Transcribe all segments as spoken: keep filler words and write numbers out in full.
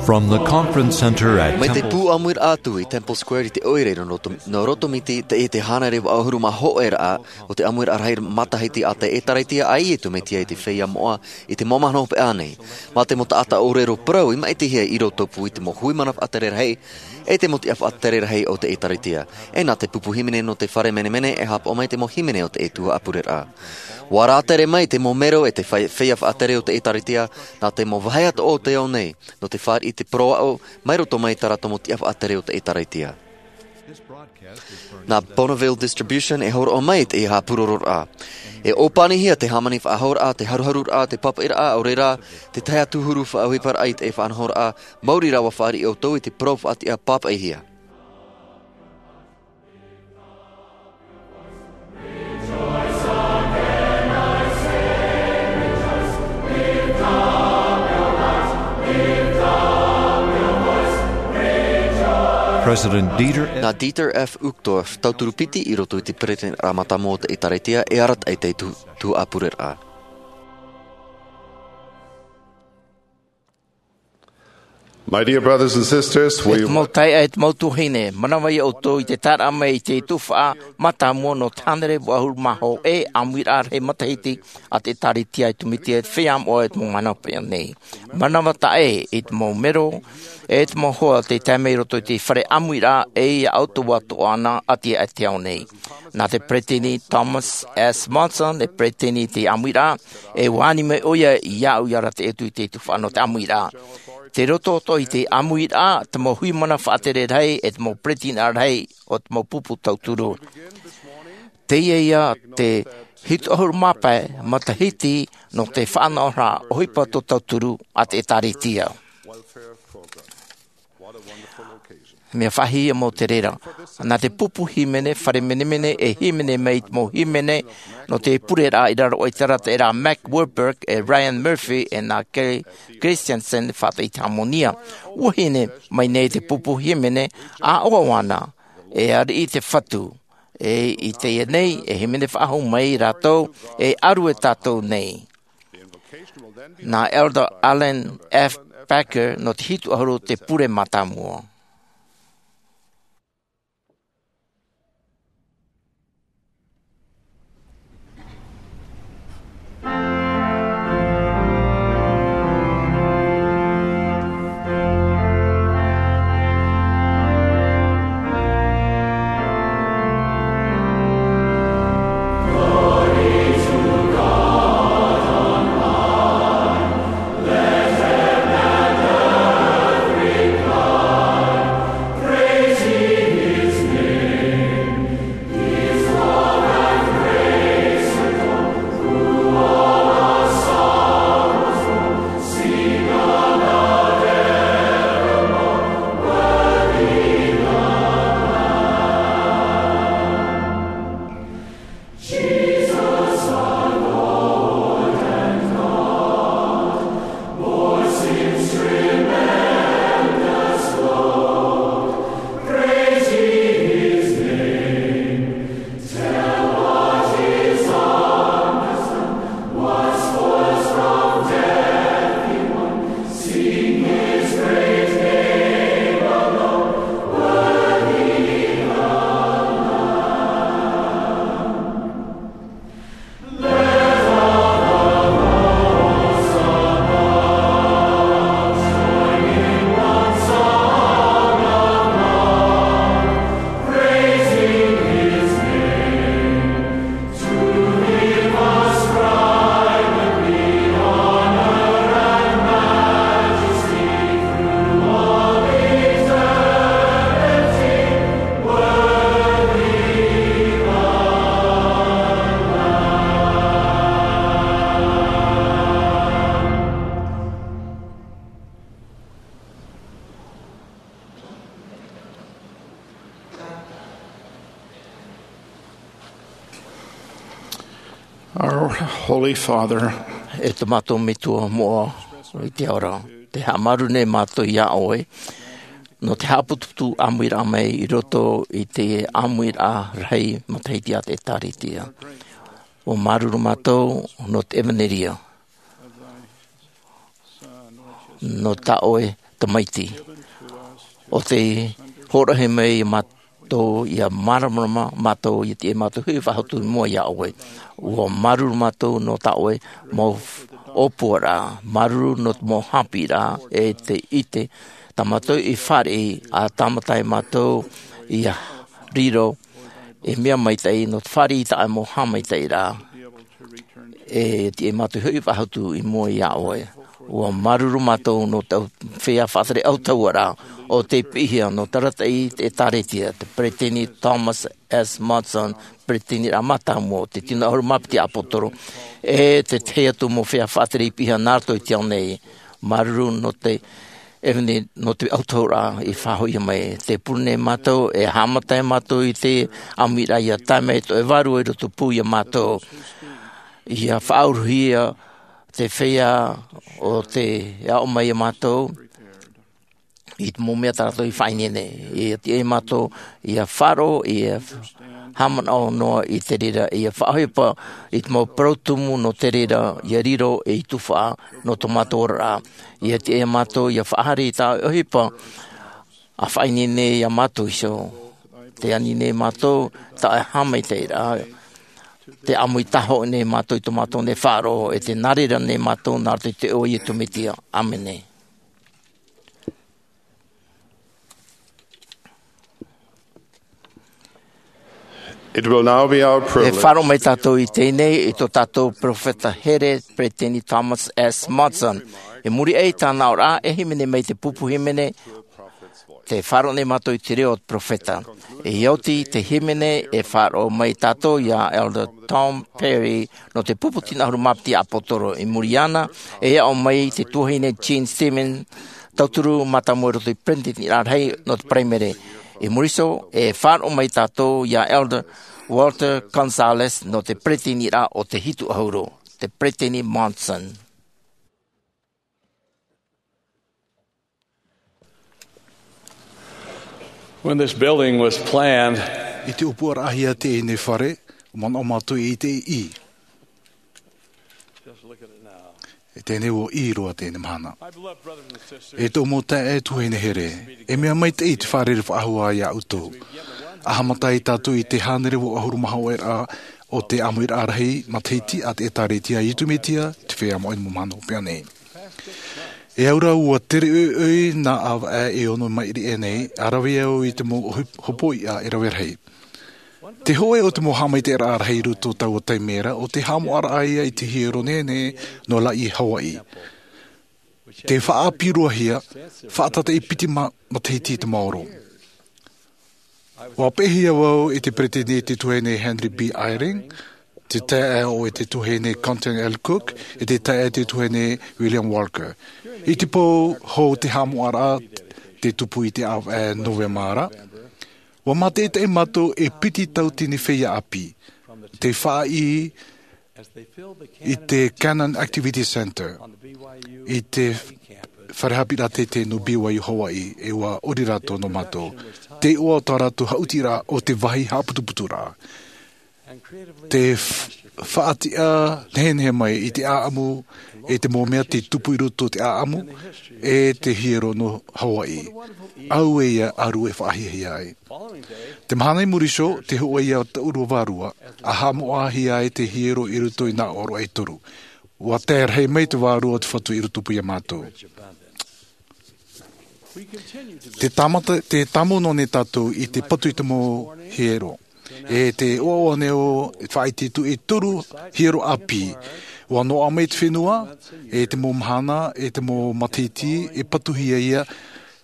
From the conference center at Mai te Temple pū ʻāmuiraʻa atu i Temple Square i te ʻoire nō roto, nō roto mai te, te, te hānere vaʻu ʻahuru mā hōʻē raʻa o te ʻāmuiraʻa rahi matahiti a te ʻĒtārētia, ʻaita e tū mai te feiā moʻa i te mau mahana hopeʻa nei. Mā te mau taʻata ʻōrero parau i maʻitihia i rotopū i te mau hui mana faʻatere rahi, e te mau tiʻa faʻatere rahi o te ʻĒtārētia. E nā te pupu hīmene nō te fare menemene e haʻapaʻo mai te mau hīmene o te tuhaʻa pureraʻa. ʻUa rātere mai te mau mero e te fai-, feiā faʻatere o te ʻĒtārētia, nā te mau vāhi atoʻa o te ao nei, nō te fāriʻi i te parau aʻo, mai roto mai i tā rātou mau tiʻa faʻatere o te ʻĒtārētia. Nā Bonneville Distribution e hōroʻa mai te haʻapūrororaʻa. E ʻōpanihia te hāmani faʻahouraʻa, te haruharuraʻa, te pāpaʻiraʻa, ʻaore rā, te tahi atu huru faʻaʻohiparaʻa i te faʻanahoraʻa, maori rā ʻua fāriʻi ʻoutou i te parau faʻatiʻa pāpaʻihia. President Dieter F. Nā Dieter F. Uchtdorf, tauturu piti i roto i te peresideni mātāmua o te ʻĒtārētia, e arataʻi i te tu-, tuhaʻa pureraʻa. My dear brothers and sisters, we E te mau taeaʻe, e te mau tuahine, manava ia ʻoutou i te taeraʻa mai i te tuhaʻa mātāmua nō te hānere vaʻu ʻahuru mā hōʻē ʻāmuiraʻa rahi matahiti a te ʻĒtārētia i tū mai te feiā moʻa i te mau mahana hopeʻa nei. Manava taʻe i te mau mero, e te mau hoa tei tae mai i roto i te fare ʻāmuiraʻa, e ia ʻoutou atoʻa na ʻati aʻe i te ao nei. Nā te peresideni Thomas S. Monson, e peresideni i te ʻāmuiraʻa, e ʻua ani mai ʻoia iāʻu ia arataʻi atu i te tuhaʻa nō te ʻāmuiraʻa. Tei roto atoʻa i te ʻāmuiraʻa, te mau hui mana faʻatere rahi, e te mau peresideni rahi o te mau pupu tauturu. Teie ia te hitu ʻahuru mā pae matahiti nō te faʻanahoraʻa ʻohipa tō tauturu a te ʻĒtārētia. Mea faʻahiahia mau te reira. Nā te pupu hīmene, fare menemene e hīmene mai i te mau hīmene nō te pureraʻa i raro aʻe i te arataʻiraʻa Mac Wilberg, e Ryan Murphy, e nā Kerry Christensen, faʻataʻi i te hāmōnia. Tuahine, mai nei te pupu hīmene, ʻāʻoaʻo ana, e ariʻi te Fatu, e i teie nei, e hīmene faʻahou mai rātou, e ʻaru e tātou nei. Nā Elder Allen F. Packer nō te hitu ʻahuru te pure mātāmua. Our Holy Father, e tō mātou Metua moʻa i te ao ra, tē haʻamāuruuru nei mātou iā ʻoe, nō te haʻaputuputu ʻāmuiraʻa mai i roto i te ʻāmuiraʻa rahi matahiti a te ʻĒtārētia. ʻUa māuruuru mātou nō te ʻevanelia, nō tā ʻoe tamaiti. ʻO tei hōroʻahia mai mātou ia māramarama mātou ia tiʻa mātou hui faʻahotu i mua iā ʻoe. Ua māuruuru mātou nō tā ʻoe mau ʻōpuaraʻa, māuruuru nō te mau haʻapiʻiraʻa e te ʻite tā mātou i fāriʻi, ʻa tāmata e mātou ia riro e mea maitaʻi nō te fāriʻi i tā ʻoe mau haʻamaitaʻiraʻa. E tiʻa mātou hoʻi faʻahotu i mua iā ʻoe. Ua māuruuru mātou nō te feiā faʻatere autahuʻaraʻa ʻo tei piʻihia nō te arataʻi i te ʻēkālesia, te peresideni Thomas S. Monson, peresideni mātāmua o te tino ʻahuru mā piti ʻāpōsetolo, e te tahi atu mau feiā faʻatere i piʻihia nā roto i te ao nei. Māuruuru nō te ʻeveni nō te autahuʻaraʻa i faʻahoʻihia mai. Tē pure nei mātou, e haʻamata mātou i te ʻāmuiraʻa ia tae mai tō ʻoe Vārua i rotopū iā mātou. Ia faʻauruhia te feiā ʻo tē aʻo mai iā mātou i te mau mea tā rātou i faʻaineine. Ia tiʻa mātou ia faʻaroʻo, ia haʻamanaʻo noa i te reira, ia faʻaʻohipa i te mau parau tumu nō te reira, ia riro ei tuhaʻa nō tō mātou oraraʻa. Ia tiʻa mātou ia faʻahaere i tā ʻoe ʻohipa, ʻa faʻaineine iā mātou iho. Tē ani nei mātou tā ʻoe haʻamaitaʻiraʻa. Tē ʻāmui tahoʻo nei mātou i tō mātou nei faʻaroʻo, e tē nā reira nei mātou nā roto i te iʻoa o Iesu Mesia. ʻĀmene. It will now be our privilege. E faʻaroʻo mai tātou i teie nei i tō tātou perofeta here, peresideni Thomas S. Monson. I muri aʻe i tāna aʻoraʻa, e hīmene mai te pupu hīmene, tē faʻaroʻo nei mātou i te reo o te perofeta. E oti te hīmene, e faʻaroʻo mai tātou iā Elder Tom Perry nō te pupu tino ʻahuru mā piti ʻāpōsetolo. I muri iāna, e aʻo mai te tuahine Jean Stevens, tauturu mātāmua i roto i te peresideniraʻa rahi nō te paraimere. I muri iho, e faʻaroʻo mai tātou iā Elder Walter Gonzalez nō te peresideniraʻa o te hitu ʻahuru, te peresideni Monson. When this building was planned, i te ʻōpuaraʻahia teie fare, ʻua manaʻo mātou i te ʻī. Just look at it now. E teie nei ʻua ʻī roa teie mahana. My beloved brothers and sisters, e tō mau taeaʻe tuahine here, e mea maitaʻi te fārerei faʻahou iā ʻoutou. ʻA haʻamata ai tātou i te hānere ʻahuru mā hōʻē raʻa o te ʻāmuiraʻa rahi matahiti a te ʻĒkālesia a Iesu Mesia te Feiā Maori i te mau mahana hopeʻa nei. E au ra ʻua tere ʻoiʻoi nā ʻāvaʻe e ono maʻiri aʻe nei, ʻa rave au i te mau hop-, hopoiʻa e rave rahi. Te hōʻē o te mau haʻamaitaʻiraʻa rahi i roto i taua taime ra, ʻo te haʻamoʻaraʻa ia i te hiero nehenehe nō Laie, Hawaiʻi. Tē faʻaʻāpī roa hia, faʻatātaʻi piti ma-, matahiti te maoro. ʻUa peʻehia vau e te peresideni tuahine Henry B. Eyring, te taeaʻe ʻo te tuahine Cotton L. Cook, e te taeaʻe tuahine William Walker. I te pō hou te haʻamoʻaraʻa, te tupu i te ʻāvaʻe Novema ra, ʻua mātaʻitaʻi mātou e piti tauatini feiā ʻāpī. Tei faʻaʻī i te Cannon Activity Center, i te fare haʻapiʻiraʻa teitei nō B Y U Hawaiʻi, e ʻua ʻori rātou nō mātou. Te iʻoa o tā rātou haʻutiraʻa ʻo te vāhi haʻaputuputuraʻa. Te f-, faʻatiʻa nehenehe mai i te ʻāʻamu, e te mau mea tei tupu i roto i te ʻāʻamu, e te hiero nō Hawaiʻi. ʻAuē ia ʻaru e faʻahiahia ai. Te mahana i muri iho, tē hoʻi ia taʻu vārua, ʻa haʻamoʻahia ai te hiero i roto i nā ʻōroʻa e toru. ʻUa tae rahi mai te Vārua o te Fatu i rotopū iā mātou. Te tāmata, tē tāmau noa nei tātou i te patu i te mau hiero. E te ʻoaʻoa nō te faʻaitoito e toru hiero ʻāpī. ʻUa noaʻa mai te fenua, e te mau mahana, e te mau matahiti, e patuhia ia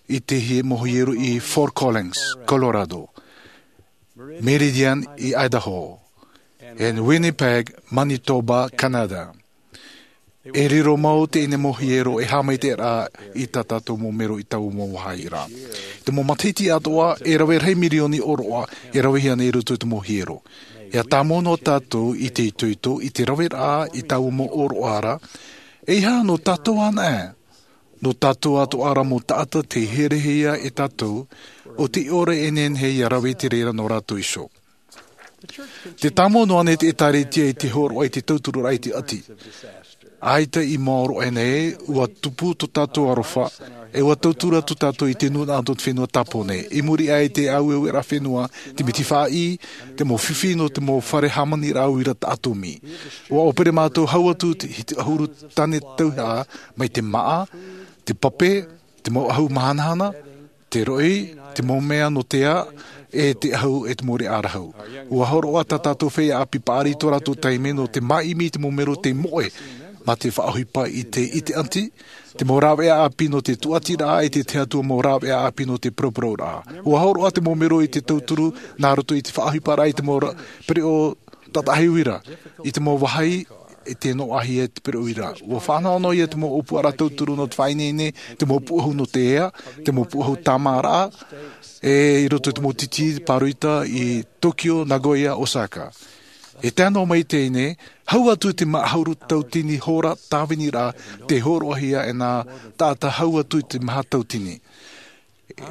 i te hie-, mau hiero i Fort Collins, Colorado. Meridian i Idaho, e Winnipeg, Manitoba, Canada. E riro mau teie mau hiero e haʻamaitaʻi ra i tā tātou mau mero i taua mau vāhi ra. Te mau matahiti atoʻa, e rave rahi mirioni ʻōroʻa e ravehia nei i roto i te mau hiero. ʻIa tāmau noa tātou i te itoito, i te raveraʻa i taua mau ʻōroʻa ra, e ʻeiaha nō tātou anaʻe. Nō tātou atoʻa ra mau taʻata tei herehia e tātou, ʻo tei ʻore e nehenehe ʻia rave i te reira nō rātou iho. Tē tāmau noa nei te ʻĒkālesia i te hōroʻa i te tautururaʻa i te ʻati. ʻAita i maoro aʻe nei, ʻua tupu tō tātou aroha, e ʻua tauturu atu tātou i te nūnaʻa o te fenua Tāpōnē. I muri aʻe i te aueueraʻa fenua, te miti faʻaʻī, te mau fifi nō te mau fare hāmaniraʻa uira atomi. ʻUa ʻōpere mātou hau atu te, i te ʻahuru tāne tauihaʻa, mai te māʻa, te pape, te mau ʻahu mahanahana, te roʻi, te mau mea nō te ā, e te ʻahu e te mau reʻa rahu. ʻUa hōroʻa tā tātou feiā ʻāpī paʻari i tō rātou taime nō te māʻimi i te mau mero tei moʻe mā te faʻaʻohipa i te ʻite ʻati, te mau rāveʻa ʻāpī nō te tūʻatiraʻa e te tahi atu mau rāveʻa ʻāpī nō te paraparau. ʻUa hōroʻa te mau mero i te tauturu nā roto i te faʻaʻohiparaʻa i te mau ra-, pereʻoʻo tātaʻahi uira, i te mau vāhi e te noaʻahia te pereʻoʻo uira. ʻUa fānaʻo noa ia te mau ʻōpuaraʻa tauturu nō te faʻaineine, te mau puʻohu nō te ea, te mau puʻohu tāmāraʻa, e i roto i te mau titi pāroita i Tokyo, Nagoya, Osaka. E tae noa mai teie nei, hau atu te maha ʻahuru tauatini hora tāviniraʻa tei hōroʻahia e nā taʻata hau atu i te maha tauatini.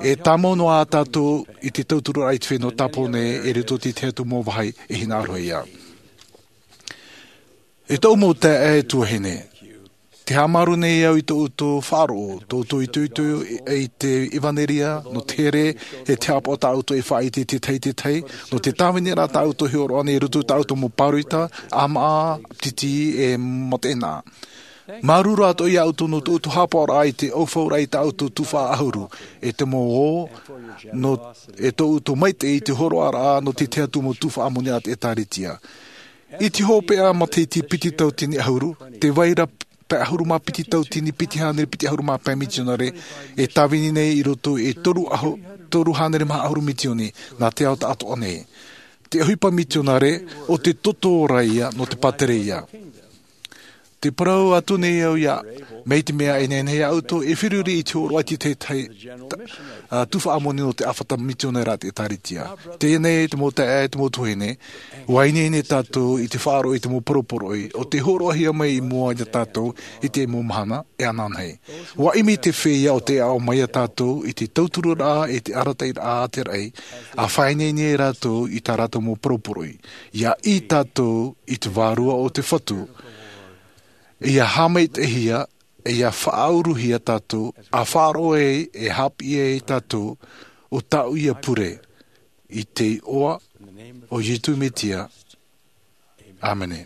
E tāmau noa tātou i te tautururaʻa i te fenua Tāpōnē e roto i te tahi atu mau vāhi e hinaʻaro ia. E tōʻu mau taeaʻe tuahine, tē haʻamāuruuru nei au i tō ʻoutou faʻaroʻo, tō ʻoutou itoito i te ʻevanelia, nō te here, e te haʻapaʻo tā ʻoutou e faʻaʻite i te tahi i te tahi, nō te tāviniraʻa tā ʻoutou e hōroʻa nei i roto i tā ʻoutou mau pāroita, ʻāmaʻa, titi, e mataʻeinaʻa. Māuruuru atoʻa ia ʻoutou nō tō ʻoutou haʻapaʻoraʻa i te ʻaufauraʻa i tā ʻoutou tuhaʻa ʻahuru, e te mau ō, nō, e tō ʻoutou maitaʻi i te hōroʻaraʻa nō te tahi atu mau tuhaʻa moni a te ʻĒtārētia. I te hopeʻa matahiti piti tauatini ʻahuru, tē vai ra pae ʻahuru mā piti tauatini piti hānere piti ʻahuru mā pae mitionare e tāvini nei i roto i te toru ʻahu-, toru hānere maha ʻahuru mitioni nā te ao tāʻātoʻa nei. Te ʻohipa mitionare ʻo te toto ra ia nō te pātireia. Tē parau atu nei au ia, mai te mea e nehenehe ia ʻoutou e feruri i te hōroʻa i te tahi, tahi, ta-, ā, tuhaʻa moni nō te ʻāfata mitionare a te ʻĒtārētia. Teie nei te mau taeaʻe, te mau tuahine, ʻua ineine tātou i te faʻaroʻo i te mau poroporoʻi, ʻo tē hōroʻahia mai i mua ia tātou i te mau mahana, e ananahi. ʻUa ʻimi te feiā ʻo tē aʻo mai ia tātou i te tautururaʻa e te arataʻiraʻa a te raʻi, ʻa faʻaineine rātou i tā rātou mau poroporoʻi. ʻIa ʻī tātou i te Vārua o te Fatu. ʻIa haʻamaitaʻihia, ʻia faʻauruhia tātou, ʻa faʻaroʻo ai, e haʻapiʻi ai tātou, ʻo tāʻu ia pure, i te iʻoa o Iesu Mesia. ʻĀmene.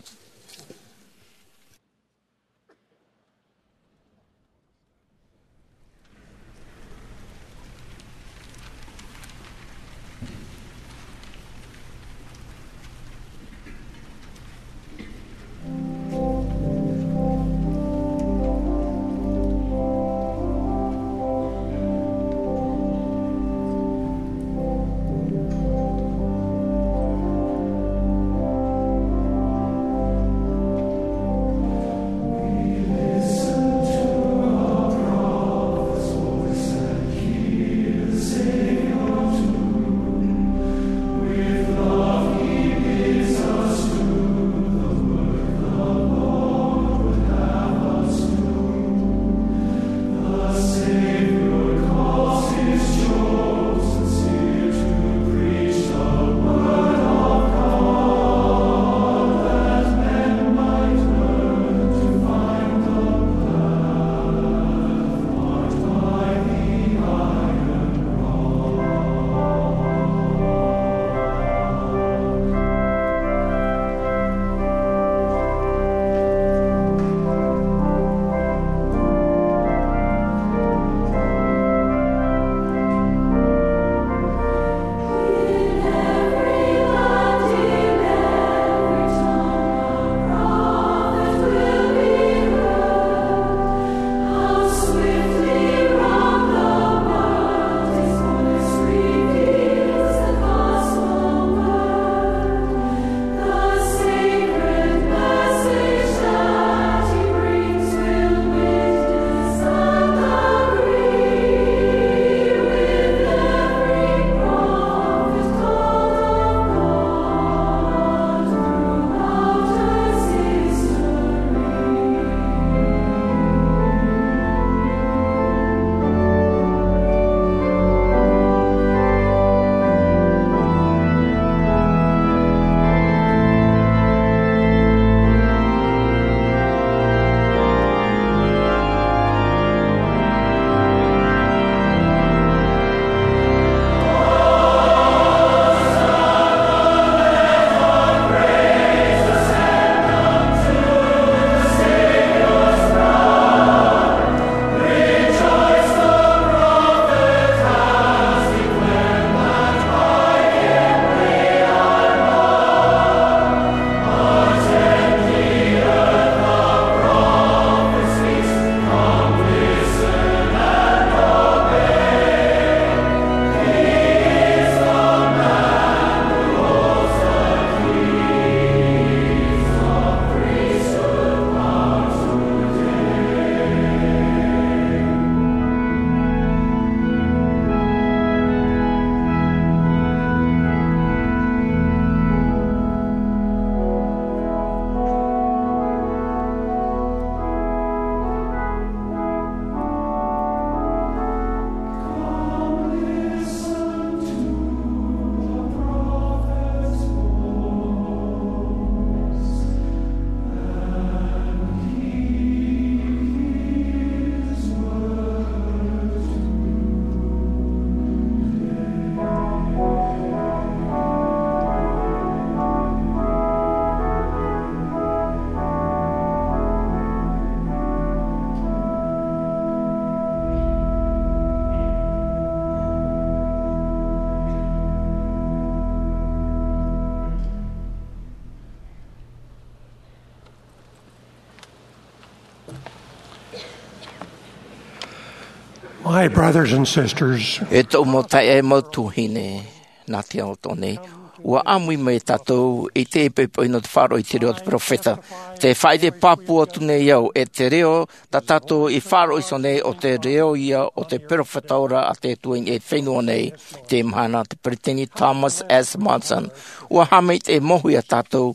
My brothers and sisters, e tōʻu mau taeaʻe, mau tuahine, nā te ao atoʻa nei, ua ʻāmui mai tātou i te poʻipoʻi nō te faʻaroʻo i te reo o te peropheta. Te faʻaʻite pāpū atu nei au, e te reo tā tātou i faʻaroʻo iho nei, ʻo te reo ia o te peropheta ora a te Atua i niʻa i te fenua nei. Te mahana, te peresideni Thomas S. Monson, ua haʻamaitaʻi mau iā tātou,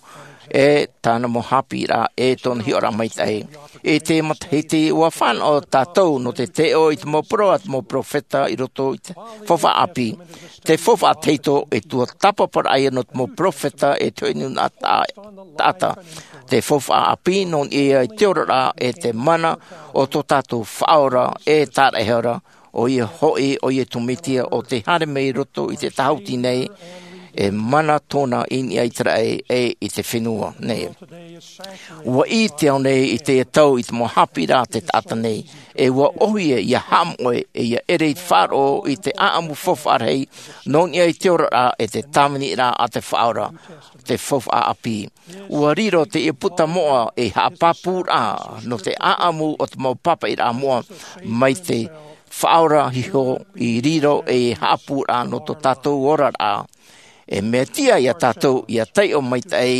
e tāna mau haʻapiʻiraʻa, e tōna hiʻoraʻa maitaʻi. I te matahiti, ua fānaʻo tātou nō te taiʻo i te mau parau a te mau peropheta i roto i te faufaʻa ʻāpī. Te faufaʻa tahito, e tuatāpaparaʻa ia nō te mau peropheta e te hoʻi nūnaʻa taʻata. Te faufaʻa ʻāpī, nō niʻa i te oraraʻa e te mana o tō tātou Faʻaora e Tāraʻehara, ʻoia hoʻi, ʻo Iesu Mesia, ʻo tē haere mai i roto i te tāhuti nei, e mana tōna i niʻa i te raʻi, e i te fenua nei. Ua ʻī te ao nei i teie tau i te mau haʻapiʻiraʻa a te taʻata nei, e ua ʻohie ia haʻamoʻe, e ia ʻere i te faʻaroʻo i te ʻāʻamu faufaʻa rahi, nō niʻa i te oraraʻa e te tāviniraʻa a te Faʻaora, te faufaʻa ʻāpī. Ua riro teie puta moʻa ei haʻapāpūraʻa nō te ʻāʻamu o te mau pāpaʻiraʻa moʻa mai te Faʻaora iho i riro ei haʻapūraʻa nō tō tātou oraraʻa. E mea tiʻa iā tātou ia taiʻo maitaʻi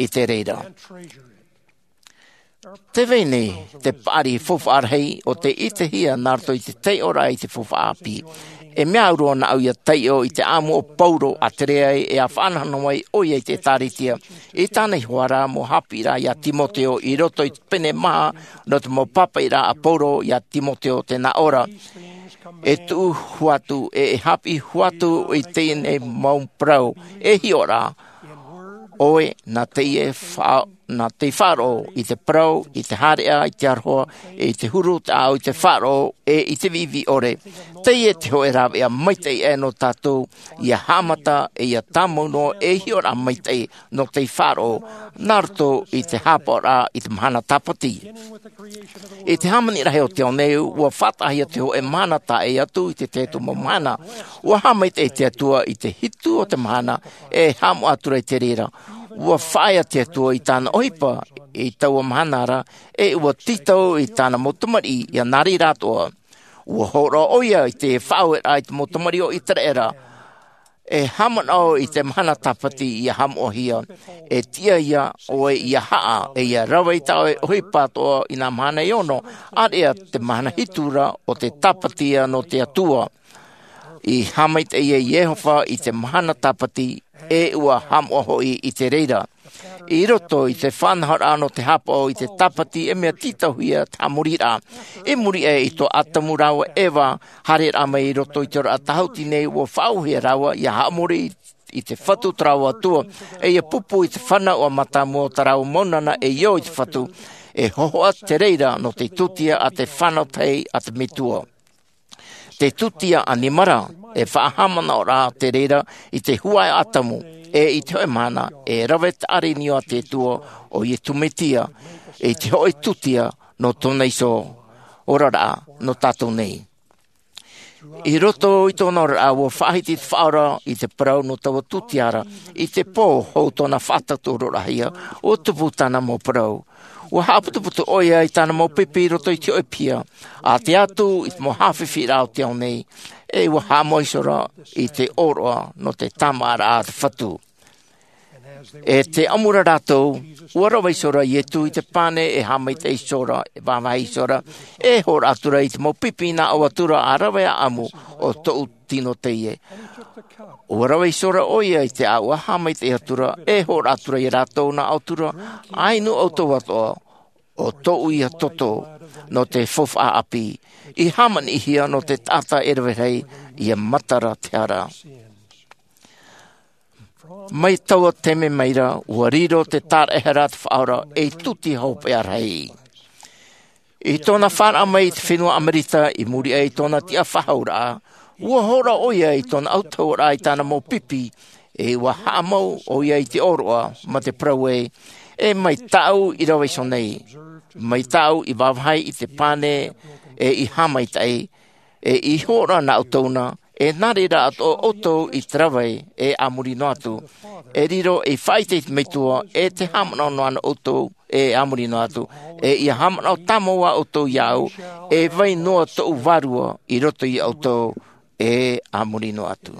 i te reira. Tē vai nei te paʻari faufaʻa rahi ʻo tē ʻitehia nā roto i te taiʻoraʻa i te faufaʻa ʻāpī. E mea au roa nāʻu ia taiʻo i te ʻāʻamu o Paulo a tere ai e a faʻanahonaho ai ʻoia i te ʻĒtārētia. I tāna iho ā ra mau haʻapiʻiraʻa iā Timoteo i roto i te pene maha nō te mau pāpaʻiraʻa a Paulo iā Timoteo tē nā ʻō ra. E tuʻu hua atu, e, e haʻapiʻi hua atu i teie nei mau parau, e hiʻo ra, ʻoe nā teie fa-, nā te faʻaroʻo i te parau, i te haereʻa, i te aroha, i te huru, te ʻāʻau, i te faʻaroʻo, e i te viʻiviʻi ʻore. Teie te hōʻē rāveʻa maitaʻi aʻe nō tātou, ia haʻamata, e ia tāmau noa, e hiʻoraʻa maitaʻi nō te faʻaroʻo, nā roto i te haʻapaʻoraʻa i te mahana tāpati. I te hāmani rahi o te ao nei, ua faʻataʻahia te hōʻē mahana taʻa ʻē atu i te tahi atu mau mahana. Ua haʻamaitaʻi te Atua i te hitu o te mahana, e haʻamoʻa atu ra i te reira. Ua faʻaea te Atua i tāna ʻohipa i taua mahana ra, e ua tītau i tāna mau tamariʻi ia nā reira atoʻa. Ua hōroʻa ʻoia i te faʻaueraʻa i te mau tamariʻi o Iteraera, e haʻamanaʻo i te mahana tāpati ia haʻamoʻahia, e tiʻa ia ʻoe ia haʻa, e ia rave i tā ʻoe ʻohipa atoʻa i nā mahana e ono, ʻāreʻa te mahana hitu ra ʻo te tāpati ia nō te Atua. I haʻamaitaʻi ia Iehova i te mahana tāpati, e ua haʻamoʻa hoʻi i te reira. I roto i te faʻanahoraʻa nō te haʻapaʻo i te tāpati, e mea tītauhia te haʻamoriraʻa. I muri aʻe i tō ʻĀtamu rāua ʻo Eva haereraʻa mai i roto i te oraraʻa tāhuti nei, ua faʻaauhia rāua ia haʻamori i, i te fatu o tā rāua Atua, e ia pupu i te fānauʻa mātāmua o tā rāua mau nana e io i te fatu, e hōhoʻa te reira nō te tūtia a te fānau tahi a te Metua. Te tūtia ʻanimara, e faʻahaʻamanaʻo ra te reira i te huaʻai ʻo ʻĀtamu, e i te hōʻē mahana, e rave te ʻāreʻa niu a te Atua ʻo Iesu Mesia, i te hōʻē tūtia nō tōna iho oraraʻa nō tātou nei. I roto i tōna oraraʻa, ua faʻahiti te Faʻaora i te parau nō taua tūtia ra, i te pō hou tōna faʻatautoʻoroʻahia, ua tupu tāna mau parau. Ua haʻaputuputu ʻoia i tāna mau pipi i roto i te hōʻē piha, ʻa tae atu i te mau haʻafifi raʻa o te ao nei, e ua haʻamau iho ra i te ʻōroʻa nō te tāmāʻaraʻa a te Fatu. E te ʻamura rātou, ua rave iho ra Iesu i te pane, e haʻamaitaʻi iho ra, e vāvāhi iho ra, e hōroʻa atu ra i te mau pipi nā ʻō atu ra, ʻa rave ʻāʻamu, ʻo tōʻu tino teie. Ua rave iho ra ʻoia i te ʻāuʻa, haʻamaitaʻi atu ra, e hōroʻa atu ra ia rātou nā ʻō atu ra, ʻa inu ʻoutou atoʻa, ʻo tōʻu ia toto, nō te faufaʻa ʻāpī, i hāmaniʻihia nō te taʻata e rave rahi, ia matara te hara. Mai taua taime mai ra, ua riro te tāraʻehara a te Faʻaora ei tūtia hopeʻa rahi. I tōna fāraʻa mai i te fenua ʻAmerika, i muri aʻe i tōna tiʻafaʻahouraʻa, ua hōroʻa ʻoia i tōna autahuʻaraʻa i tāna mau pipi, e ua haʻamau ʻoia i te ʻōroʻa, mā te parau ē, e mai tāʻu i rave iho nei, mai tāʻu i vāvāhi i te pane, e i haʻamaitaʻi, e i hōroʻa nā ʻoutou na, e nā reira atoʻa ʻoutou i te rave, e a muri noa atu. E riro ei faʻaʻite i te Metua, e te haʻamanaʻo noa na ʻoutou, e a muri noa atu. E ia haʻamanaʻo tāmau ā ʻoutou iāʻu, e vai noa tōʻu vārua i roto iā ʻoutou, e a muri noa atu.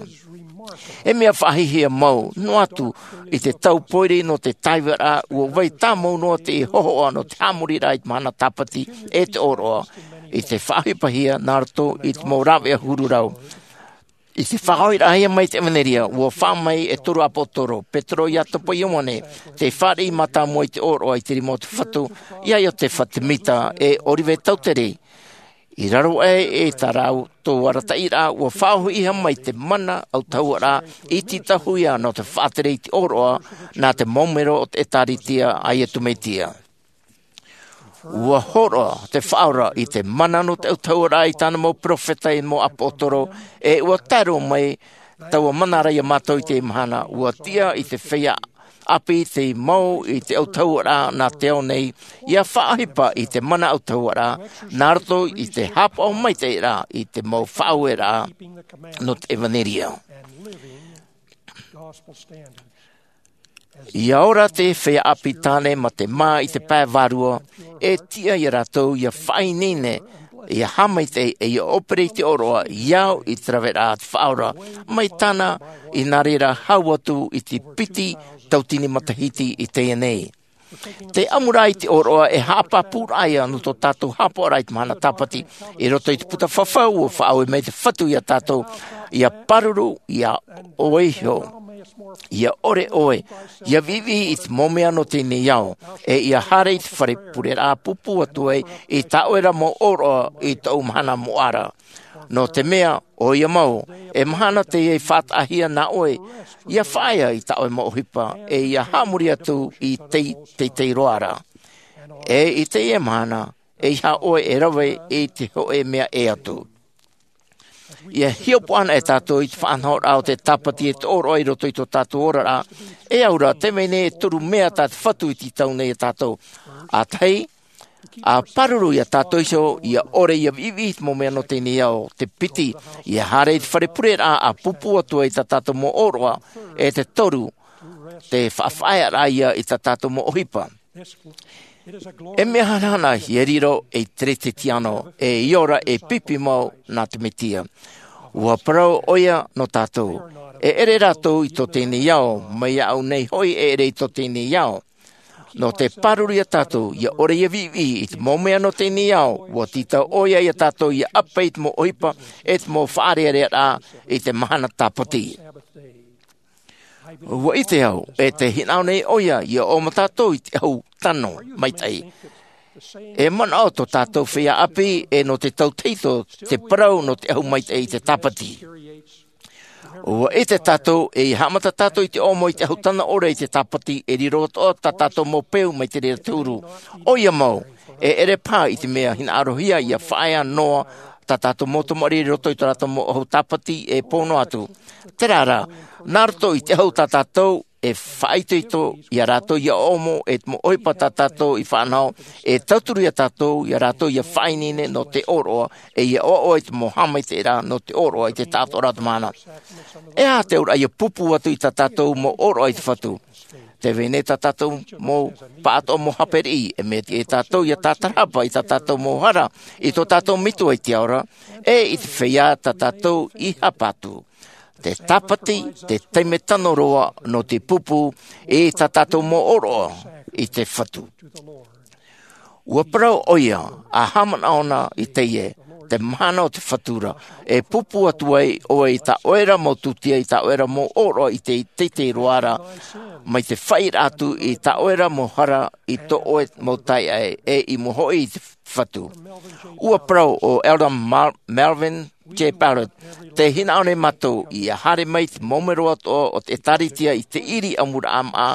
E mea faʻahiahia mau noa atu i te tau pōiri nō te tāivaraʻa, ua vai tāmau noa te hōhoʻa nō te haʻamoriraʻa i te mahana tāpati e te ʻōroʻa, i te faʻaʻohipahia nā roto i te mau rāveʻa huru rau. I te faʻahoʻiraʻahia mai te ʻevanelia, ua faʻaʻite mai e toru ʻāpōsetolo, Petero, Iakobo, Ioane, te fāriʻi mātāmua i te ʻōroʻa i te rima o te Fatu, iā Iotefa Semita, e Oliver Cowdery. I raro aʻe i tā rātou arataʻiraʻa, ua faʻaʻohipahia mai te mana autahuʻaraʻa i te tāhuʻa nō te faʻatere i te ʻōroʻa, nā te mau mero o te ʻĒtārētia a Iesu Mesia. Ua hōroʻa te Faʻaora i te mana nō te autahuʻaraʻa i tāna mau peropheta e mau ʻāpōsetolo, e ua tae roa mai taua mana ra iā mātou i teie mahana, ua tiʻa i te feiā ʻāpī te mau i te autahuʻaraʻa nā te ao nei, ia faʻaʻohipa i te mana autahuʻaraʻa, nā roto i te haʻapaʻo maitaʻi ra i te mau faʻaueraʻa nō te ʻevanelia. Ia ora te feiā ʻāpī tāne mā te mā i te pae vārua, e tiʻa iā rātou ia faʻaineine, ia haʻamaitaʻi, e ia ʻōpere i te ʻōroʻa, ia au i te raveraʻa a te Faʻaora, mai tāna i nā reira hau atu i te piti tauatini matahiti i teie nei. Te ʻamuraʻa i te ʻōroʻa e haʻapāpūraʻa ia nō tō tātou haʻapaʻoraʻa i te mahana tāpati, i roto i te puta fafau ua faʻaue mai te Fatu iā tātou, ia pāruru, ia ʻoe iho, ia ʻore ʻoe, ia viʻiviʻi i te mau mea nō teie nei ao, e ia haere i te fare pureraʻa pūpū atu ai i tā ʻoe ra mau ʻōroʻa i tōʻu mahana moʻa ra. Nō te mea, ʻoia mau, e mahana teie i faʻataʻahia nā ʻoe, ia faʻaea i tā ʻoe mau ʻohipa, e ia haʻamori atu i te, teitei roa ra. E i teie mahana, ʻeiaha ʻoe e rave i te hōʻē mea ʻē atu. Ia hiʻopoʻa anaʻe tātou i te faʻanahoraʻa o te tāpati e te ʻōroʻa i roto i tō tātou oraraʻa, e au ra, tē vai nei e toru mea tā te Fatu i tītau nei iā tātou. ʻA tahi, ʻa pāruru iā tātou iho, ia ʻore ia viʻiviʻi i te mau mea nō teie nei ao, te piti, ia haere i te fare pureraʻa ʻa pūpū atu ai tā tātou mau ʻōroʻa, e te toru, te faʻafaʻaearaʻa ia i tā tātou mau ʻohipa. E mea hanahana ia riro ei Kerisetiano, e ia ora e pipi mau nā te Mesia. Ua parau ʻoia nō tātou, e ʻere rātou i tō teie nei ao, mai iāʻu nei hoʻi e ʻere i tō teie nei ao. Nō te pāruru iā tātou, ia ʻore ia viʻiviʻi i te mau mea nō teie nei ao, ua tītau ʻoia iā tātou ia ʻape i te mau ʻohipa, e te mau faʻarearea i te mahana tāpati. Ua ʻite au, e tē hinaʻaro nei ʻoia, ia ʻō mātou i te ʻahu tano maitaʻi. E manaʻo tō tātou feiā ʻāpī, e nō te tauturu te parau nō te ʻahu maitaʻi i te tāpati. Ua ʻite tātou, e haʻamata tātou i te ʻōmo i te ʻahu tano ʻore i te tāpati, e riro atoʻa tā tātou mau peu mai te reira te huru. ʻOia mau, e ʻere paha i te mea hinaʻarohia ia faʻaea noa tā tātou mau tamariʻi i roto i tō rātou mau ʻahu tāpati e pō noa atu. Terā rā, nā roto i te ʻahu tā tātou e faʻaitoito iā rātou ia ʻōmo, e te mau ʻohipa tā tātou i faʻanaho, e tauturu iā tātou, iā rātou ia faʻaineine nō te ʻōroʻa, e ia ʻoaʻoa i te mau haʻamaitaʻiraʻa nō te ʻōroʻa i te taʻatoʻaraʻa o te mahana. E aha te auraʻa ia pūpū atu i tā tātou mau ʻōroʻa i te Fatu? Tē vai nei tā tātou mau pāʻatoʻa mau haʻapiʻiraʻa, e mea tiʻa ia tātou ia tātarahapa i tā tātou mau hara, i tō tātou Metua i te ao ra, e i te feiā tā tātou i haʻapaʻo atu. Te tāpati, te taime tano roa nō te pūpū i tā tātou mau ʻōroʻa i te Fatu. Ua parau ʻoia, ʻa haʻamanaʻo na i teie, te mahana o te Fatu ra, e pūpū atu ai ʻoe i tā ʻoe ra mau tūtia, i tā ʻoe ra mau ʻōroʻa i te teitei roa ra, mai te faʻaʻite atu i tā ʻoe ra mau hara, i tō ʻoe mau taeaʻe, e i mua hoʻi i te Fatu. Ua parau ʻo Elder Mar-, Melvin J. Ballard, tē hinaʻaro nei mātou ia haere mai te mau mero atoʻa o te ʻĒtārētia i te ʻiri ʻamuraʻa maʻa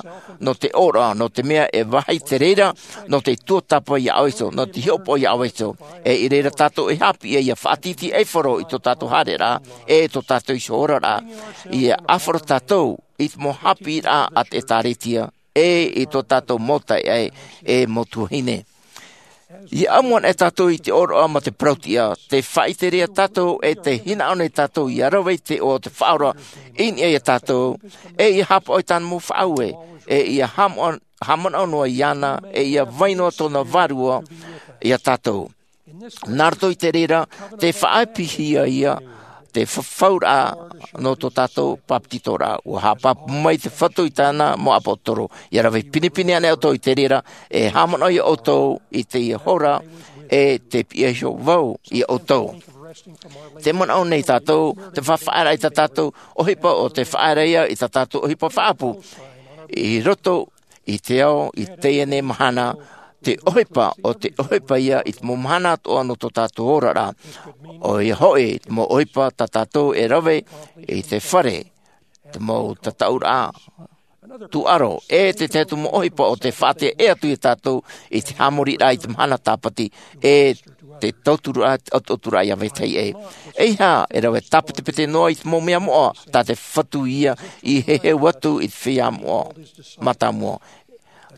nō te ʻōroʻa, nō te mea e vāhi te reira nō te tuatāpapa iā ʻoe iho, nō te hiʻopoʻa iā ʻoe iho. E i reira tātou e haʻapiʻi ia faʻatītīʻaifaro i tō tātou haereraʻa, e tō tātou iho oraraʻa. Ia ʻāfaro tātou i te mau haʻapiʻiraʻa a te ʻĒtārētia, e i tō tātou mau taeaʻe, e mau tuahine. Ia ʻamu ana e tātou i te ʻōroʻa ma te parau-tiʻa, te faʻaʻite ra ia tātou e te hinaʻaro nei tātou ia rave i te iʻoa o te Faʻaora i niʻa ia tātou, e ia hapaʻo i tāna mau faʻaue, e ia hāmanaʻo, hāmanaʻo noa iāna, e ia vai noa tōna vārua ia tātou. Nā roto i te reira, te faʻaʻāpīhia ia te fafauraʻa nō tō tātou pāpetitoraʻa. Ua haʻapāpū mai te Fatu i tāna mau ʻāpōsetolo, ia rave pinepine ana ʻoutou i te reira, e hāmanaʻo ia ʻoutou i teie hora, e te piʻi iho vau ia ʻoutou. Te manaʻo nei tātou, te faʻaʻite ra i tā tātou ʻohipa, ʻo te faʻaʻite ra ia i tā tātou ʻohipa faʻaʻapu. I roto i te ao, i teie nei mahana, te ʻohipa, ʻo te ʻohipa ia i te mau mahana atoʻa nō tō tātou oraraʻa. ʻOia hoʻi, te mau ʻohipa tā tātou e rave i te fare, te mau tataʻuraʻa tūʻaro, e te tahi atu mau ʻohipa ʻo te faʻaʻite atu ia tātou i te haʻamoriraʻa i te mahana tāpati, e te tauturu a, tauturu a ia vetahi e. E ia, e rave tāpetepete noa i te mau mea moʻa, tā te Fatu ia i heheu atu i te feiā moʻa, mātāmua.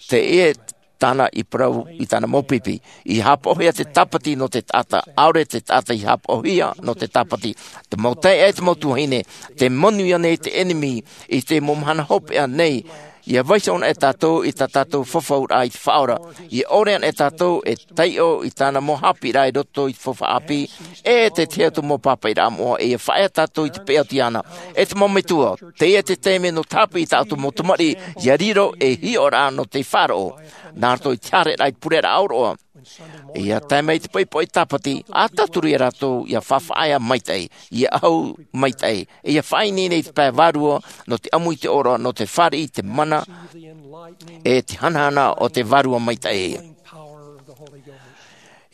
Te e tāna i parau i tāna mau pipi. I hapaʻohia te tāpati nō te taʻata, ʻaore te taʻata i hapaʻohia nō te tāpati. Te mau taeaʻe, te mau tuahine, te manuia nei te ʻenemi i te mau mahana hopeʻa nei, ia vaiiho ana e tātou i tā tātou fafauraʻa i te Faʻaora. Ia ʻore ana e tātou e taiʻo i tāna mau haʻapiʻiraʻa i roto i te faufaʻa ʻāpī, e te tahi atu mau pāpaʻiraʻa moʻa, e ia faʻaea tātou i te peʻe atu iāna. E te mau metua, teie te taime nō te haʻapiʻi i tā ʻoutou mau tamariʻi, ia riro ei hiʻoraʻa nō te faʻaroʻo. Nā roto i te haereraʻa i te pureraʻa ʻōroʻa, ia tae mai te poʻipoʻi tāpati, ʻa tauturu ia rātou ia faʻaea maitaʻi, ia ʻahu maitaʻi, ia faʻaineine i te pae vārua, nō te ʻamu i te ʻōroʻa, nō te fāriʻi i te mana, e te hanahana o te Vārua Maitaʻi.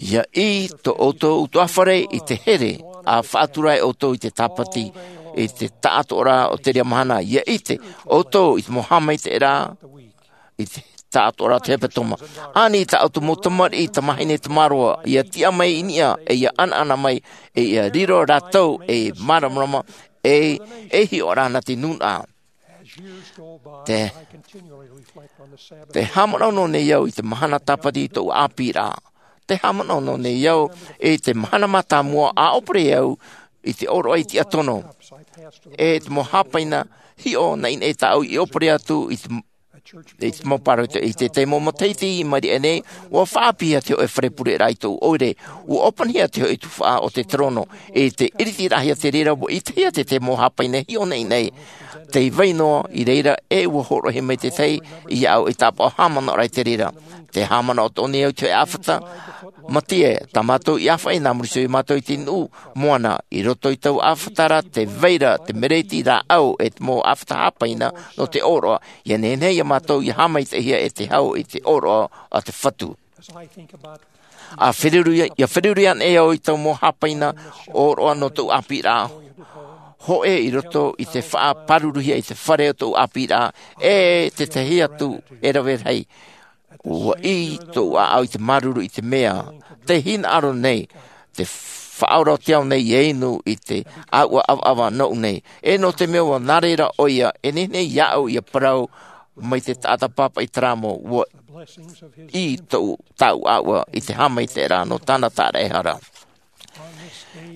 Ia ʻī tō ʻoutou ʻutuāfare i te here, ʻa faʻatura ai ʻoutou i te tāpati, i te taʻatoʻaraʻa o te reira mahana. Ia ʻite ʻoutou i te mau haʻamaitaʻiraʻa, i te taʻatoʻaraʻa o te hepetoma. Ani tā ʻoutou mau tamariʻi, tamāhine, tamāroa, ia tiʻa mai i niʻa, e ia ʻanaʻana mai, e ia riro rātou, e māramarama, e, e hiʻo ra nā te nūnaʻa. Te, te hāmanaʻo noa nei au i te mahana tāpati i tōʻu ʻāpīraʻa. Te hāmanaʻo noa nei au i te mahana mātāmua ʻa ʻōpere au i te ʻōroʻa i te tiʻa tono. E te mau hāpaina hiʻo naʻinaʻi tāʻu i ʻōpere atu i te, i te mau pāroita, i te tahi mau matahiti i maʻiri aʻe nei, ua faʻaʻāpīhia te hōʻē fare pureraʻa i tōʻu ʻoire, ua ʻōpanihia te hōʻē tuhaʻa o te terōno, i te ʻiritiraʻahia te reira, ua ʻitehia te tahi mau hāpaina hiʻo naʻinaʻi, tei vai noa i reira, e ua hōroʻahia mai te tahi iāʻu i tāpaʻo hāmanaʻoraʻa i te reira. Te hāmanaʻo atoʻa nei au i te hōʻē ʻāfata, Matie, tā mātou i ʻāfaʻi nā muri iho ia mātou i te nuʻu moana, i roto i taua ʻāfata ra, tē vai ra te mereti rāʻau e te mau ʻāfata hāpaina nō te ʻōroʻa, ia nehenehe ia mātou ia haʻamaitaʻihia e te hau i te ʻōroʻa a te Fatu. ʻA feruri, ia feruri ana e au i taua mau hāpaina ʻōroʻa nō tōʻu ʻāpīraʻa, hōʻē i roto i te faʻapāruruhia i te fare o tōʻu ʻāpīraʻa, e te tahi atu e rave rahi. Ua ʻī tōʻu ʻāʻau i te māuruuru i te mea, tē hinaʻaro nei, te Faʻaora o te ao nei ia inu i te ʻāuʻa ʻavaʻava nōʻu nei. E nō te mea ua nā reira ʻoia, e nehenehe iāʻu ia parau mai te taʻata pāpaʻi terā mau, ua ʻī tōʻu, tāʻu ʻāuʻa i te haʻamaitaʻiraʻa nō tāna tāraʻehara.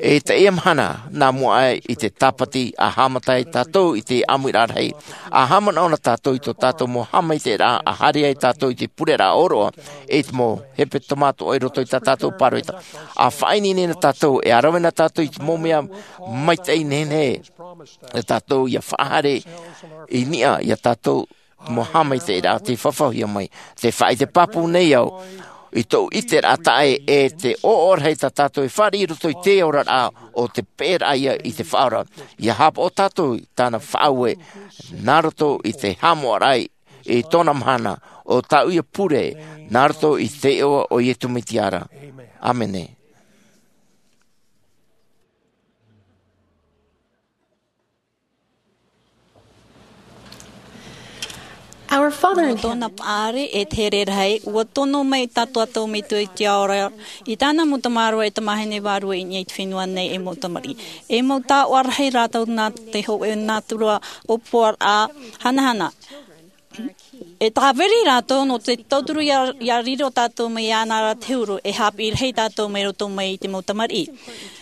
I teie mahana, nā mua aʻe i te tāpati, ʻa haʻamata ai tātou i te ʻāmuiraʻa rahi, ʻa haʻamanaʻo na tātou i tō tātou mau haʻamaitaʻiraʻa, ʻa haere ai tātou i te pureraʻa ʻōroʻa, i te mau hepetoma atoʻa i roto i tā tātou pāroita. ʻA faʻaineine na tātou, e ʻa rave na tātou i te mau mea maitaʻi nehenehe, e tātou ia faʻahaere i niʻa ia tātou mau haʻamaitaʻiraʻa tei fafauhia mai. Tē faʻaʻite pāpū nei au, i tōʻu ʻiteraʻa taʻa ʻē, e te ʻoaʻoa rahi tā tātou e fāriʻi i roto i te oraraʻa, ʻo te peʻeraʻa ia i te Faʻaora. Ia haʻapaʻo tātou i tāna faʻaue, nā roto i te haʻamoʻaraʻa i tōna mahana, ʻo tāʻu ia pure, nā roto i te iʻoa o Iesu Mesia ra. ʻĀmene. Our Father in Heaven. Tōna paʻari e te here rahi, ua tono mai tā tātou Metua i te ao ra, i tāna mau tamāroa e tamāhine vārua i niʻa i te fenua nei e mau tamariʻi. E mau taoʻa rahi rātou nā te hōʻē nātura ʻōpuaraʻa hanahana. E tāviri rātou nō te tauturu ia, ia riro tātou mai iāna ra te huru, e hāpiʻi rahi tātou mai roto mai i te mau tamariʻi.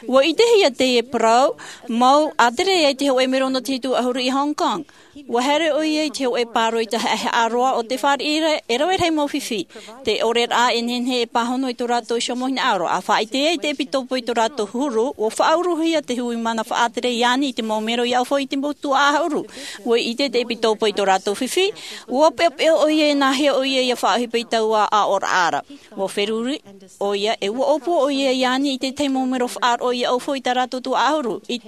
Ua ʻitehia teie parau mau a tere ai te hoʻe mero nō te hitu ʻahuru i Hong Kong. Ua haere ʻoia i te hoʻe pāroita haʻehaʻa roa o te fāriʻi ra e rave rahi mau fifi. Te ʻore rā e nehenehe e pāhono i tō rātou iho mau hinaʻaro. A faʻaʻite ai te ʻepitopo i tō rātou huru, ua faʻauruhia te hui mana faʻatere iāni i te mau mero i ʻaufau i te mau tuaʻa ʻahuru. Ua ʻite te ʻepitopo i tō rātou fifi, ua peʻopeʻo ʻoia e nāhea ʻoia ia faʻaʻohipa i taua aʻoraʻa ra. Ua feruri ʻoia e ua ʻōpua ʻoia iāni i te tahi mau mero faʻaroʻo ia ʻaufau i tā rātou tuaʻa ʻahuru. I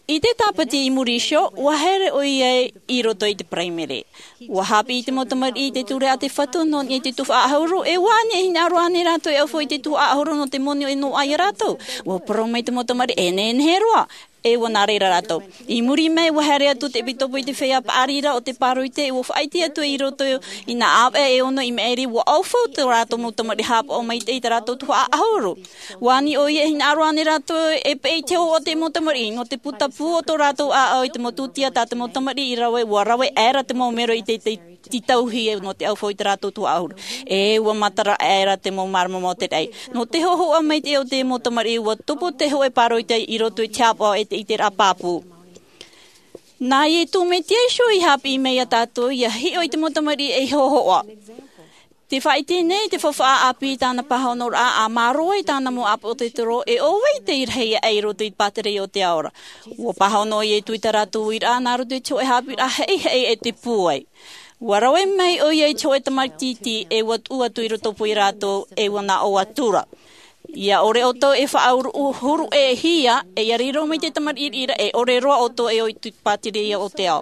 I te tāpati i muri iho, ua haere ʻoia i roto i te paraimere. Ua hāpiʻi te mau tamariʻi i te ture a te Fatu nō niʻa i te tuhaʻa ʻahuru, e ua ani e hinaʻaro ānei rātou e ʻaufau i te tuhaʻa ʻahuru nō te moni e noaʻa ia rātou? Ua parau mai te mau tamariʻi, e nehenehe roa, e ua nā reira rātou. I muri mai, ua haere atu te ʻepitopo i te feiā paʻari ra o te pāroita, e ua faʻaʻite atu i roto i nā ʻāvaʻe e ono i maʻiri, ua ʻaufau tō rātou mau tamariʻi haʻapaʻo maitaʻi i tā rātou tuhaʻa ʻahuru. Ua ani ʻoia e hinaʻaro ānei rātou e peʻe i te hōhoʻa o te mau tamariʻi, nō te putapū o tō rātou ʻāʻau i te mau tūtia tā te mau tamariʻi i rave, ua rave aʻera te mau mero i te, te tītauhia nō te ʻaufau i tā rātou tuhaʻa ʻahuru. E ua matara aʻera te mau māramarama o te raʻi. Nō te hōhoʻa maitaʻi o te mau tamariʻi, ua tupu te hoʻe pāroita i roto i te haʻapaʻo e te ʻiteraʻa pāpū. Nā Iesu Mesia iho i hāpiʻi mai ia tātou, ia hiʻo i te mau tamariʻi ei hōhoʻa. Te faʻaʻite nei te faufaʻa ʻāpī i tāna pāhonoraʻa, ʻa mārō ai tāna mau ʻāpōsetolo, e ʻo vai tei rahi aʻe i roto i te pātireia o te ao ra. Ua pāhono ʻo Iesu i tā rātou uiraʻa nā roto i te hōʻē haʻapiʻiraʻa heihei e te pūai. Ua rave mai ʻoia i te hōʻē tamaiti iti, e ua tuʻu atu i roto pū ia rātou, e ua nā ʻō atu ra. ʻIa ʻore ʻoutou e faʻahuru-, huru-ʻē-hia, e ʻia riro mai te tamariʻi ra, e ʻore roa ʻoutou e ʻoi i te pātireia o te ao.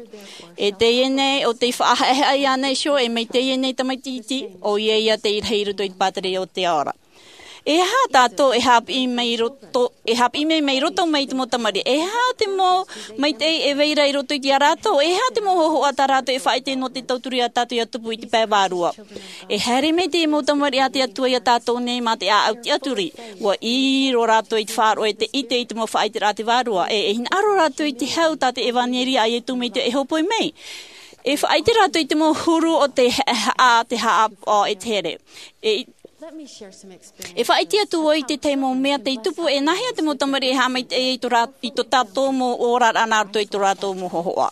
E teie nei, ʻo tei faʻahaʻehaʻa iāna iho, e mai teie nei tamaiti iti, ʻoia ia tei rahi i roto i te pātireia o te ao ra. E aha tātou e hāpiʻi mai roto, e hāpiʻi mai, mai roto mai i te mau tamariʻi? E aha te mau maitaʻi e vai ra i roto ia rātou? E aha te mau hōhoʻa tā rātou e faʻaʻite nō te tauturu ia tātou ʻia tupu i te pae vārua? E haere mai te mau tamariʻi a te Atua ia tātou nei mā te ʻāʻau tiʻaturi. Ua ʻī roa rātou i te faʻaroʻo e te ʻite i te mau faʻaʻiteraʻa a te Vārua. E, e hinaʻaro rātou i te hau tā te ʻevanelia a Iesu Mesia e hōpoi mai. E faʻaʻite rātou i te mau huru o te ha-, ha-, te haʻapaʻo e te here. E, e faʻaʻite atu vau i te tahi mau mea tei tupu, e nāhea te mau tamariʻi e haʻamaitaʻi i tō rā-, i tō tātou mau oraraʻa nā roto i tō rātou mau hōhoʻa.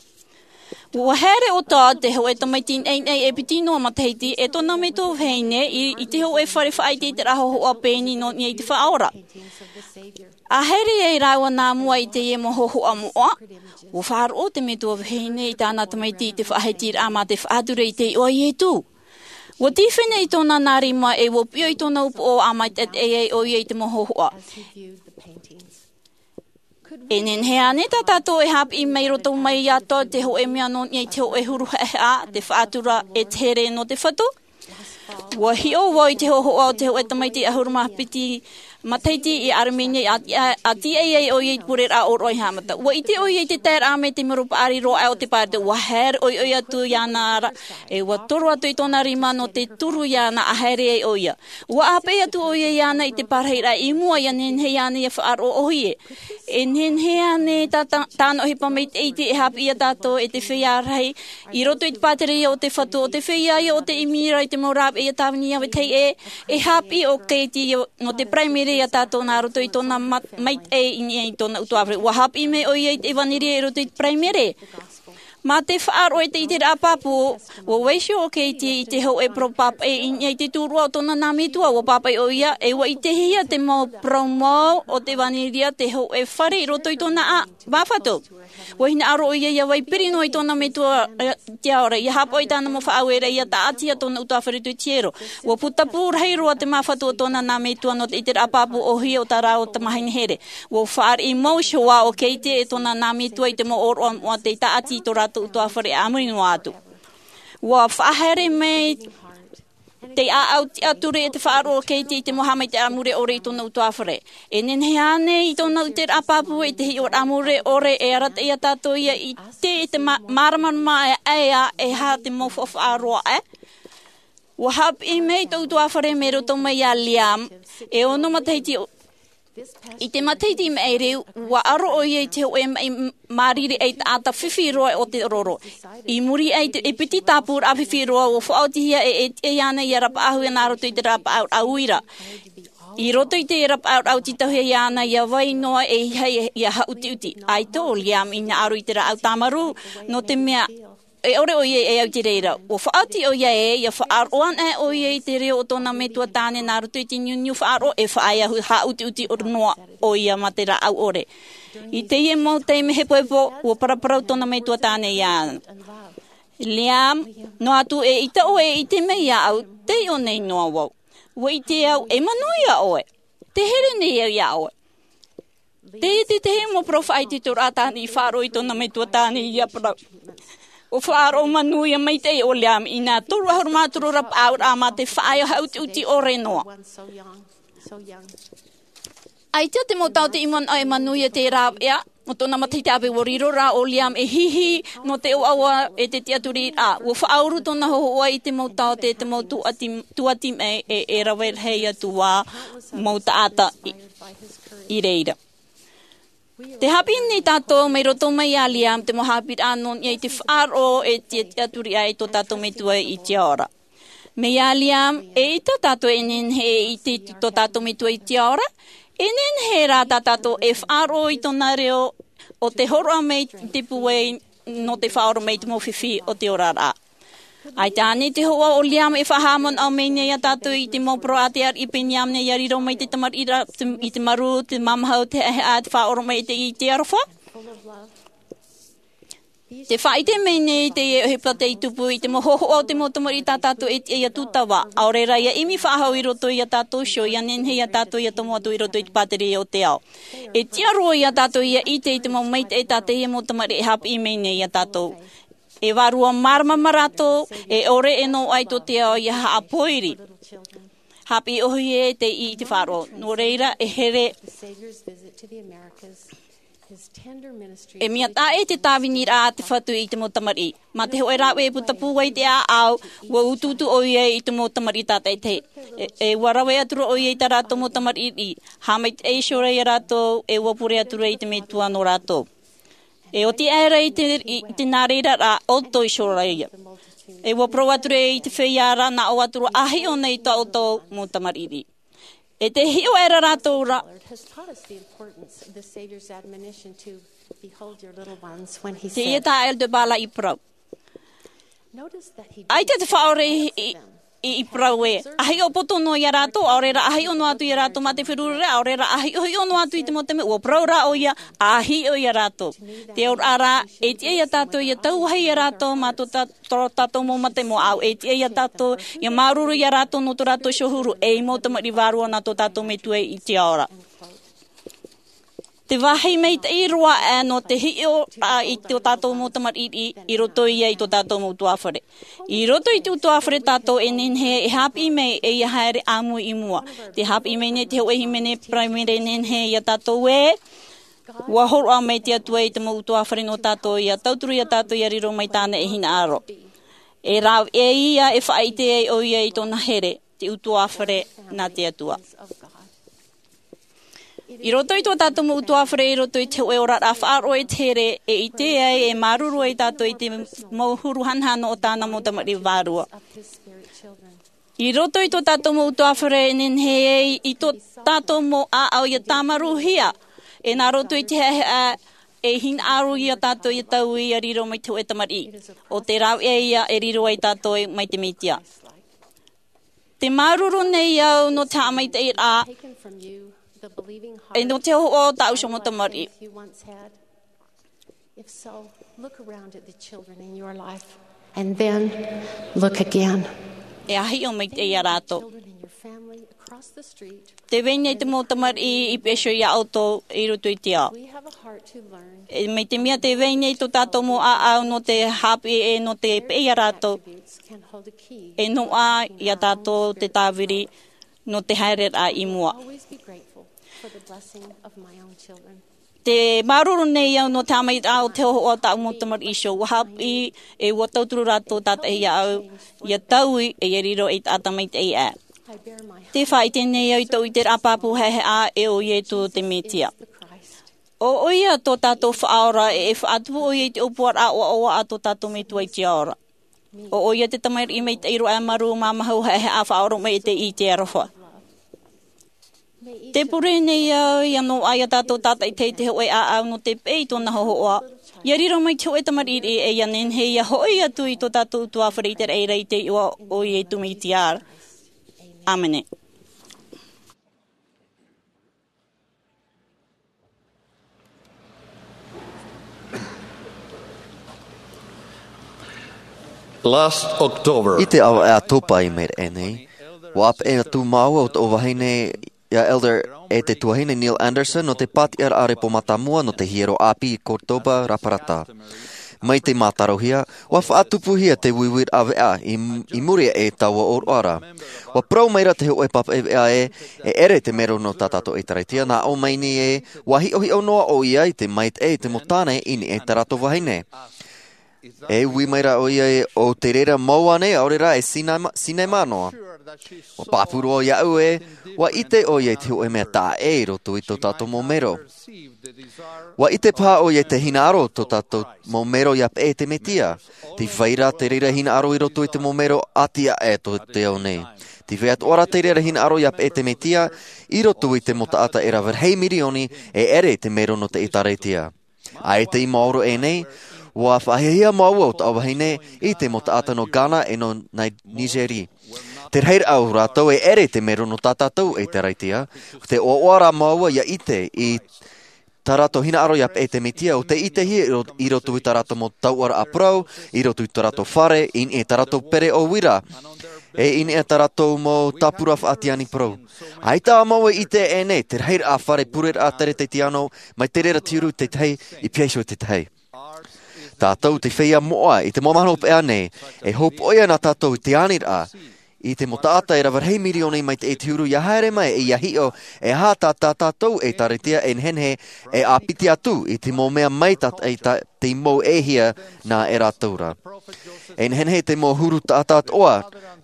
Ua haere ʻo Todd, te hōʻē tamaiti naʻinaʻi e piti noa matahiti, e tōna metua vahine i, i te hōʻē fare faʻaʻiteʻiteraʻa hōhoʻa pēni nō niʻa i te Faʻaora. A haere ai rāua nā mua i teie mau hōhoʻa moʻa, ua faʻaroʻo te metua vahine i tāna tamaiti i te faʻahitiraʻa mā te faʻatura i te iʻoa a Iesu. Ua tīfene i tōna nā rima, e ua piʻo i tōna upoʻo ʻa maitaʻi ai ʻoia i te mau hōhoʻa. E nehenehe ānei tā tātou e hāpiʻi mai roto mai iā Todd te hōʻē mea nō niʻa i te hōʻē huru haʻehaʻa, te faʻatura e te here nō te Fatu? Ua hiʻo vau i te hōhoʻa o te hōʻē tamaiti ʻahuru mā piti matahiti i Armenia, a, a, a tīaʻi ai ʻoia i te pureraʻa ʻōroʻa i haʻamata. Ua ʻite ʻoia i te taeraʻa mai te mero paʻari roa aʻe o te pāroita, ua haere ʻoiʻoi atu iāna ra, e ua toro atu i tōna rima nō te turu iāna a haere ai ʻoia. Ua ʻāpeʻe atu ʻoia iāna i te parahiraʻa i mua ʻia nehenehe iāna ʻia faʻaroʻo ʻōhie. E nehenehe ānei tā, tā, tāna ʻohipa maitaʻi e hāpiʻi ia tātou e te feiā rahi i roto i te pātireia o te Fatu, ʻo te feiā ia o te ʻimi ra i te mau rāveʻa ʻia tāvini ia vetahi ʻē, e hāpiʻi ʻo Katie nō te paraimere ia tātou nā roto i tōna ma-, maitaʻi i niʻa i tōna ʻutuāfare. Ua hāpiʻi mai ʻoia i te ʻevanelia i roto i te paraimere. Mā te faʻaroʻo e te ʻiteraʻa pāpū, ua vaiiho ʻo Katie i te hōʻē parau pāpaʻi i niʻa i te turuʻa o tōna nā metua. Ua pāpaʻi ʻoia, e ua ʻitehia te mau parau mau o te ʻevanelia te hōʻē fare i roto i tōna ʻā-, māfatu. Ua hinaʻaro ʻoia ʻia vai piri noa i tōna metua, e, te ao ra, ʻia haʻapaʻo i tāna mau faʻaueraʻa, ʻia tāʻatihia tōna ʻutuāfare i te hiero. Ua putapū rahi roa te māfatu o tōna nā metua nō te ʻiteraʻa pāpū ʻōhie o tā rāua tamāhine here. Ua fāriʻi mau iho ā ʻo Katie e tōna nā metua i te mau ʻōroʻa moʻa tei tāʻati i tō rātou ʻutuāfare a muri noa atu. Ua faʻahaere mai te ʻāʻau tiʻaturi e te faʻaroʻo o Katie i te mau haʻamaitaʻiraʻa mure ʻore i tōna ʻutuāfare. E nehenehe ānei i tōna ʻiteraʻa pāpū e te hiʻoraʻa mure ʻore, e arataʻi ia tātou ʻia ʻite i te mā-, māramarama e ʻae ā, e aha te mau faʻaroʻo ē? Ua hāpiʻi mai tō ʻutuāfare mai roto mai iā Liam, e ono matahiti o-, I te matahiti i maʻiri, ua aro ʻoia i te hoʻe maʻi māriri ʻaitaʻata fifi roa o te roro. I muri aʻe i te piti tāpūraʻa fifi roa, ua faʻaotihia e ʻētiʻa iāna ia rapaʻau nā roto i te rapaʻauraʻa uira. I roto i te rapaʻauraʻa tītauhia iāna ia vai noa e ʻeiaha ia haʻutiʻuti. ʻAita ʻo Liam i hinaʻaro i te rāʻau tāmarū, nō te mea e ʻore ʻoia e au i te reira. Ua faʻaoti ʻoia ē, ia faʻaroʻo anaʻe ʻoia i te reo o tōna metua tāne nā roto i te niuniu faʻaroʻo e faʻaea haʻutiʻuti noa ʻoia mā te rāʻau ʻore. I teie mau taime hepohepo, ua paraparau tōna metua tāne iāna. Liam, noa atu e ʻaita ʻoe e ʻite mai iāʻu, tei ʻō nei noa vau. Ua ʻite au, e manuia ʻoe. Te here nei au iā ʻoe. Teie te tahi mau parau faʻaitoitoraʻa tāne i faʻaroʻo i tōna metua tāne ia parau. Ua faʻaroʻo manuia maitaʻi ʻo Liam i nā toru ʻahuru mā toru rapaʻauraʻa mā te faʻaea haʻutiʻuti ʻore noa. ʻAita te mau taote i manaʻo e manuia te rāveʻa o tōna matahiti ʻāpī, ua riro rā ʻo Liam e hihi nō te ʻoaʻoa e te tiʻaturiraʻa. Ua faʻauru tōna hōhoʻa i te mau taote, te mau tuati, tuati mai e, e rave rahi atu ā mau taʻata i, i reira. Te haʻapiʻi nei tātou mai roto mai iā Liam te mau haʻapiʻiraʻa nō niʻa i te faʻaroʻo e te, te tiʻaturi ai tō tātou metua i te ao ra. Mai iā Liam, eʻita tātou e nehenehe e ʻite i tō tātou metua i te ao ra, e nehenehe rā tā tātou e faʻaroʻo i tōna reo o te hōroʻa mai i te pūai nō te faʻaora mai i te mau fifi o te oraraʻa. ʻAita ānei te hōhoʻa o Liam e faʻahaʻamanaʻo mai nei iā tātou i te mau parau a te ariʻi Peniamina ia riro mai te tamariʻi ra, te, i te marū, te māmaha, te haʻehaʻa, te faʻaora mai i te, i te aroha? Te faʻaʻite mai nei teie ʻohipa tei tupu i te mau hōhoʻa o te mau tamariʻi tā tātou e tiʻa ia tūtava, ʻaore rā ia ʻimi faʻahou i roto iā tātou iho, ia nehenehe iā tātou ia tomo atu i roto i te pātireia o te ao. E tiʻa roa iā tātou ia ʻite i te mau maitaʻi tā teie mau tamariʻi e haʻapiʻi mai nei iā tātou. E vārua māramarama rātou, e ʻore e noaʻa i tō te ao ia haʻapōiri. Haʻapiʻi ʻōhie tei ʻī i te faʻaroʻo. Nō reira, e here, e mea taʻa ʻē te tāviniraʻa a te Fatu i te mau tamariʻi. Mā te hōʻē rāveʻa e puta pūai i te ʻāʻau, ua utuutu ʻoia i te mau tamariʻi tātaʻitahi. E, e ua rave atu ra ʻoia i tā rātou mau tamariʻi, haʻamaitaʻi iho ra ia rātou, e ua pure atu ra i te Metua nō rātou. E oti aʻera i te, i te nā reira rā, ʻoutou iho ra ia. E ua parau atu ra i te feiā ra, nā ʻō atu ra, ʻa hiʻo nei tā ʻoutou mau tamariʻi. E tē hiʻo aʻera rātou ra. Has taught us the importance of the Savior's admonition to behold your little ones when he said, Teie tā Elder Ballard i parau. Notice that he ʻAita te faʻaora i, i, i parau ē, ʻa hiʻo poto noa iā rātou, ʻaore rā ʻa hiʻo noa atu iā rātou mā te feruriraʻa, ʻaore rā ʻa hiʻohiʻo noa atu i te mau taime, ua parau rā ʻoia, ʻa hiʻo iā rātou. Te auraʻa rā, e tiʻa iā tātou ia tauahi iā rātou mā tō tā-, tō tātou mau mata i mua, ʻaore e tiʻa iā tātou ia māuruuru iā rātou nō tō rātou iho huru, ei mau tamariʻi vārua nā tō tātou Metua i te ao ra. Te vāhi maitaʻi roa aʻe nō te hiʻo i tō tātou mau tamariʻi, i roto ia i tō tātou mau ʻutuāfare. I roto i te ʻutuāfare tātou e nehenehe e haʻapiʻi mai e ia haere ʻāmui i mua. Tē haʻapiʻi mai nei te hōʻē hīmene paraimere e nehenehe iā tātou ē, ua hōroʻa mai te Atua i te mau ʻutuāfare nō tātou, ia tauturu iā tātou ia riro mai tāna e hinaʻaro. E rāveʻa ia e faʻaʻite ai ʻoia i tōna here, te ʻutuāfare nā te Atua. I roto i tō tātou mau ʻutuāfare, i roto i te hōʻē oraraʻa faʻaroʻo e te here, e ʻite ai, e māuruuru ai tātou i te mau huru hanahana o tāna mau tamariʻi vārua. I roto i tō tātou mau ʻutuāfare e nehenehe ai i tō tātou mau ʻāʻau ia tāmarūhia, e nā roto i te haʻehaʻa e hinaʻaro iā tātou ia taui ia riro mai te hōʻē tamariʻi. ʻO te rāveʻa ia e riro ai tātou mai te Mesia. Tē māuruuru nei au nō te haʻamaitaʻiraʻa, e nō te hōhoʻa o tāʻu iho mau tamariʻi. If so, look around at the children in your life, and then look again. E ʻa hiʻo maitaʻi iā rātou. Children in your family, across the street. Tē vai nei te mau tamariʻi i peʻe iho iā ʻoutou i roto i te ao. We have a heart to learn. E, mai te mea tē vai nei tō tātou mau ʻāʻau nō te haʻapiʻi e nō te peʻe iā rātou. Attributes can hold a key. E noaʻa iā tātou te tāviri nō te haereraʻa i mua. Always be grateful for the blessing of my own children. Tē māuruuru nei au nō te haʻamaitaʻiraʻa o te hōhoʻa o tāʻu mau tamariʻi iho. ʻUa haʻapiʻi e ʻua tauturu rātou tātaʻitahi iāʻu, ia taui e ia riro ei taʻata maitaʻi aʻe. Te faʻaʻite nei au i tōʻu ʻiteraʻa pāpū haʻehaʻa, e ʻo Iesu te Mesia. ʻO ʻoia tō tātou Faʻaora, e faʻatupu ʻoia i te ʻōpuaraʻa ʻoaʻoa a tō tātou Metua i te ao ra. ʻO ʻoia te tamariʻi maitaʻi roa e marū māmahu haʻehaʻa faʻaoromaʻi i te aroha. Tē pure nei au ʻia noaʻa ia tātou tātaʻitahi i te hōʻē ʻāʻau nō te peʻe i tōna hōhoʻa, ʻia riro mai te hōʻē tamariʻi e ʻia nehenehe ʻia hoʻi atu i tō tātou ʻutuāfare i te raʻi i te iʻoa o Iesu Mesia. ʻĀmene. Last October. I te ʻāvaʻe ʻātopa i maʻiri aʻe nei, ʻua peʻe atu māua ʻo tōʻu vahine, ia Elder, e te tuahine Neil Andersen, nō te pātiʻaraʻa repo mātāmua nō te hiero ʻāpī i Córdoba, Raparata. Mai te mātarohia, ʻua faʻatupuhia te uiuiraʻa veʻa i, i muri aʻe i taua ʻōroʻa ra. ʻUa parau mai ra te hōʻē papaʻi veʻa ē, e ʻere te mero nō tā tātou ʻĒkālesia, nā ʻō mai nei ē, ʻua hiʻohiʻo noa ʻoia i te maitaʻi i te mau tāne i niʻa i tā rātou vahine. E ui mai ra ʻoia ē, ʻo te reira mau ānei, ʻaore rā e cinema, cinema noa. ʻUa pāpū roa iāʻu ē, ʻua ʻite ʻoia i te hōʻē mea taʻa ʻē i roto i tō tātou mau mero. ʻUa ʻite paha ʻoia i te hinaʻaro tō tātou mau mero ʻia peʻe i te Mesia. Tē vai ra te reira hinaʻaro i roto i te mau mero ʻati aʻe tō te ao nei. Tē vai atoʻa ra te reira hinaʻaro ʻia peʻe i te Mesia, i roto i te mau taʻata e rave rahi mirioni, e ʻere i te mero nō te ʻĒkālesia. ʻAita i maoro aʻe nei, ʻua faʻahiahia māua ʻo tōʻu vahine i te mau taʻata nō Ghana e nō Ni-, Nigeri. Te rahiraʻa o rātou e ʻere i te mero nō tā tātou ʻĒkālesia, te ʻoaʻoa rā māua ʻia ʻite i tā rātou hinaʻaro ʻia peʻe i te Mesia, ʻo tei ʻitehia i ro-, i roto i tā rātou mau tauʻaraʻa parau, i roto i tā rātou fare, i niʻa i tā rātou pereʻoʻo uira, e i niʻa i tā rātou mau tāpura faʻatiani parau. ʻAita ā māua i ʻite aʻe nei, te rahiraʻa fare pureraʻa teretetiano, mai te reira te huru i te tahi, i piha iho i te tahi. Tātou te feiā moʻa, i te mau mahana hopeʻa nei, e hopoiʻa na tātou i te aniraʻa, i te mau taʻata e rave rahi mirioni maitaʻi te huru ʻia haere mai e ʻia hiʻo, e aha tā, tā tātou ʻĒkālesia e nehenehe, e ʻāpiti atu i te mau mea maitaʻi tā, te mau e hia nā e rātou ra. E nehenehe te mau huru taʻata atoʻa,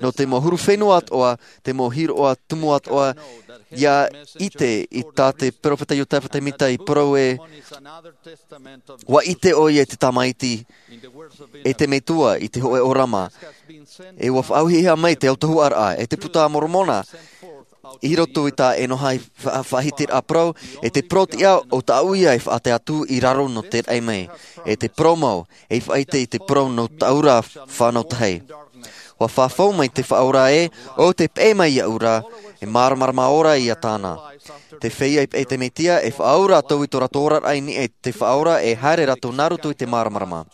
nō te mau huru fenua atoʻa, te mau hiroʻa tumu atoʻa, ʻia ʻite i tā te peropheta Iosepha Semita i parau ē, ʻua ʻite ʻoia i te Tamaiti, e te Metua i te hōʻē ʻōrama. E ʻua faʻaauhia mai te autahuʻaraʻa, e te Puta a Moromona, i roto i tā ʻEnoha i fa-, faʻahitiraʻa parau, e te parau tiʻa ʻo tāʻu ia e faʻatae atu i raro nō te raʻi mai, e te parau mau, e faʻaʻite i te parau nō tāʻu ra fānau tahi. ʻUa fafau mai te Faʻaora ē, ʻo tē peʻe mai iāʻu ra, e māramarama ora ia tāna. Te feiā i peʻe i te Mesia, e faʻaau rātou i tō rātou oraraʻa i niʻa i te Faʻaora, e haere rātou nā roto i te māramarama.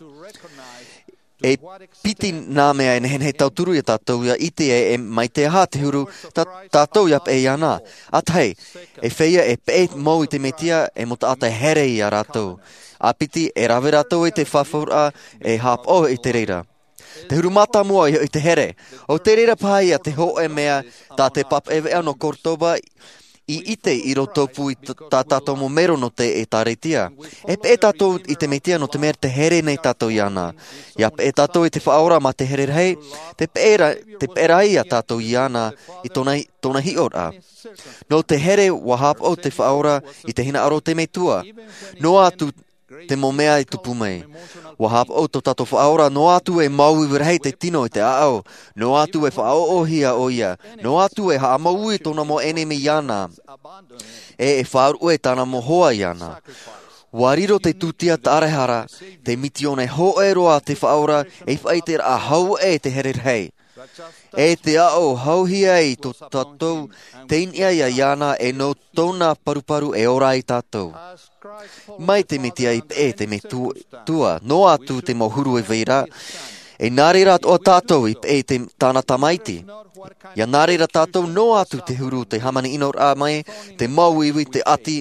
E piti nā mea e nehenehe e tauturu ia tātou ʻia ʻite ē, e mai te aha te huru tā, tātou ʻia peʻe iāna. ʻA tahi, e feiā e peʻe mau i te Mesia, e mau taʻata e here ia rātou. ʻA piti, e rave rātou i te fafauraʻa, e haʻapaʻo i te reira. Te huru mātāmua i, i te here. ʻO te reira paha ia te hōʻē mea tā te papaʻi veʻa nō Córdoba i ʻite i roto pū i t-, tā tātou mau mero nō te ʻĒkālesia. E peʻe tātou i te Mesia nō te mea tē here nei tātou iāna. ʻIa peʻe tātou i te Faʻaora mā te here rahi, tē peʻe ra-, tē peʻe ra ia tātou iāna i tōna, tōna hiʻoraʻa. Nō te here ʻua haʻapaʻo te Faʻaora i te hinaʻaro o te Metua. Noa atu te mau mea i tupu mai. ʻUa haʻapaʻo tō tātou Faʻaora, noa atu e māuiui rahi te tino i te ʻāʻau, noa atu e faʻaʻoʻohia ʻoia, noa atu e haʻamāuiui tōna mau ʻenemi iāna, e e faʻaruʻe tāna mau hoa iāna. ʻUa riro te tūtia tāraehara, te misiōna hōʻē roa a te Faʻaora, ei faʻaʻiteraʻa hau ē te here rahi. E te aʻo hauhia ai tō tātou teitei ia iāna e nō tōna paruparu e ora ai tātou. Mai te Mesia i peʻe te Metua, noa atu te mau huru e vai ra, e nā reira atoʻa tātou i peʻe te, tāna Tamaiti. ʻIa nā reira tātou noa atu te huru te hāmani ʻinoraʻa mai, te māuiui te ʻati,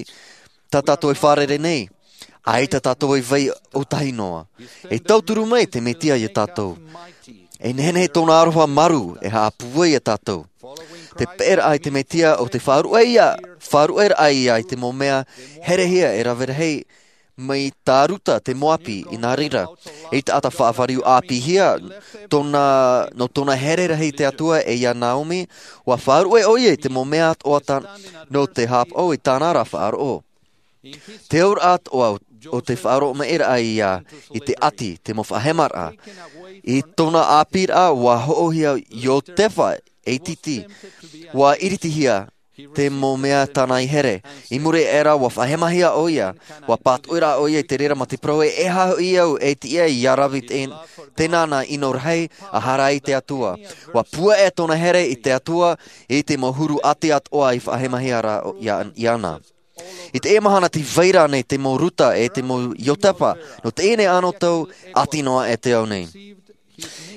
tā tātou e fārerei nei. ʻAita tātou e vai ʻōtahi noa. E tauturu mai te Mesia ia tātou. E nehenehe tōna aroha marū e haʻapūai ia tātou. Te peʻeraʻa i te Mesia ʻo te faʻaruʻe ia, faʻaruʻeraʻa ia i te mau mea herehia e rave rahi mai tā Ruta te Moapi. I nā reira, ei taʻata faʻavāriu ʻāpīhia tōna, nō tōna here rahi i te Atua e ia Naomi, ua faʻaruʻe ʻoia i te mau mea atoʻa nō te hāpaʻo i tāna ra faʻaroʻo. Te auraʻa atoʻa o te faʻaroʻo maʻi raʻa ia i te ʻati, te mau faʻahemaraʻa. I tōna ʻāpīraʻa, ua hoʻohia Iotefa ei titi, ua iritihia te mau mea tāna i here. I muri aʻe ra, ua faʻahemahia ʻoia, ua pātoʻi rā ʻoia i te reira mā te parau ē, e aha hoʻi au e tiʻa ia rave i te, tēnā nā ʻino rahi a hara ai te Atua. Ua puaʻe tōna here i te Atua, i te mau huru ʻati atoʻa i faʻahemahia ra o, ia, iāna. I teie mahana tē vai ra nei te mau Ruta e te mau Iotefa, nō teie nei anotau ʻati noa e te ao nei.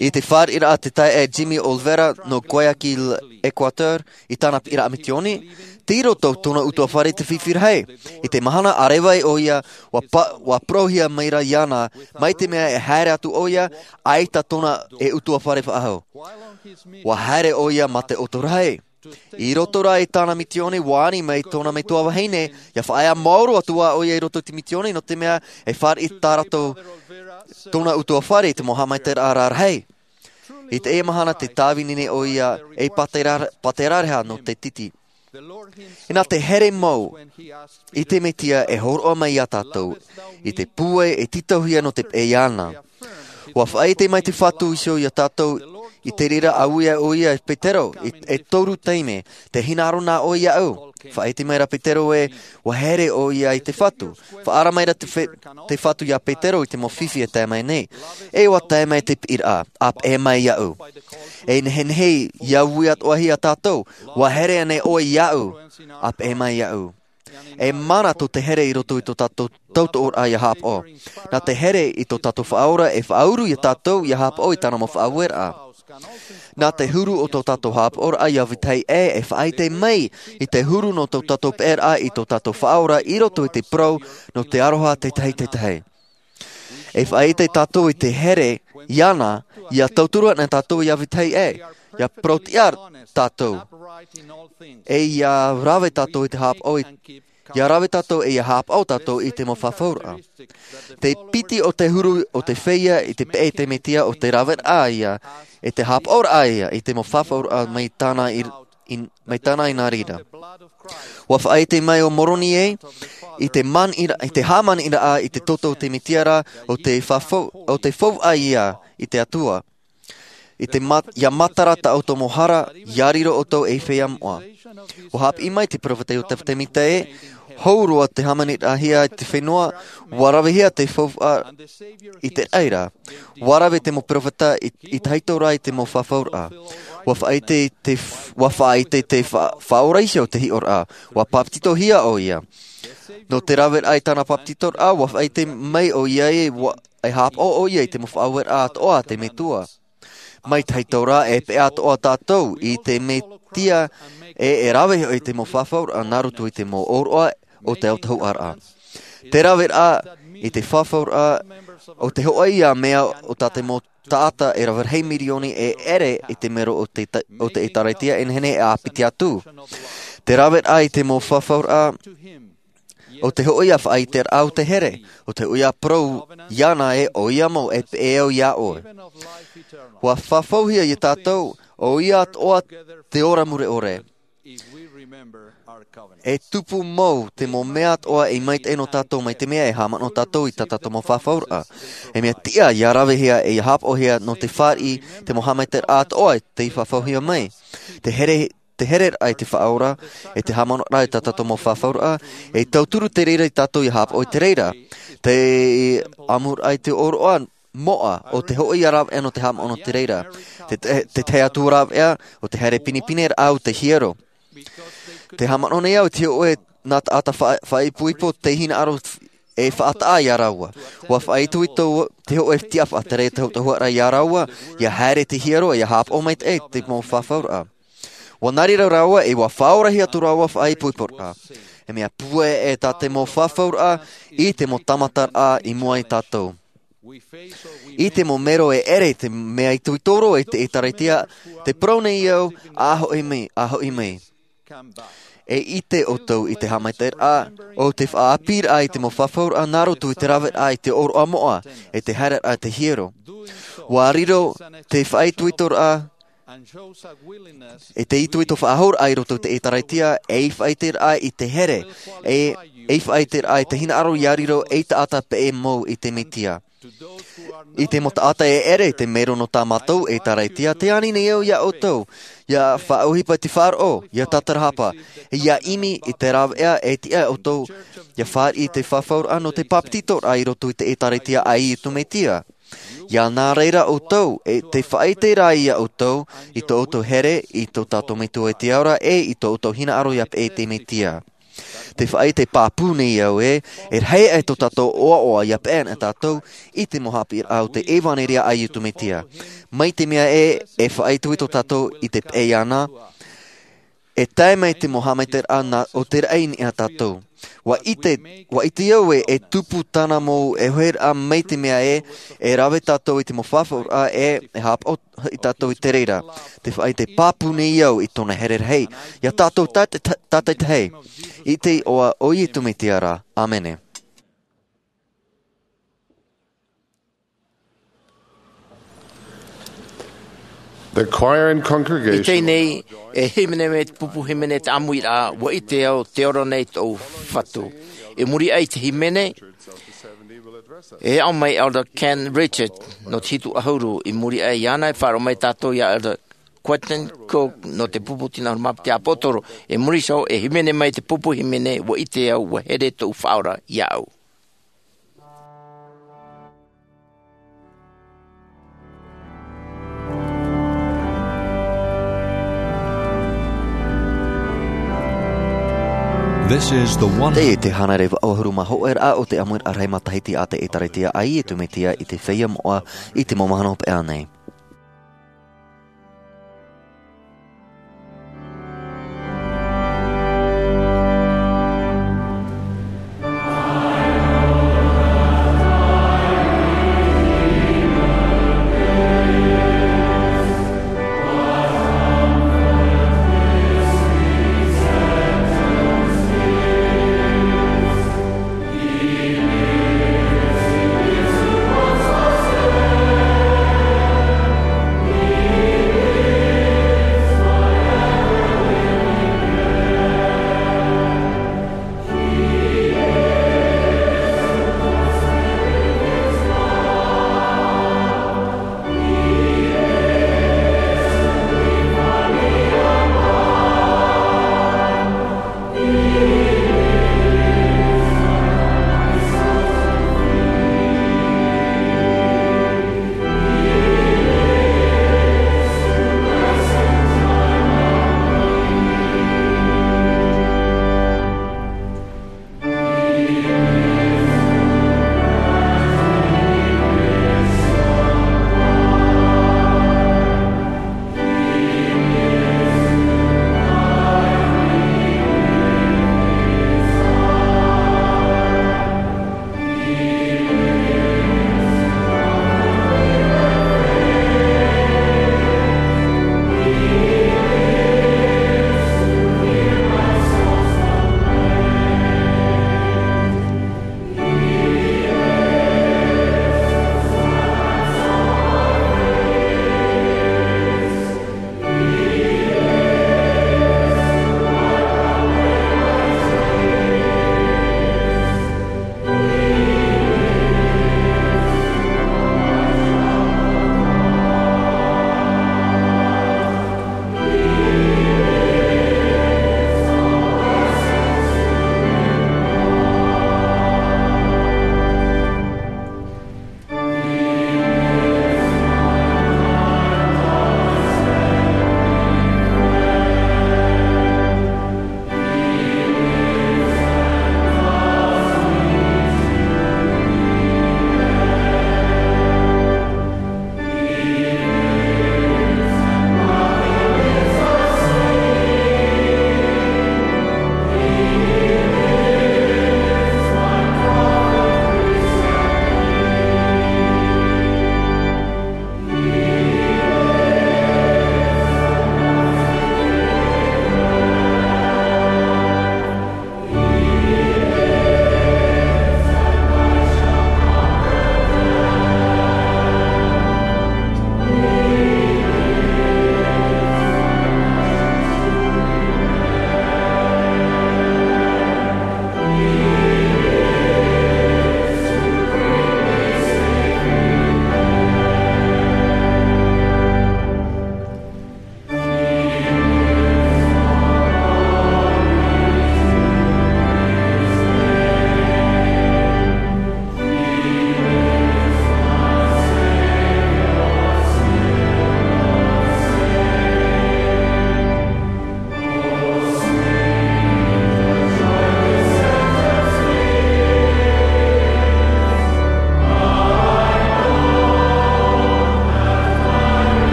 I te fāriʻiraʻa te taeaʻe Jimmy Olvera nō Guayaquil, Ecuador, i tāna piʻiraʻa mitioni, tei roto tōna ʻutuāfare te fifi rahi. I te mahana a reva ai ʻoia, ua pa-, ua parauhia mai ra iāna, mai te mea e haere atu ʻoia, ʻaita tōna e ʻutuāfare faʻahou. Ua haere ʻoia mā te ʻoto rahi. I roto rā i tāna mitioni, ua ani mai tōna metua vahine, ia faʻaea maoro atu ā ʻoia i roto i te mitioni, nō te mea e fāriʻi tā rātou tōna ʻutuāfare i te mau haʻamaitaʻiraʻa rarahi. I teie mahana tē tāvini nei ʻoia ei pātera-, pāterāreha nō te titi. Inā te here mau i te Mesia e hōroʻa mai iā tātou, i te pūai e tītauhia nō te peʻe iāna. Ua faʻaʻite mai te Fatu iho iā tātou, i te reira a ui ai ʻoia e Petero, i, e toru taime, tē hinaʻaro na ʻoe iāʻu. Faʻaʻite mai ra Petero ē, ua here ʻoia i te Fatu. Faʻaara mai ra te fe-, te Fatu iā Petero i te mau fifi e tae mai nei. E ua tae mai te piʻiraʻa, a peʻe mai iāʻu. E nehenehe ia ui atoʻa hia tātou, ua here ānei ʻoe iāʻu, a peʻe mai iāʻu. E mana tō te here i roto i tō tātou tautoʻoraʻa ia hāpaʻo. Nā te here i tō tātou Faʻaora e faʻauru iā tātou ia hāpaʻo i tāna mau faʻaueraʻa. Nā te huru o tō tātou hāpaʻoraʻa ia vetahi ʻē e faʻaʻite mai i te huru nō tō tātou peʻeraʻa i tō tātou Faʻaora i roto i te parau nō te aroha tētahi tētahi. E faʻaʻite tātou i te here iāna, ia tauturu ana tātou ia vetahi ʻē, ia parauʻtiʻa tātou. E ia rave tātou i te hāpaʻo i, ia rave tātou e ia hāpaʻo tātou i te mau fafauraʻa. Te piti o te huru o te feiā i te peʻe i te Mesia o te raveraʻa ia, e te hāpaʻoraʻa ia i te mau fafauraʻa mai tāna i, i, mai tāna i nā reira. Ua faʻaʻite mai ʻo Moroni ē, i te man ira-, i te hāmani iraʻa i te toto o te Mesia ra, o te fafau-, o te fauʻa ia i te Atua. I te mat-, ia matara tā ʻoutou mau hara, ia riro ʻoutou ei feiā moʻa. Ua haʻapiʻi mai te peropheta Iotefa Temita ē, hou roa te hāmaniraʻahia i te fenua, ua ravehia te fauʻa i te raʻi ra. Ua rave te mau peropheta i, i tahito rā i te mau fafauraʻa. Ua faʻaʻite te f-, ua faʻaʻite te fa-, Faʻaora iho te hiʻoraʻa. Ua papetitohia ʻoia. Nō te raveraʻa i tāna papetitoraʻa, ua faʻaʻite mai ʻoia ē, ua, e hāpaʻo ʻoia i te mau faʻaueraʻa atoʻa a te Metua. Mai tahito rā e peʻe atoʻa tātou i te Mesia ē, e rave hoʻi te mau fafauraʻa nā roto i te mau ʻōroʻa o te autahuʻaraʻa. Te raveraʻa i te fafauraʻa o te hōʻē ia mea o tā te mau taʻata e rave rahi mirioni e ʻere i te mero o te ta-, o te ʻĒtārētia e nehenehe e ʻāpiti atu. Te raveraʻa i te mau fafauraʻa o te hōʻē ia faʻaʻiteraʻa o te here, o te hōʻē ia parau iāna ē ʻoia mau e peʻe au iā ʻoe. Ua fafauhia iā tātou, ʻoia atoʻa te ora mure ʻore. E tupu mau te mau mea atoʻa e maitaʻi nō tātou mai te mea e haʻamanaʻo tātou i tā tātou mau fafauraʻa. E mea tiʻa ia ravehia e ia hāpaʻohia nō te fāriʻi te mau haʻamaitaʻiraʻa atoʻa tei fafauhia mai. Te here, te hereraʻa i te Faʻaora, e te haʻamanaʻoraʻa i tā tātou mau fafauraʻa, e tauturu te reira iā tātou ia hāpaʻo i te reira. Te ʻamuraʻa i te ʻōroʻa moʻa, o te hōʻē ia rāveʻa nō te haʻamanaʻo nō te reira. Te, te, te tahi atu rāveʻa, o te haere pinepineraʻa o te hiero. Te haʻamanaʻo nei au i te hōʻē nā taʻata fa-, faʻaipoipo tei hinaʻaro e faʻataʻa iā rāua. Ua faʻaitoito te hōʻē tiʻa faʻatere i te autahuʻaraʻa iā rāua, ia haere te hiero, ia hāpaʻo maitaʻi te mau fafauraʻa. Ua nā reira rāua e ua faʻaorahia atu rāua faʻaipoiporaʻa. E mea pūai ē tā te mau fafauraʻa i te mau tāmataraʻa i mua ia tātou. I te mau mero e ʻere i te mea itoito roa i te ʻĒtārētia, tē parau nei au, ʻa hoʻi mai, ʻa hoʻi mai. E ʻite ʻoutou i te haʻamaitaʻiraʻa o te faʻaʻāpīraʻa i te mau fafauraʻa nā roto i te raveraʻa i te ʻōroʻa moʻa, e te haereraʻa i te hiero. Ua riro te faʻaitoitoraʻa, e te itoito faʻahouraʻa i roto i te ʻēkālesia, ei faʻaʻiteraʻa i te here, e, ei faʻaʻiteraʻa i te hinaʻaro ia riro ei taʻata peʻe mau i te Mesia. I te mau taʻata e ʻere i te mero nō tā mātou ʻēkālesia, tē ani nei au ia ʻoutou, ia faʻaʻohipa i te faʻaroʻo, ia tātarahapa, ia ʻimi i te rāveʻa e tiʻa ʻoutou, ia fāriʻi i te fafauraʻa nō te bāpetizoraʻa i roto i te ʻēkālesia a Iesu Mesia. Ia nā reira ʻoutou, e te faʻaʻite rā ia ʻoutou, i tō ʻoutou here, i tō tātou Metua i te ao ra, e i tō ʻoutou hinaʻaro ia peʻe i te Mesia. Te faʻaʻite pāpū nei au ē, e rahi aʻe tō tātou ʻoaʻoa ia peʻe ana tātou, i te mau haʻapiʻiraʻa o te ʻevanelia a Iesu Mesia. Mai te mea ē, e faʻaitoito tātou i te peʻe iāna, e tae mai te mau haʻamaitaʻiraʻa nā, o te raʻi nei a tātou. Ua ʻite, ua ʻite au ē, e tupu tāna mau e hoeraʻa mai te mea ē, e rave tātou i te mau fafauraʻa ē, e haʻapaʻo i tātou i te reira. Te faʻaʻite pāpū nei au i tōna here rahi. Ia tātou tāta-, tā-, tātaitahi. I te iʻoa o Iesu Mesia ra. ʻĀmene. The choir and congregation. I teie nei, e hīmene mai te pupu hīmene tāʻamuraʻa, ʻUa ʻite au, tē ora nei tōʻu Fatu. I muri aʻe i te hīmene, e aʻo mai Elder Ken Richard, nō te hitu ʻahuru, i muri aʻe iāna e faʻaroʻo mai tātou ia Elder Quentin Cook, nō te pupu tino ʻahuru mā pae te ʻāpōsetolo, i muri iho, e hīmene mai te pupu hīmene, ʻUa ʻite au, ʻua here tōʻu Faʻaora iāʻu. This is the one. Teie te hānere vaʻu ʻahuru mā hōʻē raʻa o te ʻāmuiraʻa rahi matahiti a te ʻĒtārētia a Iesu Mesia i te Feiā Moʻa i te mau mahana hopeʻa nei.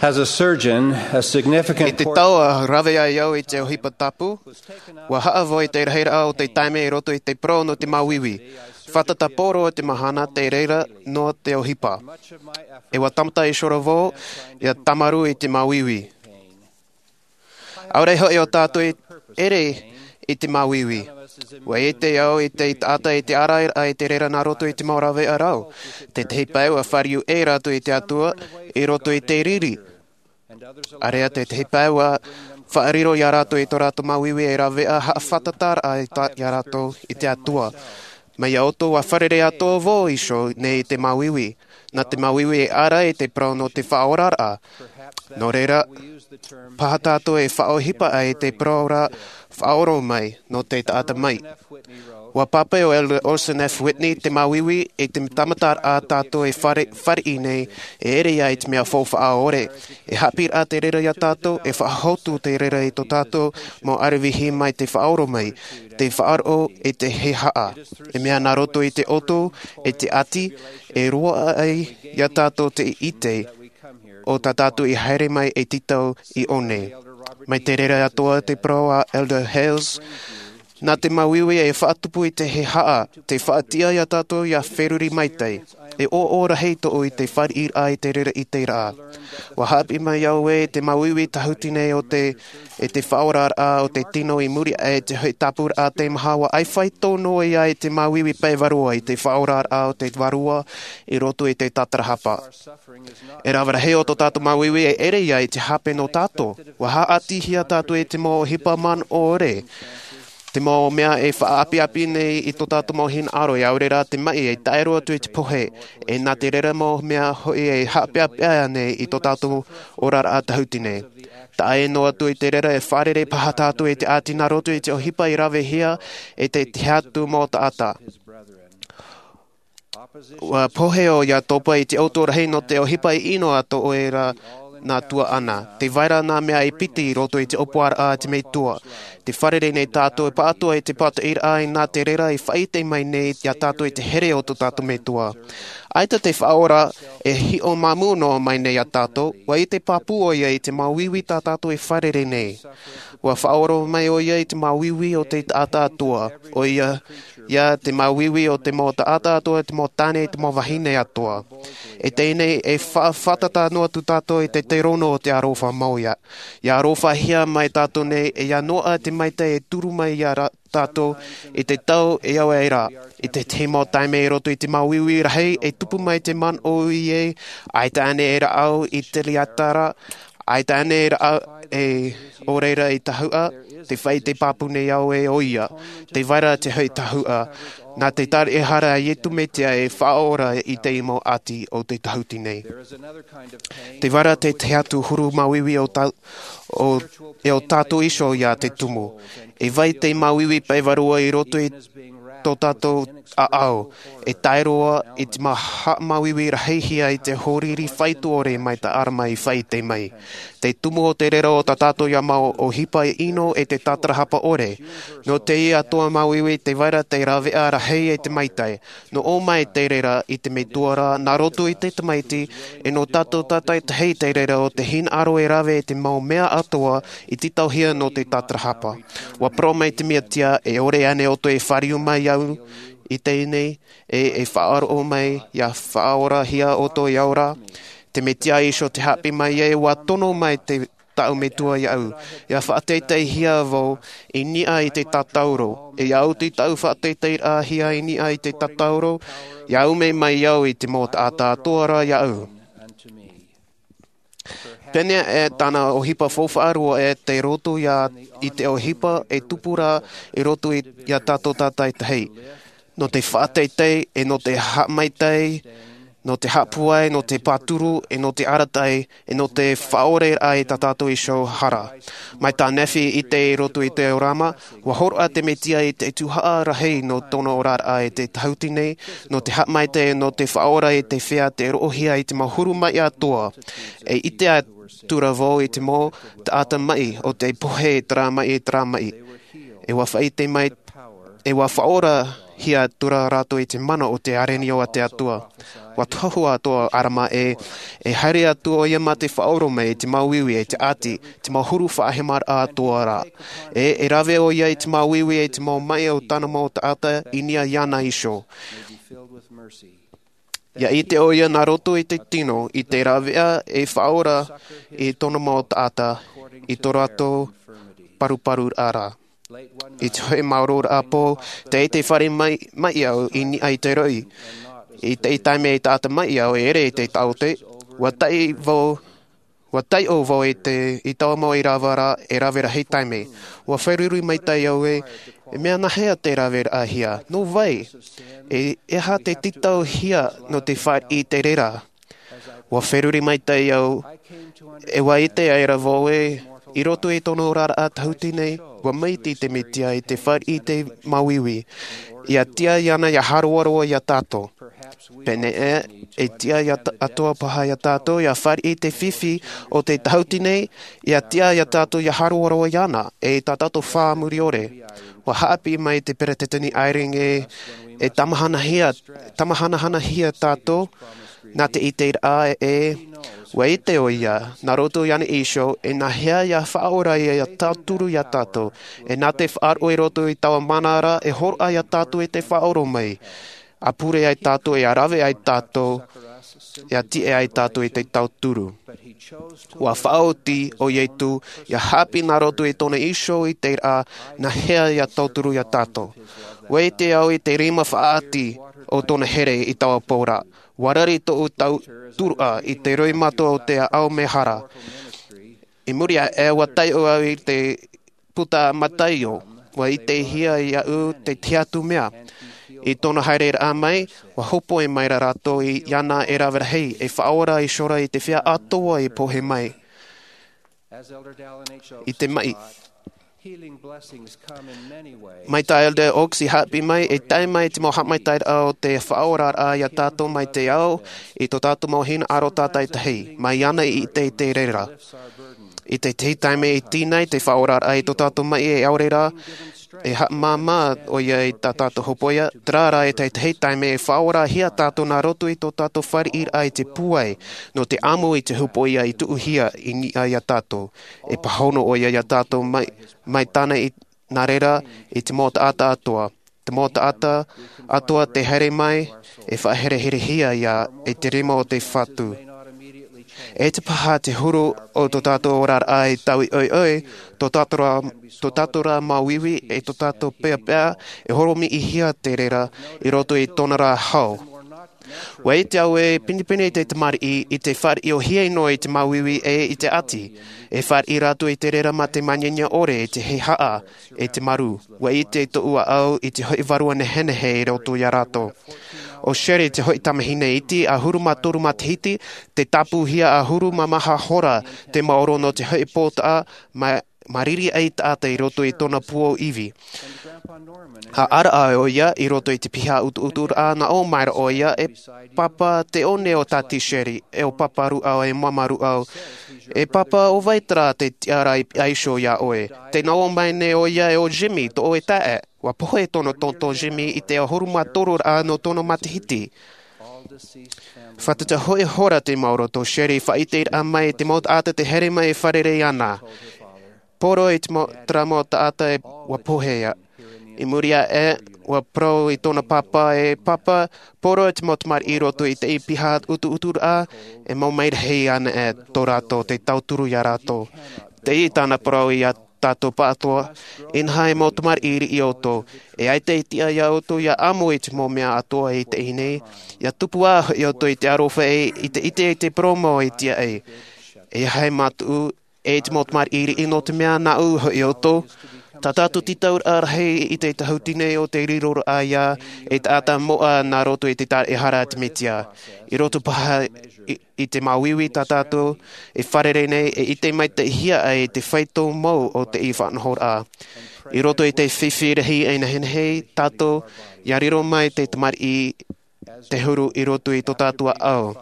As a surgeon, a significant I te portion tau a rave ai au i te ʻohipa tapu, ua haʻavoi te rahiraʻa o te taime i roto i te parau nō te māuiui. Fātata poro te mahana te reira nō te ʻohipa. E ua tāmata i sora vau, ia tāmarū i te māuiui. ʻAore hoʻi o tātou i ʻere i te māuiui. Ua ʻite au i te taʻata i te ʻārairaʻa i te reira nā roto i te mau rāveʻa rau. Tētahi pae ua fāriu ʻē rātou i te Atua i roto i te riri. ʻĀreʻa tētahi pae ua faʻariro iā rātou i tō rātou māuiui e rāveʻa haʻafātataraʻa i tā, iā rātou i te Atua. Mai iā ʻoutou ua fārerei atoʻa vau iho nei i te māuiui. Nā te māuiui e ʻārai te parau nō te faʻaoraraʻa. Nō reira, paha tātou e faʻaʻohipa ai te parau ra faʻaoro mai nō te taʻata mai. Ua pāpaʻi ʻo Elder Orson F. Whitney te māuiui i te tāmataraʻa tātou e fare, fāriʻi nei e ʻere ia i te mea faufaʻa ʻore. E haʻapiʻiraʻa te reira iā tātou, e faʻahotu te reira i tō tātou mau ʻaravihi mai te faʻaoro mai, te faʻaroʻo i te hehā. E mea nā roto i te ʻoto, i te ʻati, e roaʻa ai iā tātou te ʻite o tā tātou i haere mai e tītau i ʻō nei. Mai te reira atoʻa te parau a Elder Hales, nā te māuiui e faʻatupu i te hehā, te faʻatiʻa iā tātou ia feruri maitaʻi. E ʻoaʻoa rahi tōʻu i te fāriʻiraʻa i te reira ʻiteraʻa. Ua haʻapiʻi mai au ē te māuiui tāhuti nei o te, e te faʻaoraraʻa o te tino i muri aʻe i te hoʻi tāpūraʻa teimaha ua ʻaifai tō noa ia i te māuiui pae vārua i te faʻaoraraʻa o te Vārua i roto i te tātarahapa. E rave rahi o tō tātou māuiui e ʻere ia i te hape nō tātou. Ua haʻatihia tātou i te mau ʻohipa manaʻo ʻore. Te mau mea e faʻaʻapiʻapi nei i tō tātou mau hinaʻaro, e ʻaore rā te maʻi e tae roa atu i te pohe, e nā te reira mau mea hoʻi e haʻapeʻapeʻa nei i tō tātou oraraʻa tāhuti nei. Taʻa ʻē noa atu i te reira e fārerei paha tātou i te ʻati nā roto i te ʻohipa i ravehia e te, te tahi atu mau taʻata. Ua pohe ʻoia topa i te ʻoto rahi nō te ʻohipa ʻino a tō ʻoe ra nā tuaʻana. Tē vai ra nā mea e piti i roto i te ʻōpuaraʻa a te Metua. Tē fārerei nei tātou e pāʻatoʻa i te pātoʻiraʻa i nā te reira i faʻaʻite mai nei iā tātou i te here o tō tātou Metua. ʻAita te Faʻaora e hiʻo māmū noa mai nei iā tātou, ua ʻite pāpū ʻoia i te māuiui tā tātou e fārerei nei. Ua faʻaora mai ʻoia i te māuiui o te taʻata atoʻa, ʻoia ia te māuiui o te mau taʻata atoʻa, te mau tāne, te mau vahine atoʻa. E teie nei e fa-, fātata noa atu tātou i te, te rono o te aroha mau ia. Ia arofahia mai tātou nei e ia noaʻa te maitaʻi e turu mai iā ra-, tātou i te tau e au ai ra. I te tahi mau taime i roto i te māuiui rahi e tupu mai te manaʻo ʻē, ʻaita ānei e rāʻau i te tiatara, ʻaita ānei e rāʻau e ʻo reira i tahuʻa, tē faʻaʻite pāpū nei au ē ʻoia. Tē vai ra te hoʻi tahuʻa, nā te tāraʻehara a Iesu Mesia e faʻaora i te mau ʻati o te tāhuti nei. Tē vai ra te tahi atu huru māuiui o tā-, o, e ʻo tātou iho ia te tumu. E vai te māuiui pae vārua i roto i tō tātou ʻāʻau, e tae roa i te mau haʻamāuiui rahihia i te hōriri faito ʻore mai tā ʻArama i faʻaʻite mai. Te tumu o te reira o tā tātou ia mau ʻohipa ʻino e te tātarahapa ʻore. Nō teie atoʻa māuiui tē vai ra te rāveʻa rahi e te maitaʻi. Nō ʻō mai te reira i te Metua ra, nā roto i te Tamaiti, e nō tātou tātaʻitahi te reira o te hinaʻaro e rave i te mau mea atoʻa i tītauhia nō te tātarahapa. Ua parau mai te Mesia, e ʻore ānei ʻoutou e fāriu mai iāʻu i teie nei, e, e faʻaroʻo mai, ia faʻaorahia ʻoutou i au ra? Te Mesia iho tē haʻapiʻi mai ē, ua tono mai te, tāʻu Metua iāʻu. Ia faʻateiteihia vau i niʻa i te tātauro. E ia oti tāʻu faʻateiteiraʻahia i niʻa i te tātauro, ia ʻume mai au i te mau taʻata atoʻa ra iāʻu. Pēnei e tāna ʻohipa faufaʻa roa e te roto ia i te ʻohipa e tupu ra i roto i, ia tātou tātaʻitahi. Nō te faʻateitei, e nō te haʻamaitaʻi, nō te haʻapūai, nō te pāturu, e nō te arataʻi, e nō te faʻaoraraʻa i tā tātou iho hara. Mai tā Nefi i ʻite i roto i te ʻōrama, ua hōroʻa te Mesia i te tuhaʻa rahi nō tōna oraraʻa i te tāhuti nei, nō te haʻamaitaʻi, nō te faʻaora i te feiā tei roʻohia i te mau huru maʻi atoʻa. E ʻite atu ra vau i te mau taʻata maʻi, ʻo tē pohe terā maʻi, terā maʻi. E ua faʻaʻite mai, e ua faʻaora hia atu rā rātou i te mana o te arenio a te Atua. ʻUa tohu atu ʻo ʻArama ē, e haere atu ʻoia mā te faʻaʻoro mai i te māuiui, i te ʻati, te mau huru faʻahemaraʻa atoʻa ra. E, e rave ʻoia i te māuiui, i te mau maʻi o tāna mau taʻata i niʻa iāna iho. ʻIa ʻite ʻoia nā roto i te tino, i te rāveʻa e faʻaora i tōna mau taʻata, i tō rātou paruparuraʻa ra. I te hoʻi maoro ra pō, tei te fare mai, mai au i niʻa i te roi. I te taime e taʻata mai au e ere i te taote, ʻua taʻi vau, ʻua taiʻo vau i te, i taua mau i rava ra, e rave rahi taime. ʻUa feruri maitaʻi au ē, e mea nāhea te rave rahi ā? Nō vai? E, e aha te tītauhia nō te fāriʻi i te reira? ʻUa feruri maitaʻi au, e ʻua ʻite aʻera vau ē, i roto i tōna oraraʻa tahuti nei, ʻua maiti te Mesia i te fāriʻi i te māuiui. ʻIa tiʻa iāna ʻia haroaroa iā tātou. Pēnei ē, e tiʻa iā t-, atoʻa paha iā tātou ʻia fāriʻi i te fifi o te tahuti nei, ʻia tiʻa iā tātou ʻia haroaroa iāna, e tā tātou fā muri ʻore. ʻUa haʻapiʻi mai te Peresideni Eyring ē, e tāmahanahia, tāmahanahanahia tātou, nā te ʻiteraʻa ē, ʻua ʻite ʻoia, nā roto iāna iho, e nāhea ʻia faʻaora ïa, ʻia tauturu iā tātou, e nā te faʻaroʻo i roto i taua mana ra, e hōroʻa iā tātou i te faʻaʻoro mai. ʻA pure ai tātou, e ʻa rave ai tātou, ʻia tiʻa ai tātou i te tauturu. ʻUa faʻaoti ʻo Iesu, ʻia haʻapiʻi nā roto i tōna iho i te reira, nāhea ʻia tauturu iā tātou. ʻUa ʻite au i te rima faʻaʻati o tōna here i taua pō ra. ʻUa rari tōʻu tauturuʻa i te roimata o te ʻāʻau mehara. I muri aʻe, ʻua taiʻo au i te puta a Mataio, ʻua ʻitehia iāʻu te tahi atu mea. I tōna haereraʻa mai, ʻua hōpoi mai ra rātou i, iāna e rave rahi, e faʻaora iho ra i te feiā atoʻa i pohe mai. I te maʻi. Mai tā Elder Oaks i haʻapiʻi mai, e tae mai te mau haʻamaitaʻiraʻa o te faʻaoraraʻa iā tātou mai te ao, i tō tātou mau hinaʻaro tātaʻitahi, mai iāna i ʻite i te reira. I te tahi taime e tīnai te faʻaoraraʻa i tō tātou maʻi e ʻaore rā, e haʻamāmā ʻoia i tā tātou hōpoiʻa, terā rā e te tahi taime e faʻaorahia tātou nā roto i tō tātou fāriʻiraʻa i te pūai, nō te ʻamu i te hōpoiʻa i tuʻuhia i niʻa iā tātou. E pāhono ʻoia iā tātou mai, mai tāna i, nā reira i te mau taʻata atoʻa. Te mau taʻata atoʻa tē haere mai, e faʻaherehia ïa e te rima o te Fatu. E te paha te huru o tō tātou oraraʻa e taui ʻoiʻoi, tō tātou ra, tō tātou ra māuiui, e tō tātou peʻapeʻa, e horomiʻihia te reira i roto i tōna ra hau. ʻUa ʻite au e pinepine te tamariʻi i te fāriʻi ʻōhie noa i te māuiui e i te ʻati. E fāriʻi rātou i te reira mā te māniania ʻore, e te heihaʻa, e te marū. ʻUa ʻite tōʻu ʻāʻau i te hoʻi vārua nehenehe i roto iā rātou. ʻO Sherrie te hoʻi tamahine iti, ʻahuru mā toru matahiti, tē tāpūhia ʻahuru mā maha hora te maoro nō te hoʻi pōtaʻa, mā, mā riri ʻaitaʻata i roto i tōna pū ʻo Evie. ʻA ʻaraʻa ʻoia i roto i te piha ʻutuʻuturaʻa, nā ʻō mai ra ʻoia, e Pāpā, te one o Tāti Sherrie, e ʻo Pāpā Rūʻau, e Māmā Rūʻau. E Pāpā, ʻo vai terā te tiʻaraʻa i pihaʻi iho iā ʻoe? Tē nā ʻō mai nei ʻoia e ʻo Jimmy, tō ʻoe taeaʻe. ʻUa pohe tōna tonton Jimmy i te ʻahuru mā toru ra nō tōna matahiti. Fātata hoʻi hora te maoro tō Sherrie faʻaʻiteraʻa mai i te mau taʻata tē haere mai e fārerei ana. Poro i te mau, terā mau taʻata e ʻua pohe ïa. I muri aʻe, ʻua parau i tōna pāpā, e Pāpā, poro i te mau tamariʻi i roto i teie piha ʻutuʻuturaʻa, e mau mai rahi ana e tō rātou te tauturu iā rātou. Teie tāna parau iā tātou pāʻatoʻa, inaha e mau tamariʻi riʻi ʻoutou, e ʻaita e tiʻa iā ʻoutou ʻia ʻamu i te mau mea atoʻa i teie nei, ʻia tupu ā hoʻi ʻoutou i te aroha e i te ʻite i te parau mau e tiʻa ai. E aha e mātuʻu, e te mau tamariʻi riʻi, nō te mea nāʻu hoʻi ʻoutou. Tā tātou tītauraʻa rahi i te tahuti nei ʻo te riroraʻa ïa, e taʻata moʻa nā roto i te tāraʻehara a te Mesia. I roto paha i, i te māuiui tā tātou e fārerei nei, e ʻite maitaʻihia ai te faito mau o teie faʻanahoraʻa. I roto i te fifi rahi e nehenehe tātou, ʻia riro mai te tamariʻi te huru i roto i tō tātou ʻāʻau.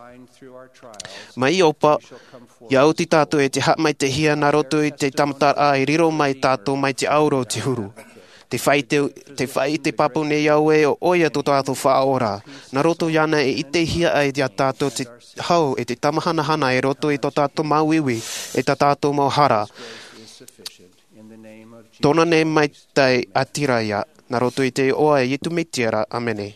Mai Ioba, ʻia oti tātou e te haʻamaitaʻihia nā roto i te tāmataraʻa e riro mai tātou mai te ʻauro o te huru. Te faʻaʻite, te faʻaʻite pāpū nei au ē, ʻo ʻoia tō tātou Faʻaora. Nā roto iāna e ʻitehia ai iā tātou te hau e te tamahanahana i roto i tō tātou māuiui, e tā tātou mau hara. Tōna nei maitaʻi ʻātiraʻa, nā roto i te iʻoa o Iesu Mesia ra, ʻāmene.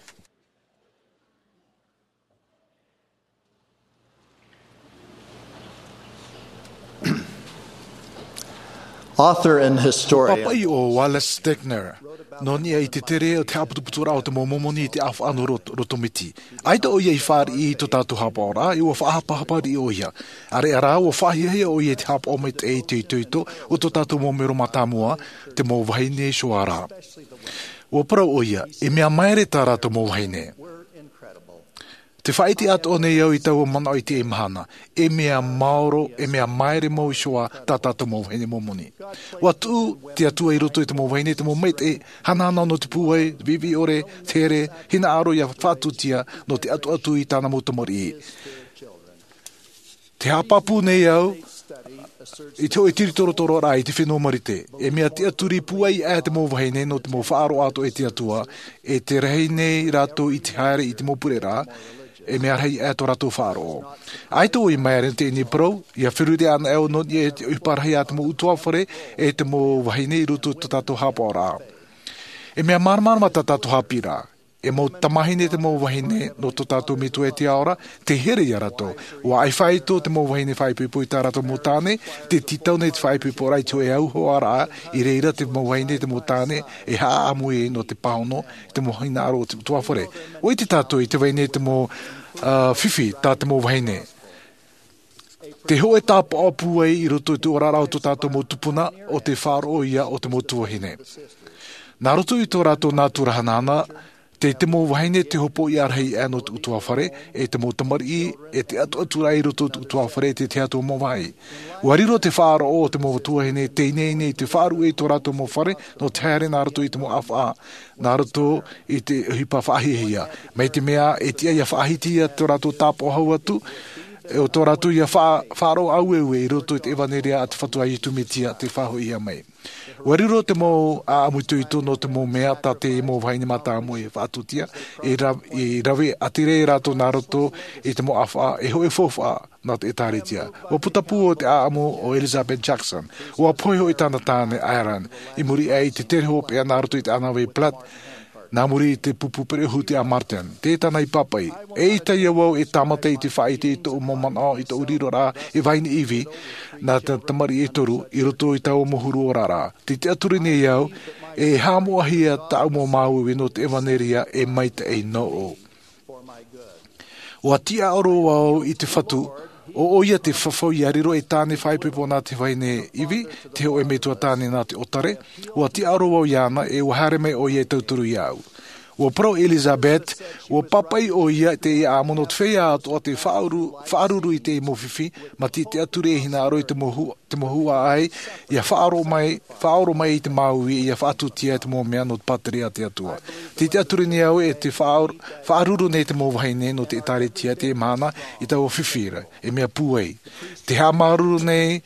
Author and historian. Pāpaʻi ʻo Wallace Stegner, nō niʻa i te tere o te haʻaputuputuraʻa o te mau Momoni i te ʻāfaʻa nō Rot-, Rotomiti. ʻAita ʻoia i fāriʻi i tō tātou haʻapaʻoraʻa, ʻe ʻua faʻahapahapa riʻi ʻoia. ʻĀreʻa rā, ʻua faʻahiahia ʻoia i te haʻapaʻo maitaʻi i te itoito o tō tātou mau mero mātāmua, te mau vahine Shoah ra. ʻUa parau ʻoia, e mea maere tā rātou mau vahine. Te faʻaʻite atoʻa nei au i taua manaʻo i teie mahana, e mea maoro, e mea maere mau Shoah tā tātou mau vahine Momoni. ʻUa tuʻu te Atua i roto i te mau vahine, te mau maitaʻi, hanahana nō te pūai, viʻiviʻi ʻore, te here, hinaʻaro ʻia faʻatūtia nō te ʻatuʻatu i tāna mau tamariʻi. Te haʻapāpū nei au i te hōʻē tīritorotororaʻa i te fenua Marite. E mea tiʻaturi pūai aʻe te mau vahine nō te mau faʻaroʻo atoʻa i te Atua, e te rahi nei rātou i te haere i te mau pureraʻa, e mea rahi aʻe tō rātou faʻaroʻo. ʻAita ʻoia i maere i teie nei parau, ʻia feruri anaʻe au nō niʻa i te ʻohipa rahi a te mau ʻutuāfare, e te mau vahine i roto i tō tātou haʻapaʻoraʻa. E mea māramarama tā tātou haʻapiʻiraʻa. E mau tamāhine te mau vahine nō tō tātou Metua i te Ao ra, tē here iā rātou. ʻUa ʻaifāito te mau vahine faʻaipoipo i tā rātou mau tāne, tē tītau nei te faʻaipoiporaʻa i te hōʻē auhoaraʻa, i reira te mau vahine te mau tāne, e haʻaʻāmui nō te pāhono, i te mau hinaʻaro o te ʻutuāfare. ʻUa ʻite tātou i te vai nei te mau, ā, fifi tā te mau vahine. Te hōʻē tāpaʻo pūai i roto i te oraraʻa o tō tātou mau tupuna, ʻo te faʻaroʻo ia o te mau tuahine. Nā roto i tō rātou nātura hanahana, tei te mau vahine te hopoiʻa rahi aʻe nō te ʻutuāfare, e te mau tamariʻi, e te ʻatuʻaturaʻa i roto i te ʻutuāfare, e te tahi atu mau vāhi. ʻUa riro te faʻaroʻo o te mau tuahine, tei ineine i te faʻaruʻe i tō rātou mau fare, nō te haere nā roto i te mau ʻāfaʻa, nā roto i te ʻohipa faʻahiahia. Mai te mea, e tiʻa ʻia faʻahitihia tō rātou tāpaʻo hau atu, e ʻo tō rātou ʻia faʻa-, faʻaroʻo aueue i roto i te ʻevanelia a te Fatu a Iesu Mesia tei faʻahoʻihia mai. ʻUa riro te mau ʻāʻamu itoito nō te mau mea tā te mau vahine mātāmua i faʻatūtia, e ra-, i rave ʻātīrā rātou nā roto i te mau ʻāfaʻa, e hōʻē faufaʻa nā te ʻĒtārētia. ʻUa putapū ʻo te ʻāʻamu ʻo Elizabeth Jackson. ʻUa pohe hoʻi tāna tāne, Aaron, i muri aʻe i te tere hopeʻa nā roto i te ʻānāvai Platte, nā muri i te pupu pereʻohu a Martin. Tē tāna i pāpaʻi. ʻEita ïa vau e tāmata i te faʻaʻite i tōʻu mau manaʻo, i tōʻu riroraʻa e vahine ivi, nā te tamariʻi e toru, i roto i taua mau huru oraraʻa. Tē tiʻaturi nei au, e haʻamoʻahia tāʻu mau māuiui nō te ʻevanelia e maitaʻi nōʻu. ʻUa tiʻaoro vau i te Fatu, ʻo ʻoia te fafau ʻia riro ei tāne faʻaipoipo nā te vahine ivi, te hōʻē metua tāne nā te ʻōtare. ʻUa tiʻaoro vau iāna, e ʻua haere mai ʻoia e tauturu iāʻu. ʻUa parau Elizabeth, ʻua pāpaʻi ʻoia i teie ʻāʻamu nō te feiā atoʻa tei faʻaʻuru, faʻaruru i teie mau fifi, mā te tiʻaturi e hinaʻaro i te mau hū-, te mau huaʻai, ʻia faʻaʻoro mai, faʻaʻoro mai i te māuiui, ʻia faʻatūtia i te mau mea nō te pātireia a te Atua. Tē tiʻaturi nei au e tē faʻaʻor-, faʻaruru nei te mau vahine nō te ʻĒtārētia i teie mahana i taua fifi ra, e mea pūai. Tē haʻamāuruuru nei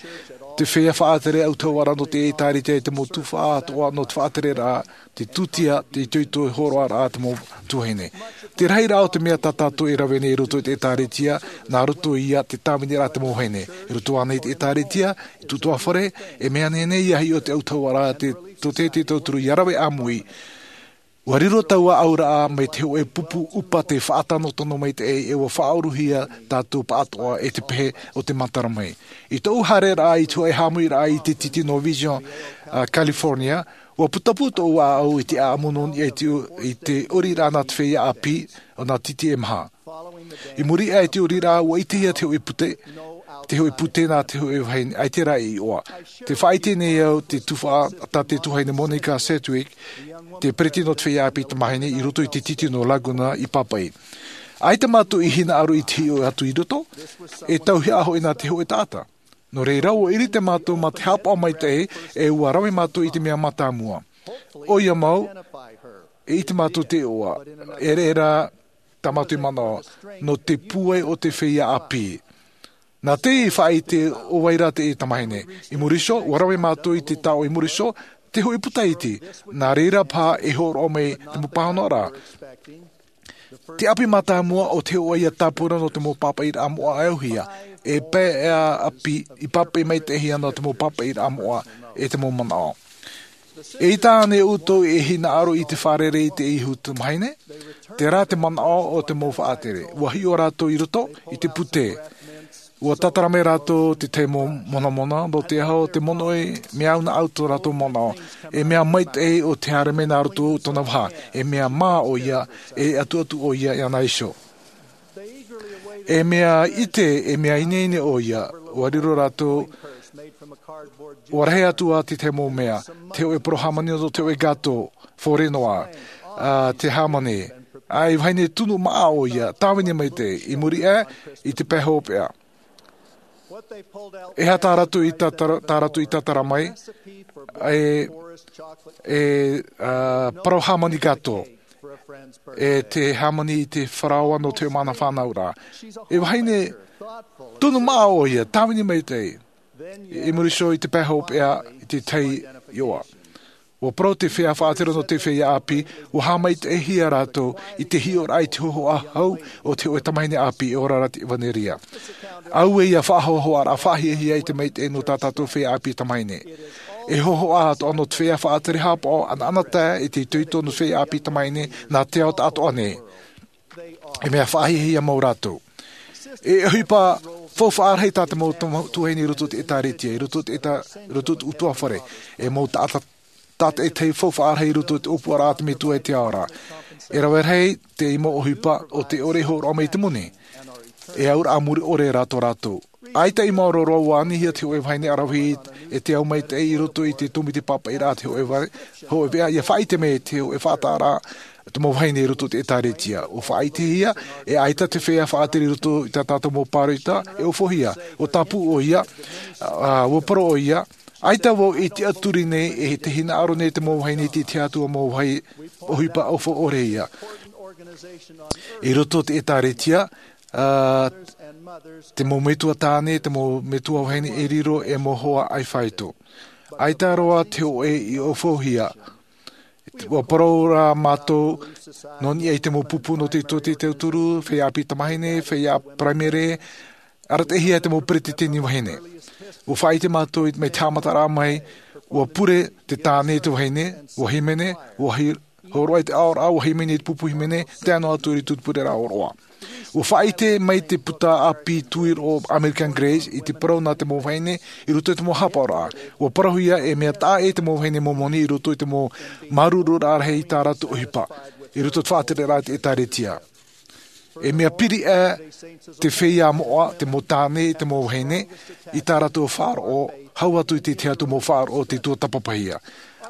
te feiā faʻatere autahuʻaraʻa nō te ʻĒtārētia i te mau tuhaʻa atoʻa nō te faʻatereraʻa, te tūtia, te itoito hōroʻaraʻa a te mau tuahine. Te rahiraʻa o te mea tā tātou e rave nei i roto i te ʻĒtārētia, nā roto ia i te tāviniraʻa a te mau vahine. I roto ānei i te ʻĒtārētia, i te ʻutuāfare, e mea nehenehe ʻia hiʻo te autahuʻaraʻa a te, tō te, te tauturu ʻia rave ʻāmui. ʻUa riro taua auraʻa mai te hōʻē pupu ʻupa tei faʻatanotano maitaʻi, e ʻua faʻaʻoruhia tātou pāʻatoʻa e te pehe o te matara mai. I tōʻu haereraʻa i te hōʻē haʻamuiraʻa i te titi nō Vision, a, California, ʻua putapū tōʻu ʻāʻau i te ʻāʻamu nō niʻa i te, i te ʻoriraʻa nā te feiā ʻāpī, ʻo nā titi e maha. I muri aʻe i te ʻoriraʻa, ʻua ʻitehia te hōʻē pute, te hōʻē pute nā te hōʻē vahine, ʻaita rā e iʻoa. Tē faʻaʻite nei au te tuhaʻa, tā te tuahine Monica Sedgwick, te peretiteni nō te feiā ʻāpī tamāhine i roto i te titi nō Laguna i pāpaʻi. ʻAita mātou i hinaʻaro i te hiʻo atu i roto, e tauihaʻa hoʻi nā te hōʻē taʻata. Nō reira, ʻua ʻirite mātou mā te haʻapaʻo maitaʻi, e ʻua rave mātou i te mea mātāmua. ʻOia mau, e ʻite mātou te iʻoa, e ʻere rā tā mātou i manaʻo, nō te pūai o te feiā ʻāpī. Nā te faʻaʻite ʻo vai rā te tamāhine. I muri iho, ʻua rave mātou i te taoʻa i muri iho, Te hoʻi puta iti, nā reira paha e hōroʻa mai te mau pāhonoraʻa. Te ʻāpī mātāmua o te hoʻoia tāpura nō te mau pāpaʻiraʻa moʻa e auhia, e pae ʻāpī i pāpaʻi maitaʻihia nō te mau pāpaʻiraʻa moʻa e te mau manaʻo. E ʻaita ānei ʻoutou e hinaʻaro i te fārerei i te ihu tamahine? Terā te manaʻo o te mau faʻatere. Ua hiʻo rātou i roto i te pute. Ua tātara mai rātou te tahi mau monamona nō te aho o te monoʻi, mea au nā ʻoutou rātou manaʻo. E mea maitaʻi o te haere mai nā roto tōna vaha. E mea mā ʻoia, e atuatu ʻoia iāna iho. E mea ʻite, e mea ineine ʻoia, ua riro rātou, ua rahi atu ā te tahi mau mea, te hoʻe parau hāmani nō te hoʻe gāto, fōre noa, ā, te hāmani, ā, e vahine tunu maʻa ʻoia, tāvini maitaʻi, i muri aʻe, i te pae hopeʻa. E aha tā rātou i tātara, tā rātou i tātara mai, e, e, ā, parau hāmani gāto, e te hāmani i te faraoa nō te mana fānauraʻa. E vahine tunu maʻa ʻoia, tāvini maitaʻi, i muri iho i te pae hopeʻa i te tahi iʻoa. Ua parau te feiā faʻatere nō te feiā ʻāpī, ua haʻamaitaʻihia rātou i te hiʻoraʻa i te hōhoʻa hau o te hoʻe tamahine ʻāpī e ora ra te ʻevanelia. Auē ia faʻahohoʻaraʻa faʻahiahia i te maitaʻi nō tā tātou feiā ʻāpī tamahine. E hōhoʻa atoʻa nō te feiā faʻatere haʻapaʻo ʻanaʻanatae i te itoito nō te feiā ʻāpī tamahine nā te ao taʻatoʻa nei. E mea faʻahiahia mau rātou. E ʻohipa faufaʻa rahi tā te mau tuahine i roto i te ʻĒtārētia, i roto i te ʻĒtā-, i roto i te ʻutuāfare. E mau taʻata-, taʻata e tahi faufaʻa rahi i roto i te ʻōpuaraʻa a te Metua i te ao ra. E rave rahi te mau ʻohipa o te ʻore e hōroʻa mai i te moni. E auraʻa muri ʻore rā tō rātou. ʻAita i maoro roa ua anihia te hoʻe vahine ʻaravihi e te ao maitaʻi i roto i te tōmite pāpaʻiraʻa te hoʻe va-, hoʻe veʻa ia faʻaʻite mai te hoʻe faʻataʻaraʻa te mau vahine i roto i te ʻĒtārētia. ʻUa faʻaʻitehia, e ʻaita te feiā faʻatere i roto i tā tātou mau pāroita, e ʻofohia, ʻua tāpū ʻoia, ā, ʻua parau ʻoia, ʻaita vau i tiʻaturi nei e te hinaʻaro nei te mau vahine i te tiʻa atu ā mau vāhi ʻohipa ʻofoʻore ia. I roto i te ʻĒtārētia, ā, te mau metua tāne, te mau metua vahine e riro e mau hoa ʻaifāito. ʻAita roa te hoʻe i ʻofohia. ʻUa parau rā mātou, nō niʻa i te mau pupu nō te itoito i te tauturu, feiā ʻāpī tamahine, feiā paraimere, arataʻihia te mau peretiteni vahine. ʻUa faʻaʻite mātou i, mai te haʻamataraʻa mai, ʻua pure te tāne i te vahine, ʻua hīmene, ʻua hi-, hōroʻa i te aʻoraʻa, ʻua hīmene i te pupu hīmene, tae noa atu i roto i te pureraʻa ʻōroʻa. ʻUa faʻaʻite mai te puta ʻāpī tuiroʻo American Grace i te parau nā te mau vahine i roto i te mau haʻapaʻoraʻa. ʻUa parauhia e mea taʻa ʻē te mau vahine Momoni i roto i te mau māuruururaʻa rahi i tā rātou ʻohipa, i roto i te faʻatereraʻa i te ʻĒtārētia. E mea piri ʻē te feiā moʻa, te mau tāne, te mau vahine, i tā rātou faʻaroʻo, hau atu i te tahi atu mau faʻaroʻo te tuatāpapahia.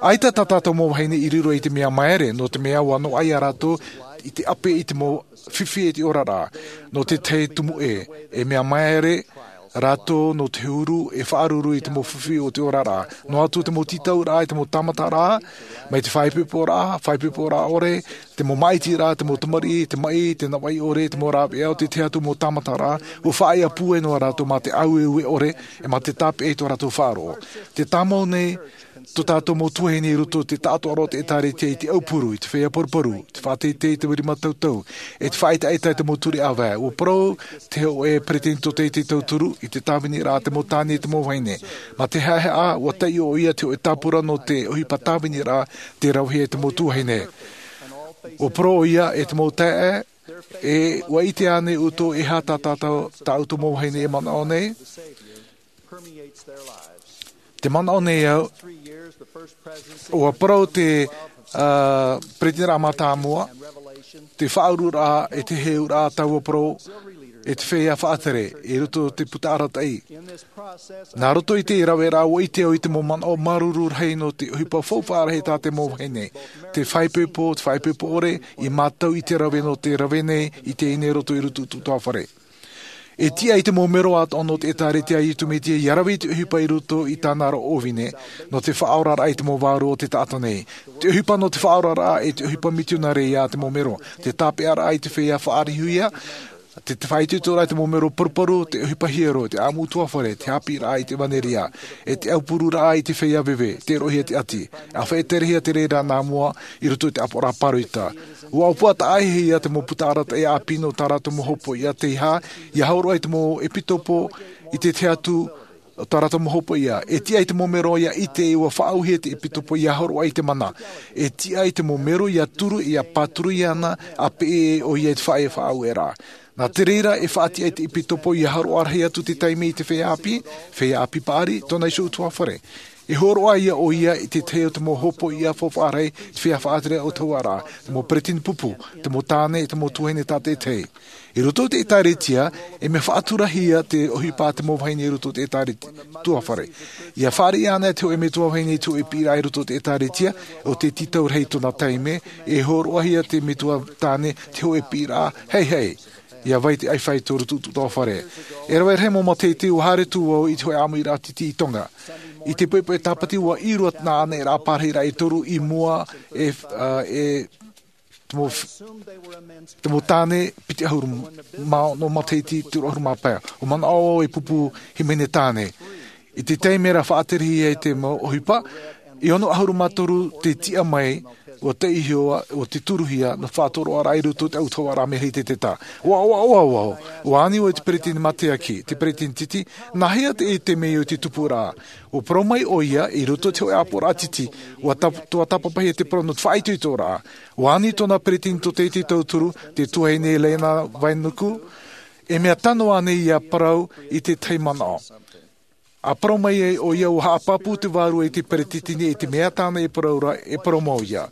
ʻAita tā tātou mau vahine i riro i te mea māere, nō te mea ʻua noaʻa ia rātou i te ʻape i te mau fifi e te oraraʻa, nō te tahi tumu ʻē, e mea māere rātou nō te huru e faʻaruru i te mau fifi o te oraraʻa, noa atu te mau tītauraʻa i te mau tāmataraʻa, mai te faʻaipoiporaʻa, faʻaipoiporaʻa ʻore, te mau māʻitiraʻa, te mau tamariʻi, te maʻi, te navaʻi ʻore, te mau rāveʻa o te tahi atu mau tāmataraʻa, ʻua faʻaea pūai noa rātou mā te ʻāueue ʻore, e mā te tāpeʻa i tō rātou faʻaroʻo. Te tāmau nei, tō tātou mau tuahine i roto i te taʻatoʻaraʻa o te ʻĒtārētia i te ʻaupuru, i te feiā paruparu, te faʻateitei, te rima tautau, e te faʻaʻetaʻeta i te mau ture ʻāvae. ʻUa parau te hoʻe peretiteni tōtaiete tauturu i te tāviniraʻa a te mau tāne e te mau vahine. Mā te haʻehaʻa, ʻua taiʻo ʻoia te hoʻe tāpura nō te ʻohipa tāviniraʻa tē ravehia e te mau tuahine. ʻUa parau ʻoia e te mau taeaʻe, e ʻua ʻite ānei ʻoutou e aha tā tātou, tā ʻoutou mau vahine e manaʻo nei? Te manaʻo nei au, ʻua parau te, ā, peretiteniraʻa mātāmua, te faʻaururaʻa e te heheuraʻa taua parau, e te feiā faʻatere, i roto i te puta arataʻi. Nā roto i te raveraʻa ʻua ʻite au i te mau manaʻo māuruuru rahi nō te ʻohipa faufaʻa rahi tā te mau vahine, te faʻaipoipo, te faʻaipoipo ʻore, i mātau i te rave nō te rave nei, i teie nei roto i roto i te ʻutuāfare. E tiʻa i te mau mero atoʻa nō te ʻĒtārētia a Iesu Mesia ʻia rave i te ʻohipa i roto i tāna ra ʻōvine, nō te faʻaoraraʻa i te mau vārua o te taʻata nei. Te ʻohipa nō te faʻaoraraʻa e te ʻohipa mitionare ia te mau mero, te tāpeʻaraʻa i te feiā faʻarihuia, Te faʻaitoitoraʻa i te mau mero paruparu, te ʻohipa hiero, te ʻamu ʻutuāfare, te haʻapiʻiraʻa i te ʻevanelia, e te aupururaʻa i te feiā veve, te roʻohia te ʻati. ʻA faʻaterehia te reira nā mua i roto i te ʻāpoʻoraʻa pāroita. Ua ʻōpua taʻa ʻaʻehia te mau puta arataʻi ʻāpī nō tā rātou mau hopoiʻa tei hā, ia hōroʻa i te mau ʻepitopo i te tahi atu o tā rātou mau hopoiʻa. E tiʻa i te mau mero ia ʻite ua faʻaauhia te ʻepitopo ia hōroʻa i te mana. E tiʻa i te mau mero ia turu, ia pāturu iāna, ʻa peʻe ʻoia i te faʻaʻē faʻaueraʻa. Nā te reira e faʻatiʻa i te ʻepitopo ia hōroʻa rahi atu te taime i te feiā ʻāpī, feiā ʻāpī paʻari, tōna iho ʻutuāfare. E hōroʻa ia ʻoia i te tahi o te mau hopoiʻa faufaʻa rahi, te feiā faʻatere ʻautahuʻaraʻa, te mau peretiteni pupu, te mau tāne, te mau tuahine tātaʻitahi. I roto i te ʻĒtārētia, e mea faʻaturahia te ʻohipa a te mau vahine i roto i te ʻĒtārētia ʻutuāfare. Ia fāriʻi ana te hōʻē metua vahine i te hōʻē piʻiraʻa i roto i te ʻĒtārētia, ʻo te tītau rahi i tōna taime, e hōroʻahia te metua tāne te hōʻē piʻiraʻa, hei, hei, ia vai te ʻaifai tō roto ʻutuāfare. E rave rahi mau matahiti ua haere atu vau i te hōʻē ʻāmuiraʻa titi i Tonga. I te poʻipoʻi tāpati ua ʻīrua nā ʻaneraʻa pārahiraʻa e toru i mua e, ā, e te mau f-, te mau tāne piti ʻahuru mā ono matahiti, toru ʻahuru mā pae. ʻUa manaʻo au e pupu hīmene tāne. I te taime ra faʻaterehia ai te mau ʻohipa, e ono ʻahuru mā toru te tiʻa mai, ʻua taiʻo, ʻua tūruhia, nō te faʻatoroʻaraʻa i roto i te ʻautahuʻaraʻa Merihititeta. ʻOa, ʻoa, ʻoa, ʻoa, ʻoa. ʻUa ani vau i te peretiteni mateaki, te peretiteni titi, nāhea te, te mea ʻo te tupuraʻa. ʻUa parau mai ʻoia, i roto i te hōʻē ʻāpoʻoraʻa titi, ʻua tap-, ʻua tāpapahia te parau nō te faʻaitoitoraʻa. ʻUa ani tōna peretiteni tōtaiete tauturu, te tuahine Lena Vainuku, e mea tano ānei ia parau i te tahi manaʻo. ʻA parau mai ai ʻoia ʻua haʻapāpū te vārua i te peretiteni i te mea tāna e parau ra, e parau mau ia.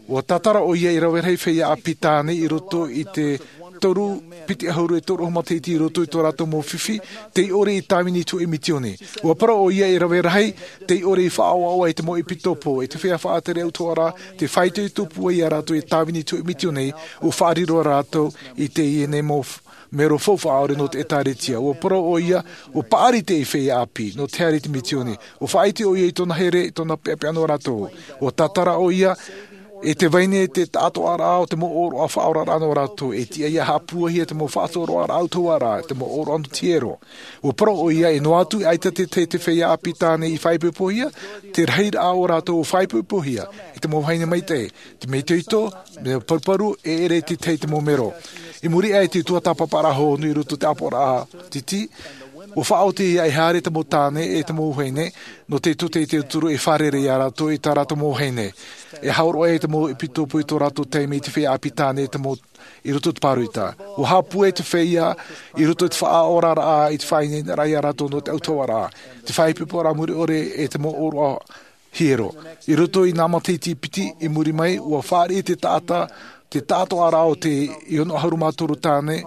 ʻUa tātara ʻoia e rave rahi feiā ʻāpī tāne i roto i te toru piti ʻahuru e toru ʻahuru matahiti i roto i tō rātou mau fifi, tei ʻore i tāvini i te hōʻē mitioni. ʻUa parau ʻoia e rave rahi, tei ʻore i faʻaʻoaʻoa i te mau ʻepitopo, i te feiā faʻatere ʻautahuʻaraʻa, te faʻaitoito pūai ia rātou e tāvini i te hōʻē mitioni, ʻua faʻariro rātou i teie nei mau f-, mero faufaʻa ʻore nō te ʻĒtārētia. ʻUa parau ʻoia, ʻua paʻari te feiā ʻāpī, nō te haere i te mitioni. ʻUa faʻaʻite ʻoia i tōna here, i tōna peʻapeʻa nō rātou. ʻUa tātara ʻoia, e te vahine te taʻatoʻaraʻa o te mau ʻōroʻa faʻaoraraʻa nō rātou, e tiʻa ia haʻapūaihia te mau faʻatoroʻaraʻa ʻautahuʻaraʻa, te mau ʻōroʻa nō te hiero. ʻUa parau ʻoia, e noa atu, ʻaita te, te, te feiā ʻāpī tāne i faʻaipoipohia, te rahiraʻa o rātou ʻua faʻaipoipohia, e te mau vahine maitaʻi, te mea itoito, mea paruparu, e ʻere i te tahi te mau mero. I muri aʻe i te tuatāpaparaʻa hōhonu i roto i te ʻāpoʻoraʻa titi, ʻua faʻaoti ia e haere te mau tāne e te mau vahine, nō te tōtaiete tauturu e fārerei ia rātou i tā rātou mau vahine. E hōroʻa ai te mau ʻepitopo i tō rātou taime i te feiā ʻāpī tāne e te mau i roto i te pāroita. ʻUa haʻapūai te feiā i roto i te faʻaoraraʻa, i te faʻaineineraʻa ia rātou nō te ʻautahuʻaraʻa, te faʻaipoiporaʻa mure ʻore e te mau ʻōroʻa hiero. I roto i nā matahiti piti i muri mai, ʻua fāriʻi te taʻata, te taʻatoʻaraʻa o te ono ʻahuru mā toru tāne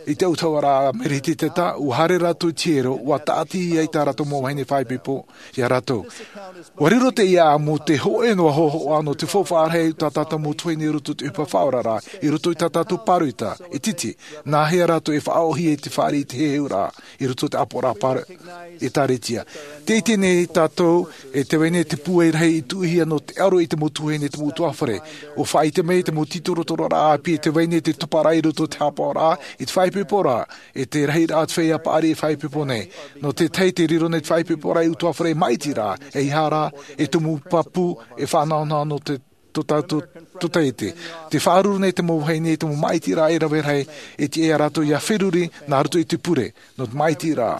i te ʻautahuʻaraʻa Merihititeta, ʻua haere rātou i te hiero, ʻua tāʻatihia tā rātou mau vahine faʻaipoipo ia rātou. ʻUa riro teie ʻāʻamu te hōʻē noa hōhoʻa nō te faufaʻa rahi tā tātou mau tuahine i roto i te ʻohipa faʻaoraraʻa, i roto i tā tātou pāroita, e titi, nāhea rātou e faʻaʻōhie i te fāriʻi i te heheuraʻa, i roto i te ʻāpoʻoraʻa pāro-, ʻĒtārētia. Tē ʻite nei tātou, e te vahine te pūai rahi i tuʻuhia nō te aro i te mau tuahine, te mau ʻutuāfare. ʻUa faʻaʻite mai te mau tītorotororaʻa ʻāpī, e te vahine te tuparaʻa i roto i te haʻapaʻoraʻa, i te faʻaipoiporaʻa, e te rahiraʻa o te feiā paʻari e faʻaipoipo nei. Nō te tahi te riro nei te faʻaipoiporaʻa i ʻutuāfare e māʻitiraʻa, ʻeiaha rā, e tumu pāpū, e faʻanahonaho nō te tō tātou tōtaiete. Te faʻaruru nei te mau vahine i te mau māʻitiraʻa e rave rahi, e tiʻa ia rātou ia feruri, nā roto i te pure, nō te māʻitiraʻa.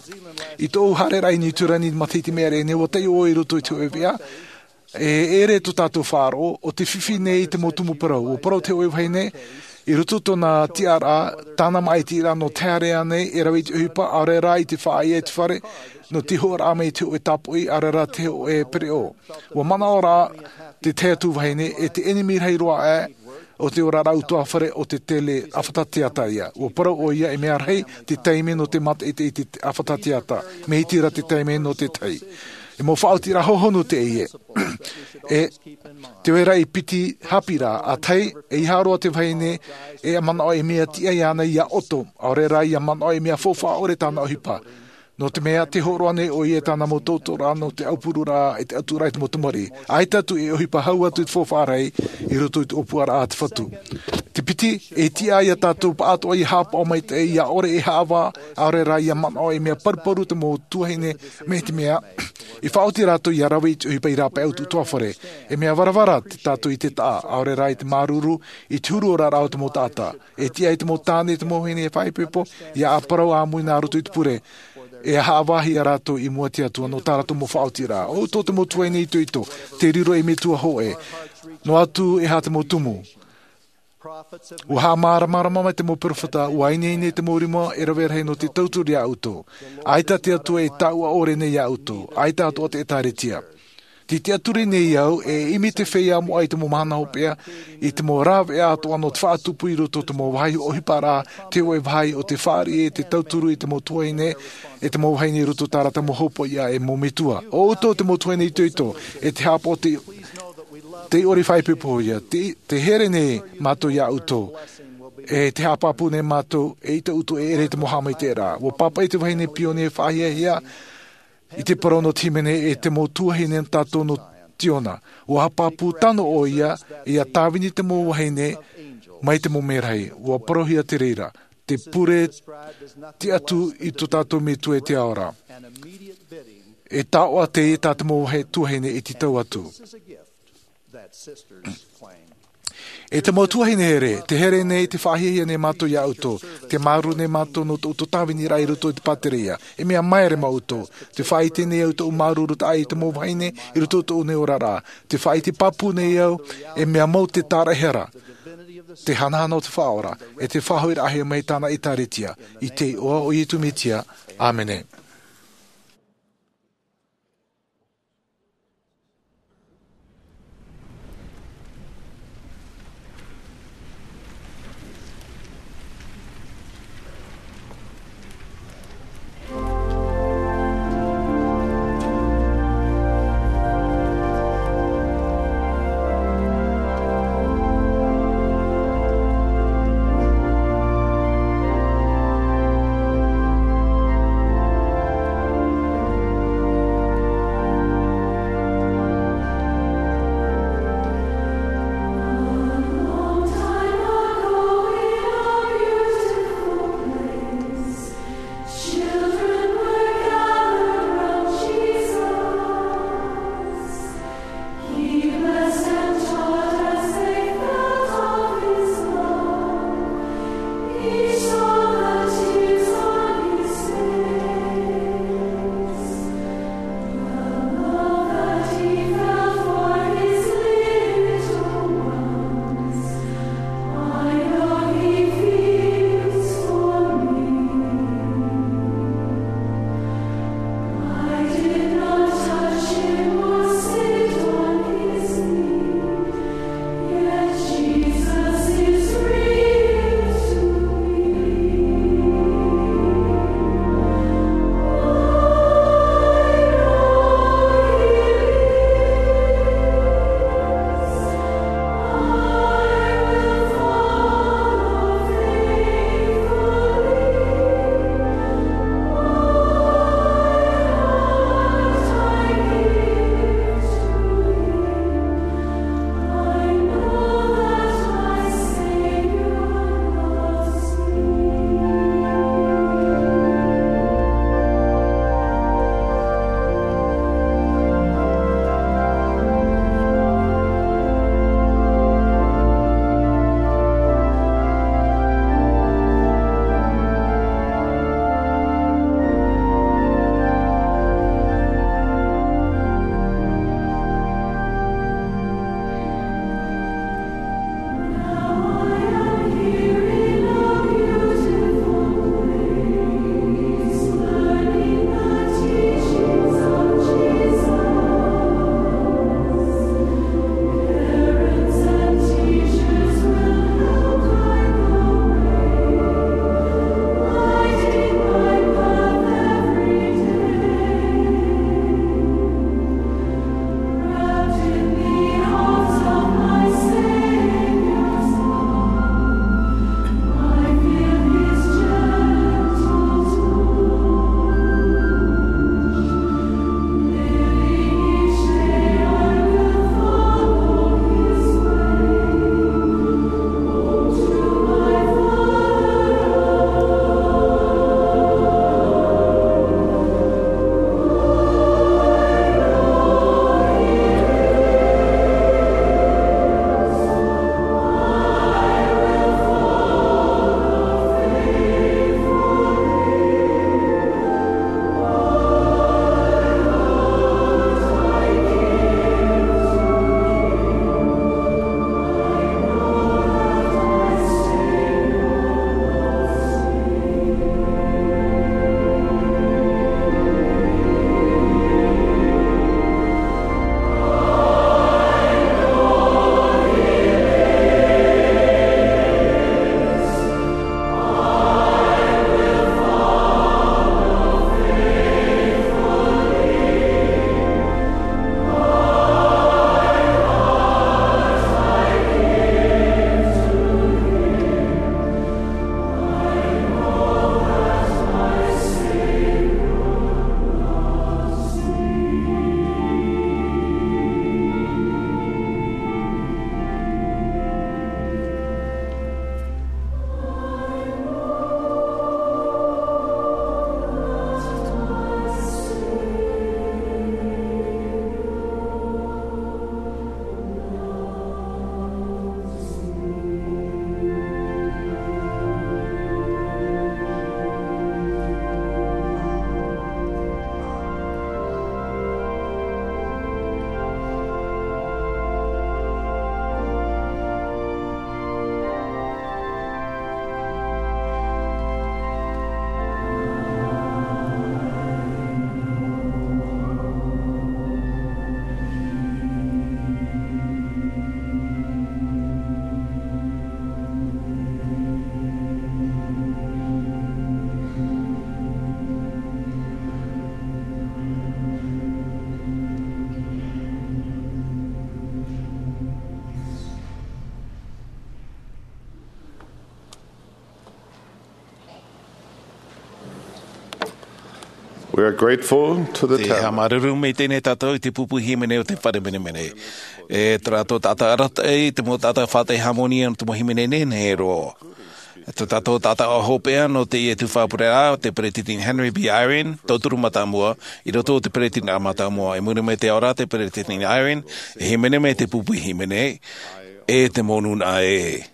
I tōʻu haereraʻa i Niu Tirani i te matahiti mea rē nei, ʻua taiʻo au i roto i te hōʻē veʻa, e ʻere tō tātou faʻaroʻo, ʻo te fifi nei i te mau tumu parau. ʻUa parau te hōʻē vahine, i roto i tōna tiʻaraʻa, tāna māʻitiraʻa nō te haere ānei, e rave i te ʻohipa, ʻaore rā i te faʻaʻite i te fare, nō te hoʻoraʻa mai i te hōʻē tāpoʻi, ʻaore rā te hōʻē pereʻoʻo. ʻUa manaʻo rā te tahi atu vahine, e te ʻenemi rahi roa aʻe o te oraraʻa ʻutuāfare ʻo te tele ʻāfata teata ia. ʻUa parau ʻoia, e mea rahi te taime nō te mātaʻitaʻi i te ʻāfata teata. Mea iti rā te taime nō te tahi. E mau faʻaotiraʻa hōhonu teie. E te vai ra i piti haʻapiʻiraʻa, ʻa tahi, ʻeiaha roa te vahine e manaʻo e mea tiʻa iāna ia ʻoto, ʻaore rā ia manaʻo e mea faufaʻa ʻore tāna ʻohipa. Nō te mea, tē hōroʻa nei ʻoia i tāna mau tautooraʻa nō te aupururaʻa, e te atura, e te mau tamariʻi. ʻAita atu e ʻohipa hau atu i te faufaʻa rahi i roto i te ʻōpuaraʻa a te Fatu. Te piti, e tiʻa ia tātou pāʻatoʻa ia haʻapaʻo maitaʻi, ia ʻore e haʻavā, ʻaore rā ia manaʻo, e mea paruparu te mau tuahine, mai te mea, i faʻaoti rātou ia rave i te ʻohipa i rāpae atu utuafare. E mea varavara te tātou i te taʻa, ʻaore rā i te māuruuru, i te huru oraraʻa o te mau taʻata. E tiʻa i te mau tāne, te mau vahine e faʻaipoipo, ia ʻāparau ʻāmui nā roto i te pure, e haʻavāhia rātou i mua i te Atua nō tā rātou mau faʻaotiraʻa. ʻO ʻoutou te mau tuahine itoito, tē riro ei metua hōʻē, noa atu e aha te mau tumu. ʻUa haʻamāramarama mai te mau peropheta, ʻua ineine te mau rima e rave rahi nō te tauturu ia ʻoutou. ʻAita te Atua e taʻua ʻore nei ia ʻoutou, ʻaita atoʻa te ʻĒtārētia. Tē tiʻaturi nei au, e ʻimi te feiā moʻa i te mau mahana hopeʻa, i te mau rāveʻa atoʻa nō te faʻatupu i roto i te mau vāhi ʻohiparaʻa, te hōʻē vāhi o te fāriʻi e te tauturu i te mau tuahine, e te mau vahine i roto i tā rātou mau hopoiʻa e mau metua. ʻO ʻoutou te mau tuahine itoito, e te haʻapaʻo te, tei ʻore i faʻaipoipohia, tē, tē here nei mātou ia ʻoutou, e tē haʻapāpū nei mātou, eʻita ʻoutou e ʻere i te mau haʻamaitaʻiraʻa. ʻUa pāpaʻi te vahine Pionia e faʻahiahia, i te parau nō te hīmene e te mau tuahine tātou nō Ziona. ʻUa haʻapāpū tano ʻoia, ia tāvini te mau vahine mai te mau merahi. ʻUa parauhia te reira, te pure tiʻa atu i tō tātou Metua e te Ao ra. E taoʻa teie tā te mau vahi tuahine e tītau atu. E te mau tuahine here, tē here nei, tē faʻahiahia nei mātou ia ʻoutou, tē māuruuru nei mātou nō tō ʻoutou tāviniraʻa i roto i te pātereia. E mea maere mau ʻoutou, tē faʻaʻite nei au i tōʻu māuruurutaʻa i te mau vahine i roto i tōʻu nei oraraʻa. Tē faʻaʻite pāpū nei au, e mea mau te tāraʻehara, te hanahana o te Faʻaora, e te faʻahoʻiraʻahia mai tāna ʻĒtārētia, i te iʻoa o Iesu Mesia. ʻĀmene. We are grateful to the Te tabernacle. Haʻamāuruuru maitaʻi nei tātou i te pupu hīmene o te fare menemene. E tō rātou taʻata arataʻi, te mau taʻata faʻaʻite hāmani nō te mau hīmene nehenehe roa. Tō tātou taʻata hopeʻa nō teie tuhaʻa pureraʻa, te Peresideni Henry B. Eyring, tauturu mātāmua, i roto o te Peresideni mātāmua. I muri mai te ao ra te Peresideni Eyring, e hīmene mai te pupu hīmene, e te mau nūnaʻa ē.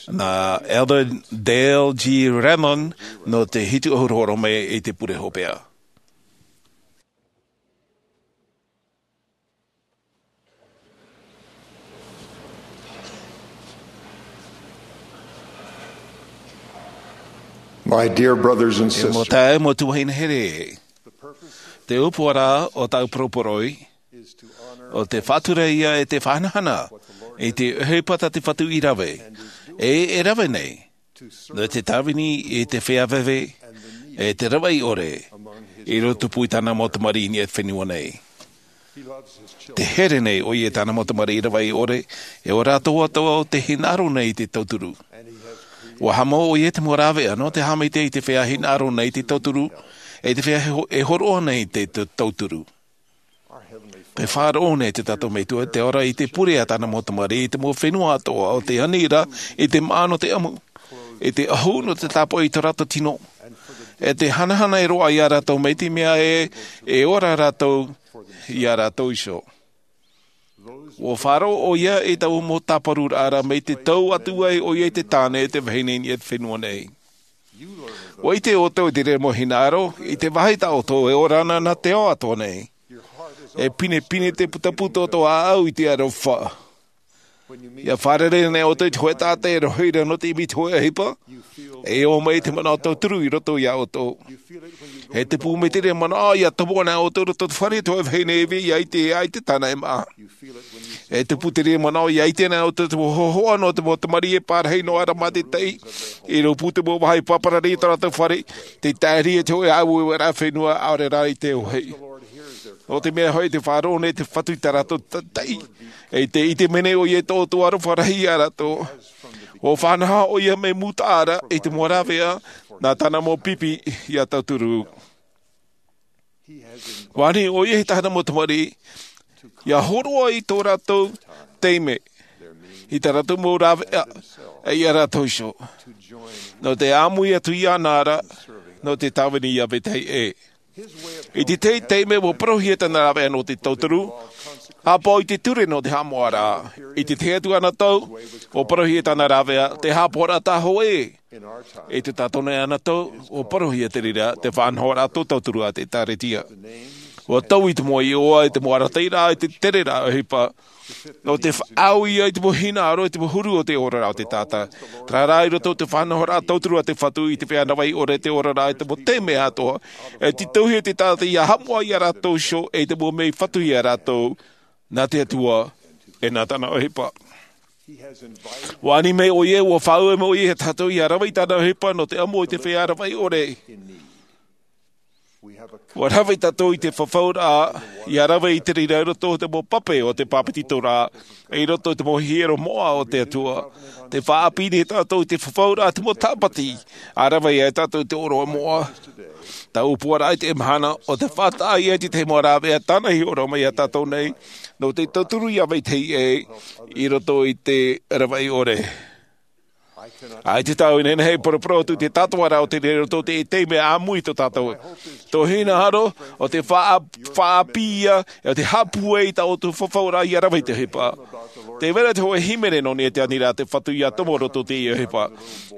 Nā Elder Dale G. Renlund nō te hitu ʻahuru hōroʻa mai i te pure hopeʻa. My dear brothers and E mau sisters, taeaʻe, mau tuahine here. Te ʻōpuaraʻa o tāʻu poroporoʻi, ʻo te faʻatura ïa e te faʻahanahana i te ʻohipa tā te Fatu i rave, e, e rave nei, nō te tāvini i te feiā veve, e te ravaʻi ʻore, i roto pū i tāna mau tamariʻi i niʻa i te fenua nei. Tē here nei ʻoia i tāna mau tamariʻi ravaʻi ʻore, e ʻo rātou atoʻa ʻo tē hinaʻaro nei i te tauturu. ʻUa haʻamau ʻoia i te mau rāveʻa nō te haʻamaitaʻi i te feiā hinaʻaro nei i te tauturu, e te feiā e ho-, e hōroʻa nei i te, te tauturu. Tē faʻaroʻo nei te tātou Metua i te ora i te pure a tāna mau tamariʻi i te mau fenua atoʻa, ʻo tē ani ra i te māʻa nō te ʻamu, i te ʻahu nō te tāpaʻo i tō rātou tino, e te hanahana e roaʻa ia rātou mai te mea ē, e ora rātou ia rātou iho. ʻUa faʻaroʻo ʻoia i taua mau tāparuraʻa ra mai te tau atu ai ʻoia i te tāne e te vahine i niʻa i te fenua nei. ʻUa ʻite ʻoutou i te reira mau hinaʻaro, i te vāhi tā ʻoutou e ora na nā te ao atoʻa nei. E pinepine te putapū tō ʻoutou ʻāʻau i te aroha. ʻIa fārerei nei ʻoutou i te hōʻē taʻata e rohi ra nō te ʻimi i te hōʻē ʻohipa, e ō mai te manaʻo tauturu i roto ia ʻoutou. E tupu mai te reira manaʻo ʻia tomo ana ʻoutou i roto i te fare i te hōʻē vahine e ʻite ai te tāna e māʻa. E tupu te reira manaʻo ʻia ʻite ana ʻoutou i te hōhoʻa nō te mau tamariʻi e pārahi noa ra mā te taʻi, i rōpū te mau vāhi pāpara i tō rātou fare, tē tae ra i te hōʻē ʻāueueraʻa fenua ʻaore rā i te ʻohipa. Nō te mea hoʻi, tē faʻaroʻo nei te Fatu i tā rātou ta-, taʻi, e tē ʻite mai nei ʻoia i tō ʻoutou aroha rahi ia rātou. ʻUa faʻanaho ʻoia mai mūtaʻa ra i te mau rāveʻa nā tāna mau pipi ʻia tauturu. ʻUa ani ʻoia i tāna mau tamariʻi, ʻia hōroʻa i tō rātou taime, i tā rātou mau rāveʻa, e ia rātou iho. Nō te ʻāmui atu iāna ra, nō te tāvini i te vetahi ʻē. I te tahi taime ʻua parauhia tāna rāveʻa nō te tauturu, haʻapaʻo i te ture nō te haʻamoʻaraʻa. I te tahi atu anotau, ʻua parauhia tāna rāveʻa, te haʻapaʻoraʻa tāhōʻē. I tō tātou nei anotau, ʻua parauhia te reira, te faʻanahoraʻa tauturu a te ʻĒkālesia. ʻUa taui te mau iʻoa i te mau arataʻiraʻa, i te tereraʻa ʻohipa, nō te faʻaau ïa i te mau hinaʻaro, i te mau huru o te oraraʻa o te taʻata. Terā rā i roto i te faʻanahoraʻa tauturu a te Fatu i te feiā ravaʻi ʻore, te oraraʻa i te mau taime atoʻa, e tītauhia te taʻata ʻia haʻamoʻa ia rātou iho, e te mau mea fatu ia rātou, nā te Atua, e nā tāna ʻohipa. ʻUa ani mai ʻoia, ʻua faʻaue mai ʻoia ia tātou ʻia rave i tāna ʻohipa nō te ʻamu i te feiā ravaʻi ʻore. ʻUa rave tātou i te fafauraʻa, ʻia rave i te reira i roto i te mau pape o te pāpetitoraʻa, i roto i te mau hiero moʻa o te Atua. Tē faʻaʻāpī nei tātou i te fafauraʻa, te mau tāpati, ʻa rave ai tātou i te ʻōroʻa moʻa. Taua ʻōpuaraʻa i teie mahana, ʻo tē faʻataʻa ïa i te tahi mau rāveʻa tāna i hōroʻa mai ia tātou nei, nō te tauturu i te vetahi ʻē, i roto i te ravaʻi ʻore. ʻAita tāʻu e nehenehe e poroporo atu i te tātara o te reira i roto i te taime ʻāmui tō tātou. Tō hinaʻaro, ʻo tē faʻa-, faʻaʻāpī ïa, ʻo tē haʻapūai i tā ʻoutou fafauraʻa ʻia rave i te ʻohipa. Tē vai ra te hōʻē hīmene nō niʻa i te aniraʻa a te Fatu ʻia tomo i roto i teie ʻohipa.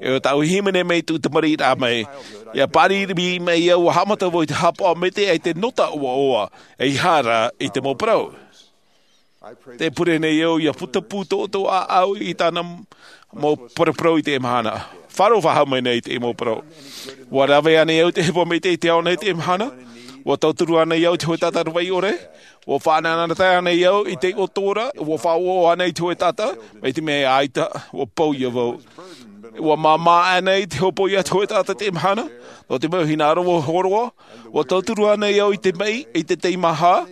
E ʻo tāʻu hīmene mai tōʻu tamariʻiraʻa mai. ʻIa pāriri mai au ʻua haʻamata vau i te haʻapaʻo maitaʻi i te nota ʻoaʻoa, ʻeiaha rā i te mau parau. Tē pure nei au ʻia putapū tō ʻoutou ʻāʻau i tāna mau paraparau i teie mahana. Faʻaroʻo faʻahou mai nei i teie mau parau. ʻUa rave ānei au i te ʻohipa maitaʻi i te ao nei i teie mahana? ʻUa tauturu ānei au i te hōʻē taʻata ravaʻi ʻore? ʻUa faʻanahonahoraʻa ānei au i te ʻoto ra? ʻUa faʻaʻoaʻoa ānei i te hōʻē taʻata? Mai te mea ʻaita, ʻua pau ïa vau. ʻUa māmā ānei te hopoiʻa a te hōʻē taʻata i teie mahana? Nō te mau hinaʻaro ʻua hōroʻa, ʻua tauturu ānei au i te maʻi, i te teimaha,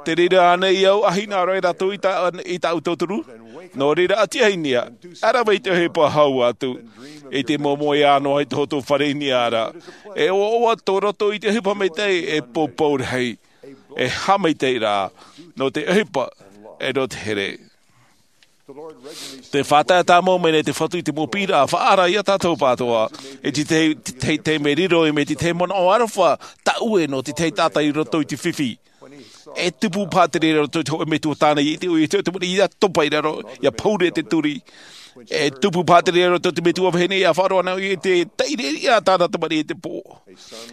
te reira ānei au ʻa hinaʻaro ai rātou i tā-, i tāʻu tauturu? Nō reira, ʻati ai nia, ʻa rave i te ʻohipa hau atu, i te momoe ʻānoa i tō ʻoutou fare i nia ra. E ʻoaʻoa tō roto i te ʻohipa maitaʻi e poupou rahi, e haʻamaitaʻi rā, nō te ʻohipa, e nō te here. Te faʻatae tāmau mai nei te Fatu i te mau piʻiraʻa faʻaara iā tātou pātoa, i te tahi, te tahi, te tahi mea riro, i te tahi manaʻo aroha, tāʻue nō te tahi taʻata i roto i te fifi. E tupu paha te reira i roto i te hōʻē metua tāne, i te ʻoe, i te ʻoe, i te moni, ia topa i raro, ia pouri te turi. E tupu paha te reira i roto i te metua vahine, ia faʻaroʻo ana i te taʻireʻareʻa tāna tamariʻi i te pō.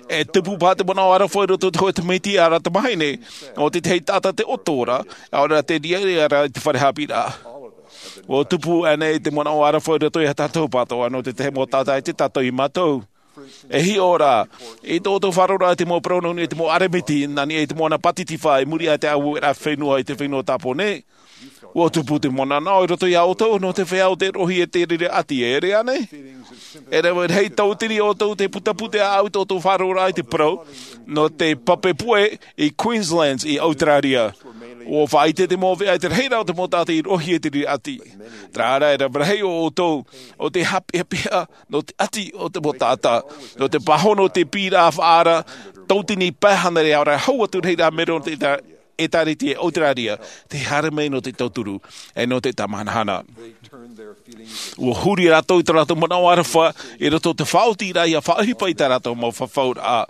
E tupu paha te manaʻo aroha i roto i te hōʻē tamaiti ʻāreʻa tamahine, ʻo te tahi taʻata te ʻoto ra, ʻaore rā te riaria ra i te fare haʻapiʻiraʻa. ʻUa tupu ānei te manaʻo aroha i roto iā tātou pātoa, nō te tahi mau taʻata i te taʻata i mātou. E hiʻo rā, i tō ʻoutou faʻaroʻoraʻa i te mau parau nō niʻa i te mau ʻeremiti, nā niʻa i te moana Pātitifā, i muri aʻe i te aueraʻa fenua i te fenua Tāpōnē. ʻUa tupu te manaʻo i roto iā ʻoutou, nō te feiā ʻo te roʻohia i te reira ʻati, e ʻere ānei? E rave rahi tautini ʻoutou te putapū te ʻāʻau i tō ʻoutou faʻaroʻoraʻa i te parau, nō te pape puʻe i Queensland, i ʻAuteraria. ʻUa faʻaʻite te mau veʻa i te rahiraʻa o te mau taʻata i roʻohia i te reira ʻati. Terā rā, e rave rahi ʻoutou, ʻo tē haʻapeʻapeʻa, nō te ʻati o te mau taʻata, nō te pāhono o te piʻiraʻa faʻaara, tautini pae hānere ʻaore rā hau atu rahi rā mero nō te ʻētārētia i ʻAuteraria, tē haere mai nō te tauturu, e nō te tāmahanahana. ʻUa huri rātou i tō rātou manaʻo aroha, i roto i te faʻaotiraʻa ʻia faʻaʻohipa i tā rātou mau fafauraʻa.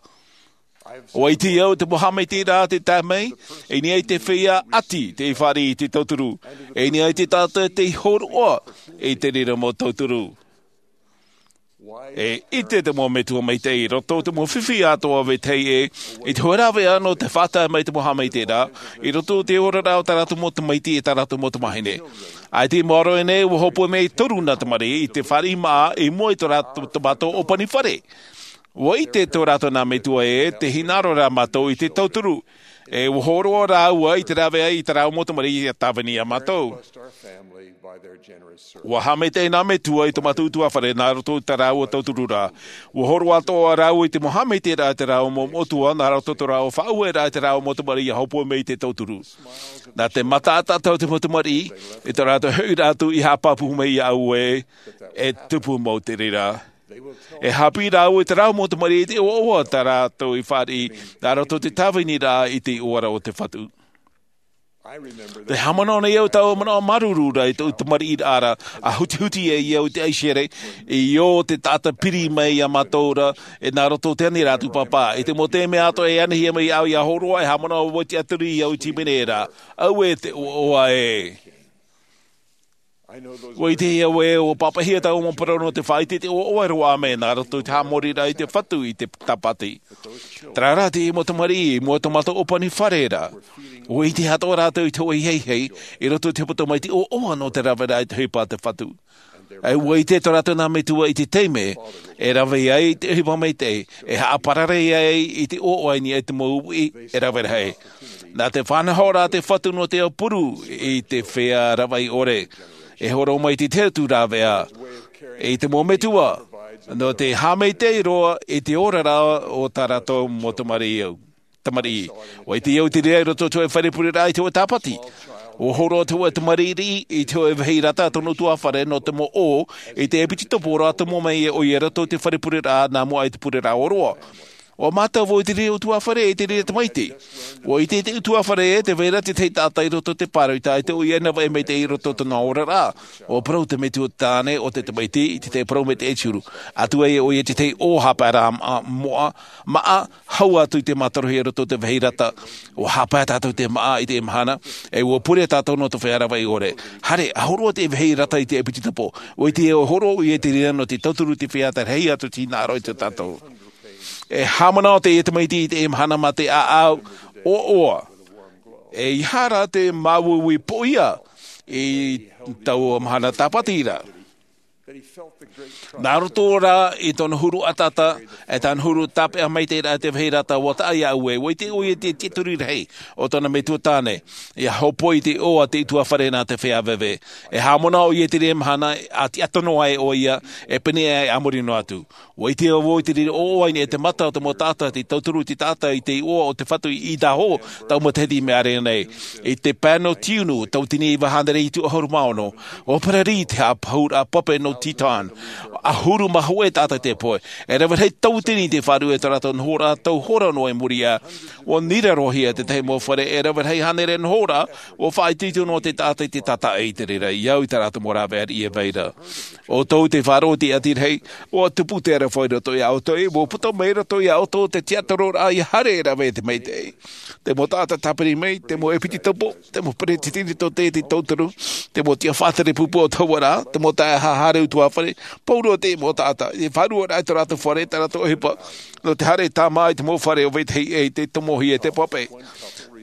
ʻUa ʻite au te mau haʻamaitaʻiraʻa tē tae mai, i niʻa i te feiā ʻati tei fāriʻi i te tauturu, i niʻa i te taʻata tei hōroʻa i te reira mau tauturu. E ʻite te mau metua maitaʻi, i roto i te mau fifi atoʻa vetahi ē, i te hōʻē rāveʻa nō te faʻatae mai te mau haʻamaitaʻiraʻa, i roto i te oraraʻa o tā rātou mau tamaiti e tā rātou mau tamāhine. ʻAita i maoro aʻe nei, ʻua hōpoi mai toru nā tamariʻi i te fāriʻi māʻa i mua i tō rātou, tō mātou ʻōpani fare. ʻUa ʻite tō rātou nā metua ē, tē hinaʻaro ra mātou i te tauturu. E ʻua hōroʻa rāua i te rāveʻa i tā rāua mau tamariʻi ʻia tāvini iā mātou. ʻUa haʻamaitaʻi nā metua i tō mātou ʻutuāfare nā roto i tā rāua tauturu ra. ʻUa hōroʻa atoʻa rāua i te mau haʻamaitaʻiraʻa i tā rāua mau moʻotua nā roto i tō rāua faʻaueraʻa i tā rāua mau tamariʻi ʻia hōpoi mai i te tauturu. Nā te mataʻitaʻi o te mau tamariʻi, i tō rātou hoʻiraʻa atu i haʻapāpū mai iāʻu ē, e tupu mau te reira. E haʻapiʻi rāua i tā rāua mau tamariʻi i te ʻoaʻoa tā rātou i fāriʻi, nā roto i te tāviniraʻa i te iʻoa ra o te Fatu. Tē haʻamanaʻo nei au taua manaʻo māuruuru ra i tōʻu tamariʻiraʻa ra, ʻa hutihuti ai au i te ʻaisere, i ō te taʻata piri mai iā mātou ra, e nā roto i te aniraʻa tūpāpā. I te mau taime atoʻa e anihia mai au ʻia hōroʻa, e haʻamanaʻo au i te tiʻaturi i au i te hīmene ra. Auē te ʻoaʻoa ē. ʻUa ʻite au ē, ʻua pāpaʻihia taua mau parau nō te faʻaʻite i te ʻoaʻoa e roaʻa mai, nā roto i te haʻamoriraʻa i te Fatu i te Tāpati. Terā rā te mau tamariʻi, i mua i tō mātou ʻōpani fare ra. ʻUa ʻite atoʻa rātou i te hōʻē ʻeiaha, i roto i te hepetoma i te ʻoaʻoa nō te raveraʻa i te ʻohipa a te Fatu. E ʻua ʻite tō rātou nā metua i te taime, e rave ai te ʻohipa maitaʻi, e haʻaparare ai i te ʻoaʻoa i niʻa i te mau uʻi, e rave rahi. Nā te faʻanahoraʻa a te Fatu nō te aupuru i te feiā ravaʻi ʻore. E hōroʻa mai te tahi atu rāveʻa, i te mau metua, nō te haʻamaitaʻi roa i te oraraʻa o tā rātou mau tamariʻi au. Tamariʻi. ʻUa ʻite au i te reira i roto i te hōʻē fare pureraʻa i te hōʻē Tāpati. ʻUa hōroʻa te hōʻē tamariʻi i te hōʻē vāhi rata tōna ʻutuāfare nō te mau ʻō, i te ʻepitetopo ra tomo mai ʻoia i roto i te fare pureraʻa nā mua i te pureraʻa ʻōroʻa. ʻUa mātau vau i te reira ʻutuāfare, i te reira tamaiti. ʻUa ʻite te ʻutuāfare ē, tē vai ra te tahi taʻata i roto i te pāroita, ʻaita ʻoia e navaʻi maitaʻi i roto i tōna oraraʻa. ʻUa parau te metua tāne o te tamaiti, i te tahi parau maitaʻi e huru. Atu ai ʻoia i te tahi ʻō haʻapae ra, a, moʻa, māʻa, hau atu i te mātorohia i roto i te vāhi rata. ʻUa haʻapae tātou i te māʻa i te mahana, e ʻua pure tātou nō te feiā ravaʻi ʻore. Haere, ʻa hōroʻa te vāhi rata i te ʻepitetopo. ʻUa ʻite au e hōroʻa ʻoia i te reira nō te tauturu i te feiā tē rahi atu i te hinaʻaro iā tātou. E haʻamanaʻo teie tamaiti i te mahana mā te ʻāʻau ʻoaʻoa. ʻEiaha rā te māuiui poʻia i taua mahana Tāpati ra. Nā roto rā i tōna huru ataata, e tana huru tāpeʻa maitaʻi rā te vāhi rata ua taʻa iā ʻoe, ua ʻite ʻoia te tiʻaturi rahi o tōna metua tāne, ia hōpoi i te ʻoaʻoa te ʻutuāfare nā te feiā veve. E haʻamanaʻo ʻoia i te reira mahana, a tiʻa tono ai ʻoia, e pene ai a muri noa atu. Ua ʻite au vau i te reira ʻoaʻoa i niʻa i te mata o te mau taʻata, te tauturu i te taʻata i te iʻoa o te Fatu i Idaho, taua matahiti i mea ʻāreʻa nei. I te pae nō tiunu, tauatini iva hānere hitu ʻahuru mā ono, ua pararī te haʻapāpūraʻa pape nō Teton. ʻAhuru mā hōʻē taʻata i te pohe. E rave rahi tauatini te faʻaruʻe i tō rātou nohoraʻa tau hora noa i muri iho. Ua nirarohia te tahi mau fare e rave rahi hānere nohoraʻa, ua faʻaitoito noa te taʻata i te tātaʻi i te reira, i au i tā rātou mau rāveʻa i vai ra. ʻO tō te faʻaroʻo i te ʻati rahi, ua tupu te aroha i roto iā ʻoutou, ua puta mai i roto iā ʻoutou te tiʻatororaʻa ia haere e rave i te maitaʻi. Te mau taʻata tāpiri mai, te mau ʻepitopo, te mau peretiteni tō te tauturu, te mau tiʻa faʻatere pupu o te hauʻa ra, te mau taeaʻe haere ʻutuāfare, pauroa te mau taʻata, i faʻaruaraʻa i tō rātou fare, tā rātou ʻohipa, nō te haere tāmā i te mau fare o vetahi ʻē i te tomohia e te pape.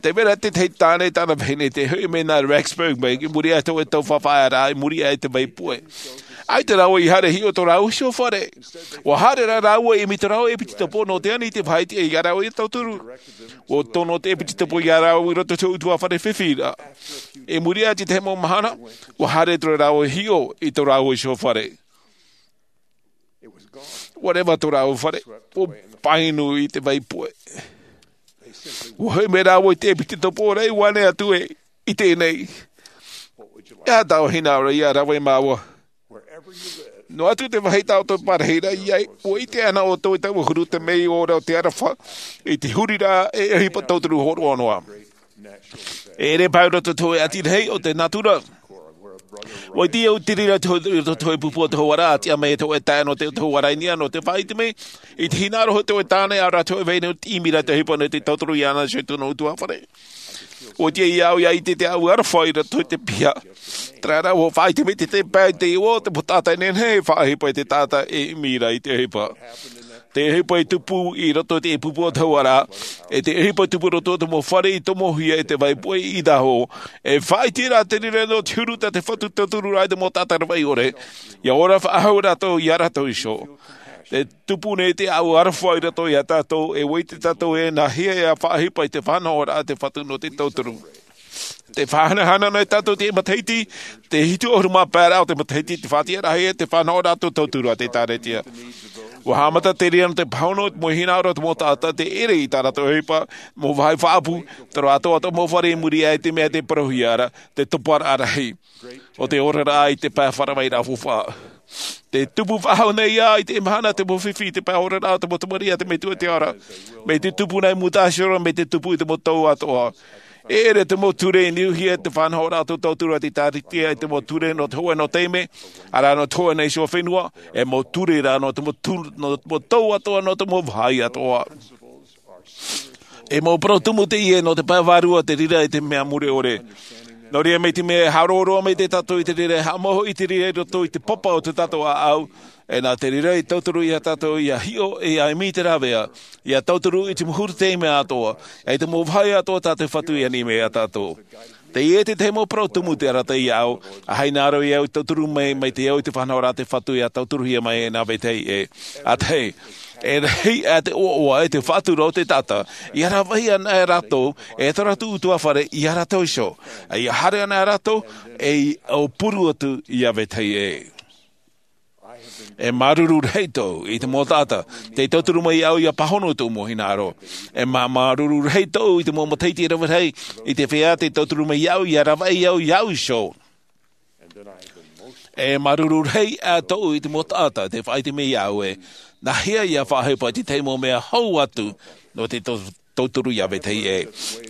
Tē vai ra te tahi tāne i tāna vahine, tē hoʻi mai nā Rexburg mai, i muri iho i te tau faʻaʻāraʻa, i muri iho i te vai puʻe. ʻAita rāua i haere e hiʻo i tō rāua iho fare. Ua haere rā rāua e ʻimi i tō rāua ʻepitopo nō te ani i te faʻaʻite iā rāua ia tauturu. Ua tono te ʻepitopo iā rāua i roto i te ʻutuāfare fifi ra. I muri iho i te tahi mau mahana, ua haere atu rāua e hiʻo i tō rāua iho fare. Ua reva tō rāua fare, ua painu i te vai puʻe. Ua hoʻi mai rāua i te ʻepitopo ra, ua ʻite atu ē, i teie nei. E aha tāua hinaʻaro ia rave māua? Noa atu te vāhi tā ʻoutou i parahi ra i ai, ua ʻite ana ʻoutou i taua huru te mea ora o te aroha, i te huriraʻa e ʻohipa tauturu hōroʻa noa. E ʻere paʻi roto i te hōʻē ʻati rahi o te nātura. Ua ʻite au i te reira i roto i te hōʻē pupu o te hauʻa ra, a tiʻa mai e te hōʻē taeaʻe nō te, te hauʻa ra i niʻa nō te faʻaʻite mai, i te hinaʻaro o te hōʻē tāne, ʻaore rā te hōʻē vahine i ʻimi ra te ʻohipa nō te tauturu iāna iho i tōna ʻutuāfare. Ua ʻite au ia ʻite te aroha i roto i te piha. Terā rā, ua faʻaʻite mai te, te pae i te iʻoa o te mau taʻata e nehenehe e faʻaʻohipa i te taʻata e ʻimi ra i te ʻohipa. Te ʻohipa i tupu i roto i te pupu o te hauʻa ra, e te ʻohipa i tupu i roto i te mau fare i tomohia e te vai puʻe i Idaho, e faʻaʻite ra te reira nō te huru tā te Fatu i tauturu ra i te mau taʻata ravaʻi ʻore, ia ora faʻahou rātou iā rātou iho. E tupu nei te aroha i roto iā tātou, e ʻite tātou ē nāhea e faʻaʻohipa i te faʻanahoraʻa a te Fatu nō te tauturu. Te faʻahanahana nei tātou i te matahiti, te hitu ʻahuru mā pae ra o te matahiti, te faʻatiʻaraʻa e te faʻanahoraʻa a te tauturu a te ʻĒkālesia. Ua haʻamata te reira nō te pāhono i te mau hinaʻaro o te mau taʻata, te ʻere i tā rātou ʻohipa, mau vāhi faʻaʻapu, te roaʻa atoʻa o te mau fare i muri iho i te mea tē parauhia ra, te toparaʻa rahi o te oraraʻa i te pae faʻaravaraʻa faufaʻa. Te tupu faʻahou nei ā i te mahana te mau fifi i te pae oraraʻa o te mau tamariʻi a te Metua i te ao ra. Mai te tupu nā i Mutahero, mai te tupu i te mau tau atoʻa. E ʻere te mau ture i niuhia te faʻanahoraʻa a te tauturu a te ʻĒkālesia, e te mau ture nō te hōʻē nō taime, ʻaore rā nō te hōʻē nā iho fenua, e mau ture rā nō te mau tu-, nō te mau tau atoʻa, nō te mau vāhi atoʻa. E mau parau tumu teie nō te pae vārua, te reira i te mea mure ʻore. Nō reira, mai te mea e haʻaroa roa mai tātou i te reira, e haʻamau i te reira i roto i te papa o tō tātou ʻāʻau, e nā te reira i tauturu ia tātou ia hiʻo, e ia ʻimi i te rāveʻa, ia tauturu i te mau huru taime atoʻa, e i te mau vāhi atoʻa tā te Fatu i ani mai ia tātou. Teie te tahi mau parau tumu tē arataʻi iā ʻoe, ʻa hinaʻaro iā ʻoe e tauturu mai, mai te ao i te faʻanahoraʻa a te Fatu ia tauturuhia mai e nā vetahi ʻē. ʻA tahi, e rahi aʻe te ʻoaʻoa e te faʻatura o te taʻata, ia rāveʻa ana rātou, e tō rātou ʻutuāfare ia rātou iho. Ia haere ana rātou, e ʻaupuru atu ia vetahi ʻē. E māuruuru rahi tōʻu i te mau taʻata tē tauturu mai iā ʻoe ia pāhono i tōʻu mau hinaʻaro. E mā-, māuruuru rahi tōʻu i te mau matahiti e rave rahi i te feiā tē tauturu mai iā ʻoe ia rāveʻa au iā ʻoe iho. E māuruuru rahi aʻe tōʻu i te mau taʻata tē faʻaʻite mai iā ʻoe, nāhea ia faʻaʻohipa i te tahi mau mea hou atu nō te tau-, tauturu ia vetahi ʻē.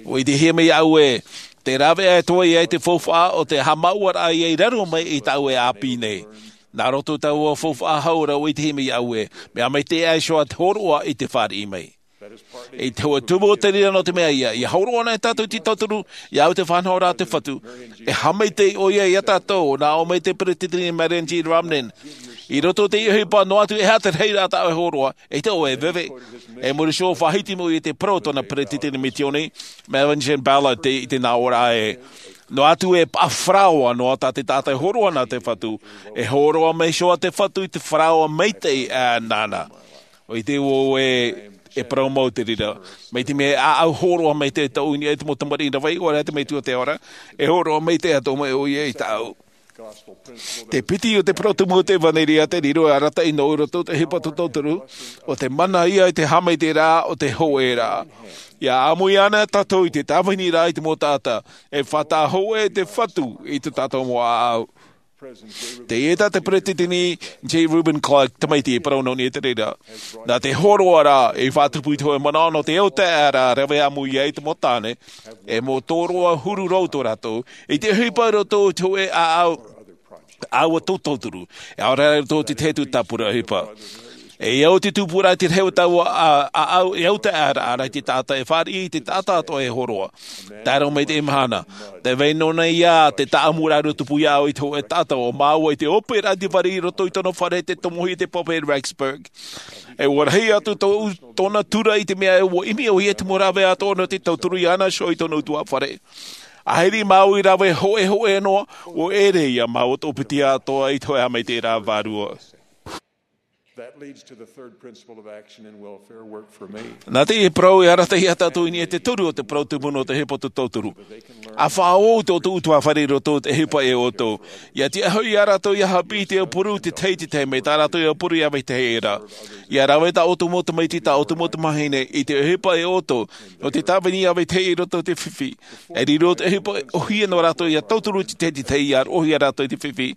ʻUa ʻitehia mai iā ʻoe, te rāveʻa e toe ai te faufaʻa o te haʻamāuʻaraʻa ia i raro mai i tā ʻoe ʻāpī nei. Nā roto i taua faufaʻa hau ra ʻua ʻitehia mai iā ʻoe, mea maitaʻi iho ā te hōroʻa i te fāriʻi mai. I te hōʻē tumu o te reira nō te mea ia, ia hōroʻa ana tātou i te tauturu, ia au te faʻanahoraʻa a te Fatu. E haʻamaitaʻi ʻoia iā tātou, nā ʻō mai te Peresideni Marion G. Romney. I roto i te ʻohipa noa atu e aha te rahiraʻa tā ʻoe e hōroʻa, ʻeita ʻoe e veve. E muri iho faʻahiti mai ʻoia i te parau o tōna peretiteni misiōni, Melvin Ballard, i te nā ʻō ra ē. Noa atu e paʻa faraoa noa tā te taʻata e hōroʻa nā te Fatu, e hōroʻa mai iho ā te Fatu i te faraoa maitaʻi ā nāna. ʻO ʻite vau ē, e parau mau te reira. Mai te mea e ʻāʻau hōroʻa maitaʻi tāʻu i niʻa i te mau tamariʻi rave, ʻaore rā te Metua te Ao Ra, e hōroʻa maitaʻi atoʻa mai ʻoia ia tāʻu. Te piti o te parau tumu o te ʻevanelia te riro e arataʻi nō roto i te ʻohipa tō tauturu, ʻo te mana ïa i te haʻamaitaʻiraʻa o te hōʻē ra. ʻIa ʻāmui ana tātou i te tāviniraʻa i te mau taʻata, e faʻataʻa hōʻē te Fatu i tō tātou mau ʻāʻau. Teie tā te Peretiteni J. Reuben Clark Tamaiti e parau nō niʻa i te reira. Nā te hōroʻa ra, i faʻatupu i te hōʻē manaʻo nō te autaeaʻe ra e rave ʻāmui ai te mau tāne, e mau tōroʻa huru roa tō rātou, i te ʻohipa i roto i te hōʻē ʻāʻau, ʻāʻau a tō tauturu, e ʻaore rā i roto i te tahi atu tāpura ʻohipa. E au te tupuraʻa i te rahi o taua ʻāʻau, e autaeaʻe ra i te taʻata e fāriʻi i te taʻata atoʻa e hōroʻa. Tae roa mai i teie mahana, tē vai noa nei ïa te tāʻamuraʻa tupu iāʻu i te hōʻē taʻata ʻo māua i te ʻope ra i te vari i roto i tōna fare te tomohia te pape Rexburg. E ʻua rahi atu tō, tōna tura i te mea ē ʻua ʻimi ʻoia i te mau rāveʻa atoʻa nō te tauturu iāna iho i tōna ʻutuāfare. ʻAhiri māua i rave hōʻēhōʻē noa, ʻua ʻere ïa māua i toʻopiti atoʻa i te hōʻē haʻamaitaʻiraʻa vārua. That leads to the third principle of action and welfare work for me. Nā teie parau e arataʻi ia tātou i niʻa i te toru o te parau tumu nō te ʻohipa tō tauturu. ʻA faʻaō tō ʻoutou ʻutuāfare i roto i te ʻohipa e ʻoutou. ʻIa tiʻa hoʻi ia rātou ʻia haʻapiʻi i te aupuru i te tahi i te tahi, mai tā rātou e aupuru iā vetahi ʻē ra. ʻIa rave tā ʻoutou mau tamaiti, tā ʻoutou mau tamāhine, i te ʻohipa e ʻoutou, nō te tāvini iā vetahi i roto i te fifi. E riro te ʻohipa ʻōhie nō rātou ʻia tauturu i te tahi i te tahi, ʻia roʻohia rātou i te fifi.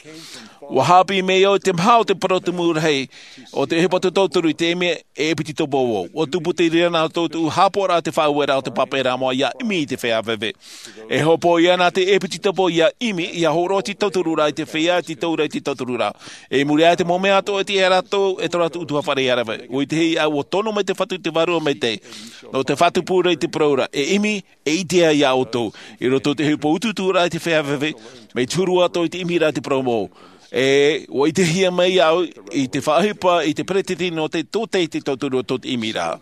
ʻUa haʻapiʻi mai au i te maha o te parau tumu rahi o te ʻohipa tō tauturu i te mea e ʻepetitopa vau. ʻUa tupu te reira nā tō tōʻu haʻapaʻoraʻa te faʻaueraʻa o te pape Rama ʻia ʻimi i te feiā veve. E hopoiʻa ïa nā te ʻepetitopa ʻia ʻimi, ʻia hōroʻa te tauturu ra i te feiā, te taura i te tauturu ra. I muri aʻe i te mau mea atoʻa e tiʻa ia rātou, e tō rātou ʻutuāfare ʻia rave. ʻUa ʻite hoʻi au ʻua tono mai te Fatu i te Vārua Maitaʻi, nō te faʻatupu ra i te parau ra, e ʻimi, e ʻitea ia ʻoutou, i roto i te ʻohipa utuuturaʻa i te feiā veve, mai te huru atoʻa i te ʻimiraʻa i te parau mau. E, ʻua ʻitehia mai au i te faʻaʻohipa i te peretiteni nō te tōtaiete tauturu o tō te ʻimiraʻa.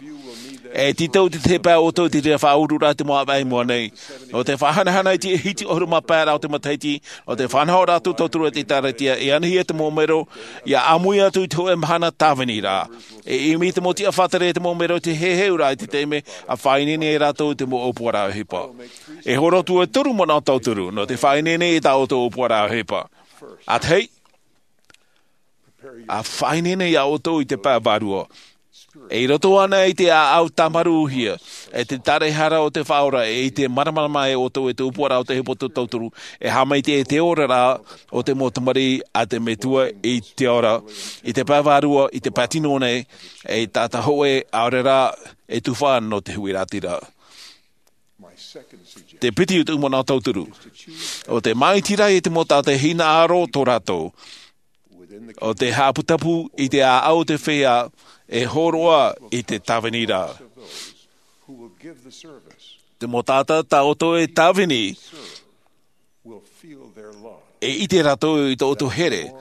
E tītau te tahi pae ʻoutou i te reira faʻaururaʻa i te mau ʻāvaʻe i mua nei. Nō te faʻahanahana i te hiti ʻahuru mā pae ra o te matahiti, nō te faʻanahoraʻa tō tauturu i te ʻĒkālesia, e anihia te mau mero, ʻia ʻāmui atu i te hōʻē mahana tāvini ra. E ʻimi te mau tiʻa faʻatere i te mau mero i te heheuraʻa i te taime, ʻa faʻaineine ai rātou i te mau ʻōpuaraʻa ʻohipa. E hōroʻa atu e toru manaʻo tauturu, nō te faʻaineine i tā ʻoutou ʻōpuaraʻa ʻohipa. ʻA tahi, ʻa faʻaineine ia ʻoutou i te pae vārua. E i roto ānei te ʻāʻau tāmarūhia, e te taraehara o te Faʻaora, e i te māramarama e ʻoutou i te ʻōpuaraʻa o te ʻohipa tō tauturu, e haʻamaitaʻi i te oraraʻa o te mau tamariʻi a te Metua i te Ao Ra, i te pae vārua, i te pae tino nei, e taʻata hōʻē, ʻaore rā, e tufa nō te huiraʻatira. Te piti o tōʻu manaʻo tauturu. ʻO te māʻitiraʻa i te mau taʻata e hinaʻaro tō rātou. ʻO te haʻaputapū i te ʻāʻau o te feiā e hōroʻa i te tāviniraʻa. Te mau taʻata tā ʻoutou e tāvini e ʻite rātou i tō ʻoutou here.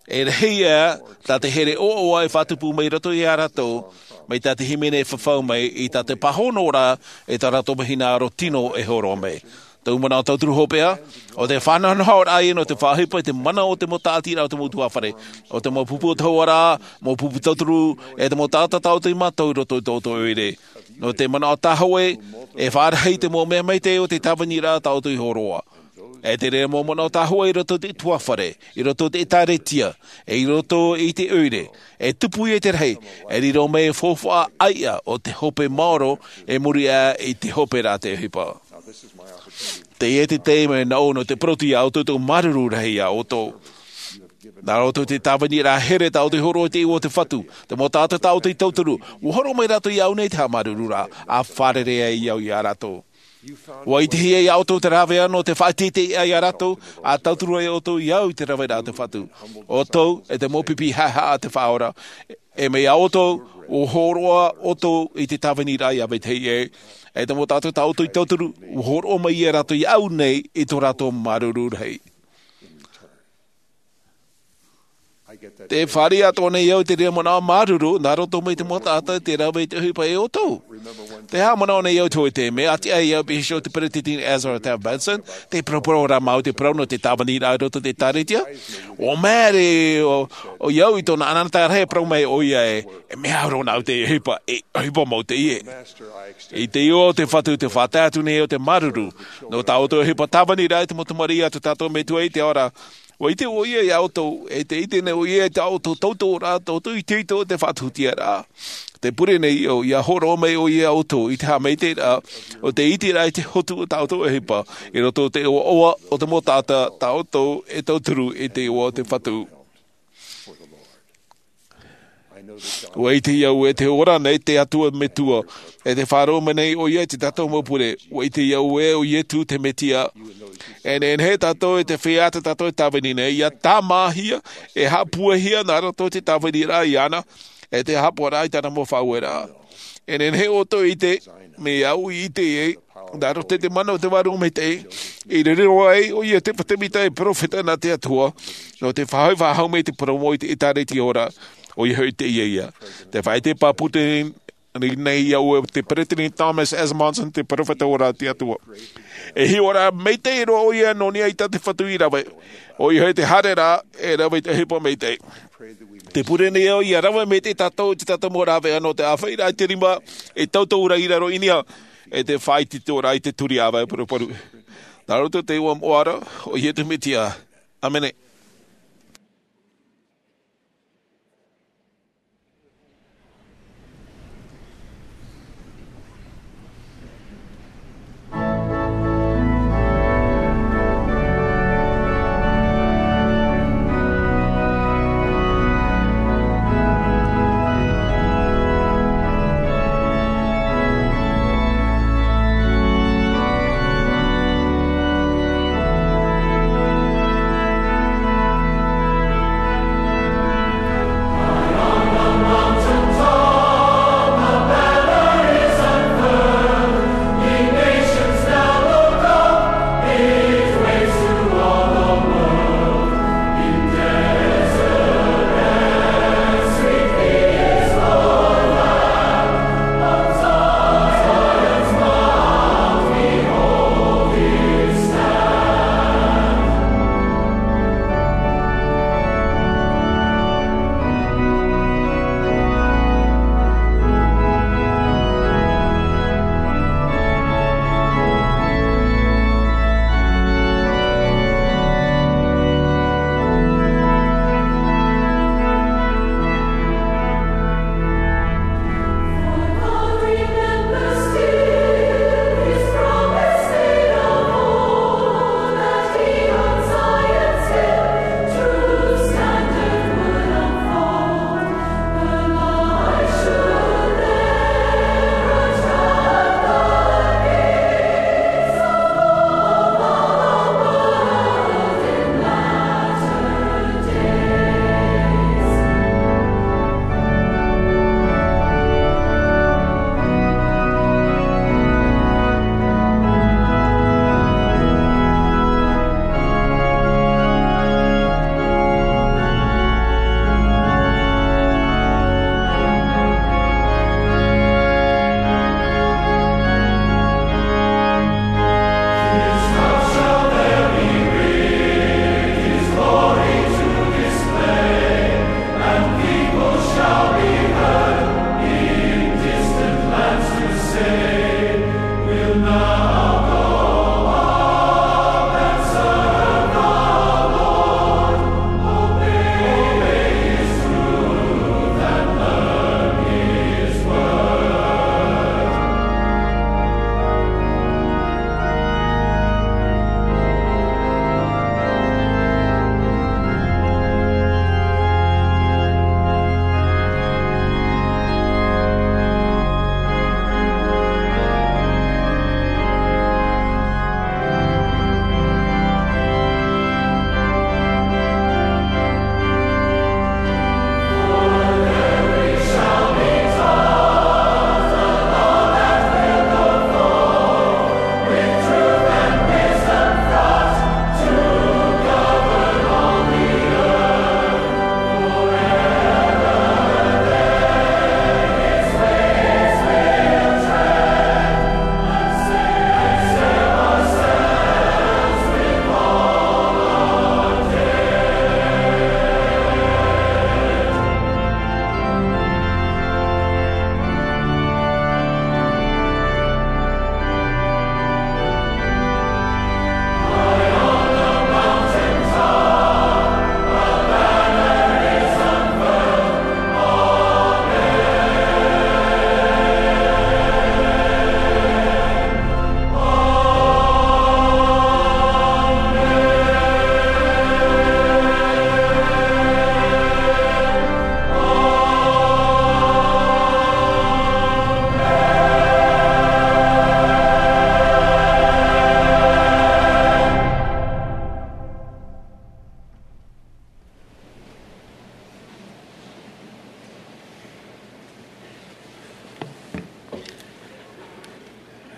E rahi ā, tā te here ʻoaʻoa e faʻatupu mai roto ia rātou, mai tā te hīmene e fafau mai i tā te pāhono ra, e tā rātou mau hinaʻaro tino e hōroʻa mai. Tōʻu manaʻo tauturu hopeʻa, ʻo te faʻanahonahoraʻa ia nō te faʻaʻohipa i te mana o te mau tāʻatiraʻa o te mau ʻutuāfare, ʻo te mau pupu o te hoʻoraʻa, mau pupu tauturu, e te mau taʻata tā ʻoutou i mātau i roto i tō ʻoutou ʻoire. Nō te manaʻo tāhōʻē, e faʻarahi te mau mea maitaʻi o te tāviniraʻa tā ʻoutou i hōroʻa. E te reira mau manaʻo tāhōʻē i roto i te ʻutuāfare, i roto i te ʻĒkālesia, e i roto i te ʻoire, e tupu ia i te rahi, e riro mai e faufaʻa ʻāiʻa o te hope maoro, e muri aʻe i te hope ra te ʻohipa. Teie te taime nāʻu nō te parau atu ia ʻoutou tōʻu māuruuru rahi ia ʻoutou. Nā roto i te tāviniraʻa here tā ʻoutou i hōroʻa i te iʻoa o te Fatu, te mau taʻata tā ʻoutou i tauturu, ʻua hōroʻa mai rātou iāʻu nei te haʻamāuruururaʻa, ʻa fārerei ai au ia rātou. ʻUa ʻitehia ia ʻoutou te rāveʻa nō te faʻateiteiraʻa ia rātou, ʻa tauturu ai ʻoutou ia au i te rāveʻa o te Fatu. ʻOutou, e te mau pipi haʻehaʻa a te Faʻaora, e mai ia ʻoutou, ʻua hōroʻa ʻoutou i te tāviniraʻa ia vetahi ʻē, e te mau taʻata tā ʻoutou i tauturu, ʻua hōroʻa mai ia rātou iāʻu nei i tō rātou māuruuru rahi. Te fāriʻi atoʻa nei au i te reira manaʻo māuruuru, nā roto mai te mau taʻata te rave i te ʻohipa e ʻoutou. Te haʻamanaʻo nei au i te hōʻē taime, a tiʻa ai au e pīhaʻi iho i te peresideni Ezra Taft Benson, tē parauparau ra māua i te parau nō te tāviniraʻa i roto i te ʻĒtārētia. ʻUa māere ʻo, ʻoia au i tōna ʻanaʻanatae rahi e parau mai ʻoia ē, e mea au roa nā ʻu te ʻohipa, e ʻohipa mau teie. I te iʻoa o te Fatu, tē faʻatae atu nei au te māuruuru, nō tā ʻoutou ʻohipa tāviniraʻa i te mau tamariʻi a tō tātou Metua i te ao ra, ʻua ʻite ʻoia iā ʻoutou, e tē ʻite nei ʻoia i tā ʻoutou tautooraʻa, tā ʻoutou itoito, te faʻatuhutiaraʻa. Tē pure nei au, ʻia hōroʻa mai ʻoia iā ʻoutou i te haʻamaitaʻiraʻa, ʻo tē ʻiteraʻa i te hotu o tā ʻoutou ʻohipa, i roto i te ʻoaʻoa o te mau taʻata, tā ʻoutou e tauturu i te iʻoa o te Fatu. ʻUa ʻite au ē tē ora nei te Atua Metua, e tē faʻaroʻo mai nei ʻoia i tā tātou mau pure. ʻUa ʻite au ē ʻo Ietu te Metia. E nehenehe tātou e te feiā tā tātou e tāvini nei, ʻia tāmāhia, e haʻapuahia nā roto i te tāviniraʻa iāna, e te haʻapaʻoraʻa i tāna mau faʻaueraʻa. E nehenehe ʻoutou e ʻite, mai au i ʻite ai, nā roto i te mana o te Vārua Maitaʻi, i riro ai ʻoia te fatu mita e perofeta nā te Atua, nō te faʻahoʻi faʻahou mai i te parau mau i te ʻĒtārētia ora, ʻoia hoʻi teie ïa. Tē faʻaʻite pāpū nei au e te peresideni Thomas S. Monson, te perofeta ora a te Atua. E hiʻoraʻa maitaʻi roa ʻoia nō niʻa i tā te Fatu i rave, ʻoia hoʻi te haereraʻa e rave i te ʻohipa maitaʻi. Tē pure nei au ʻia rave maitaʻi tātou i tā tātou mau rāveʻa nō te ʻāfaʻiraʻa i te rima, e tauturu i raro i niʻa, e te faʻaitoitoraʻa i te turi ʻāvae paruparu. Nā roto i te iʻoa moʻa ra o Ietu Metia. ʻĀmene.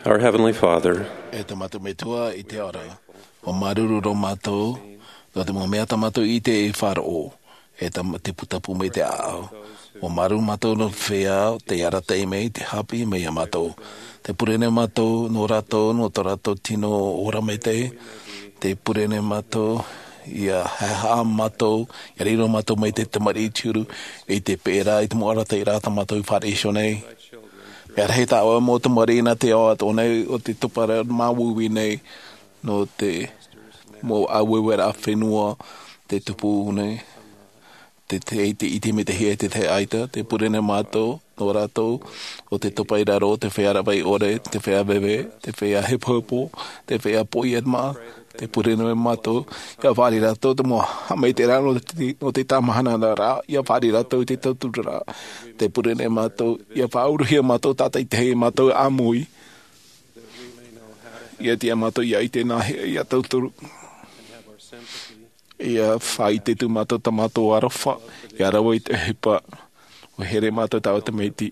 Our Heavenly Father, e te mātou Metua i te ao ra, ʻua māuruuru roa mātou nō te mau mea tā mātou i ʻite e faʻaroʻo, e tā te putapū mai te ʻāʻau. ʻUa māuruuru mātou nō te feiā, te arataʻi mai, te haʻapiʻi mai iā mātou. Tē pure nei mātou nō rātou, nō tō rātou tino ora maitaʻi. Tē pure nei mātou, ʻia haʻehaʻa mātou, ʻia riro mātou mai te tamariʻi te huru, i te peʻe ra, i te mau arataʻiraʻa tā mātou i fāriʻi iho nei. Mea rahi tāʻoe mau tamariʻi nā te ao atoʻa nei, ʻo tē topa ra māuiui nei, nō te mau ʻāueueraʻa fenua, tē tupu nei, te, te, te ʻite mai te hia, te, te ʻaita, tē pure nei mātou, nō rātou, ʻo tē topa i raro, te feiā rāveʻa ʻore, te feiā veve, te feiā hepohepo, te feiā poʻiʻa mā, tē pure nei mātou, ʻia fāriʻi rātou, te mau haʻamaitaʻiraʻa, nō te, nō te tāmahanaraʻa, ʻia fāriʻi rātou i te tauturu ra. Tē pure nei mātou, ʻia faʻauruhia mātou tātaʻitahi, mātou ʻāmui. ʻIa tiʻa mātou, ʻia ʻite nā hea, ʻia tauturu. ʻIa faʻaʻite atu mātou tā mātou aroha, ʻia rave i te ʻohipa. ʻUa here mātou tāʻu tamaiti,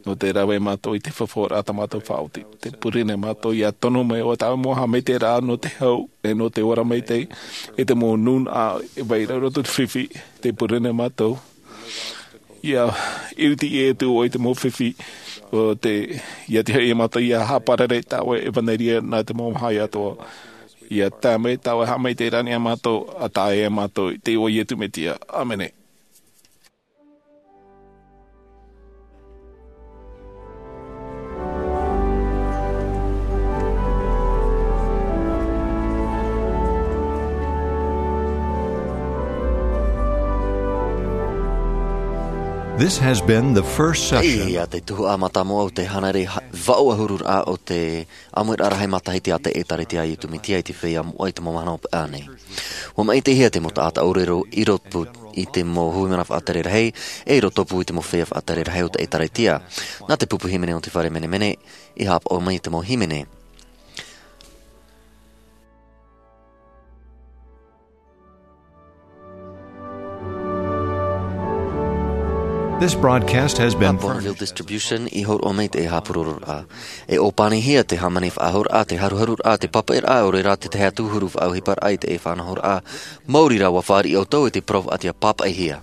nō te rave mātou i te faufaʻaraʻa tā mātou faʻaoti. Tē pure nei mātou, ʻia tono mai ʻo tāʻu mau haʻamaitaʻiraʻa nō te hau, e nō te ora maitaʻi, e te mau nūnaʻa, e vai ra roto te fifi, tē pure nei mātou. ʻIa, ʻia ʻite atu ʻoe i te mau fifi, ʻo te, ʻia tiʻa hoʻi mātou, ʻia haʻaparare tāʻu ʻevanelia nā te mau maha atoʻa. ʻIa tae mai tāʻu haʻamaitaʻiraʻa nei iā mātou, ʻa tae iā mātou, i te iʻoa o Iesu Mesia. ʻĀmene. This has been the first session. Ia te tuhaʻa mātāmua o te hānere ha-, vaʻu ʻahururaʻa o te ʻāmuiraʻa rahi matahiti a te ʻĒtārētia a Iesu Mesia i te feiā moʻa i te mau mahana hopeʻa nei. ʻUa maʻitihia te mau taʻata ʻōrero i roto i te mau hui mana faʻatere rahi, e i roto pū i te mau feiā faʻatere rahi o te ʻĒtārētia. Nā te pupu hīmene o te fare menemene, i haʻapaʻo mai i te mau hīmene. This broadcast has been Nā Bonneville Distribution i hōroʻa mai te ʻēhā pūrororaʻa. E ʻōpanihia te hāmani faʻahou raʻa, te haruharu raʻa, te pāpaʻi raʻa, ʻaore rā te tahi atu huru faʻaʻohiparaʻa i te ʻēhā faʻanahoraʻa. Maori rā ʻua fāriʻi ʻoutou i te parau faʻaʻite pāpaʻihia.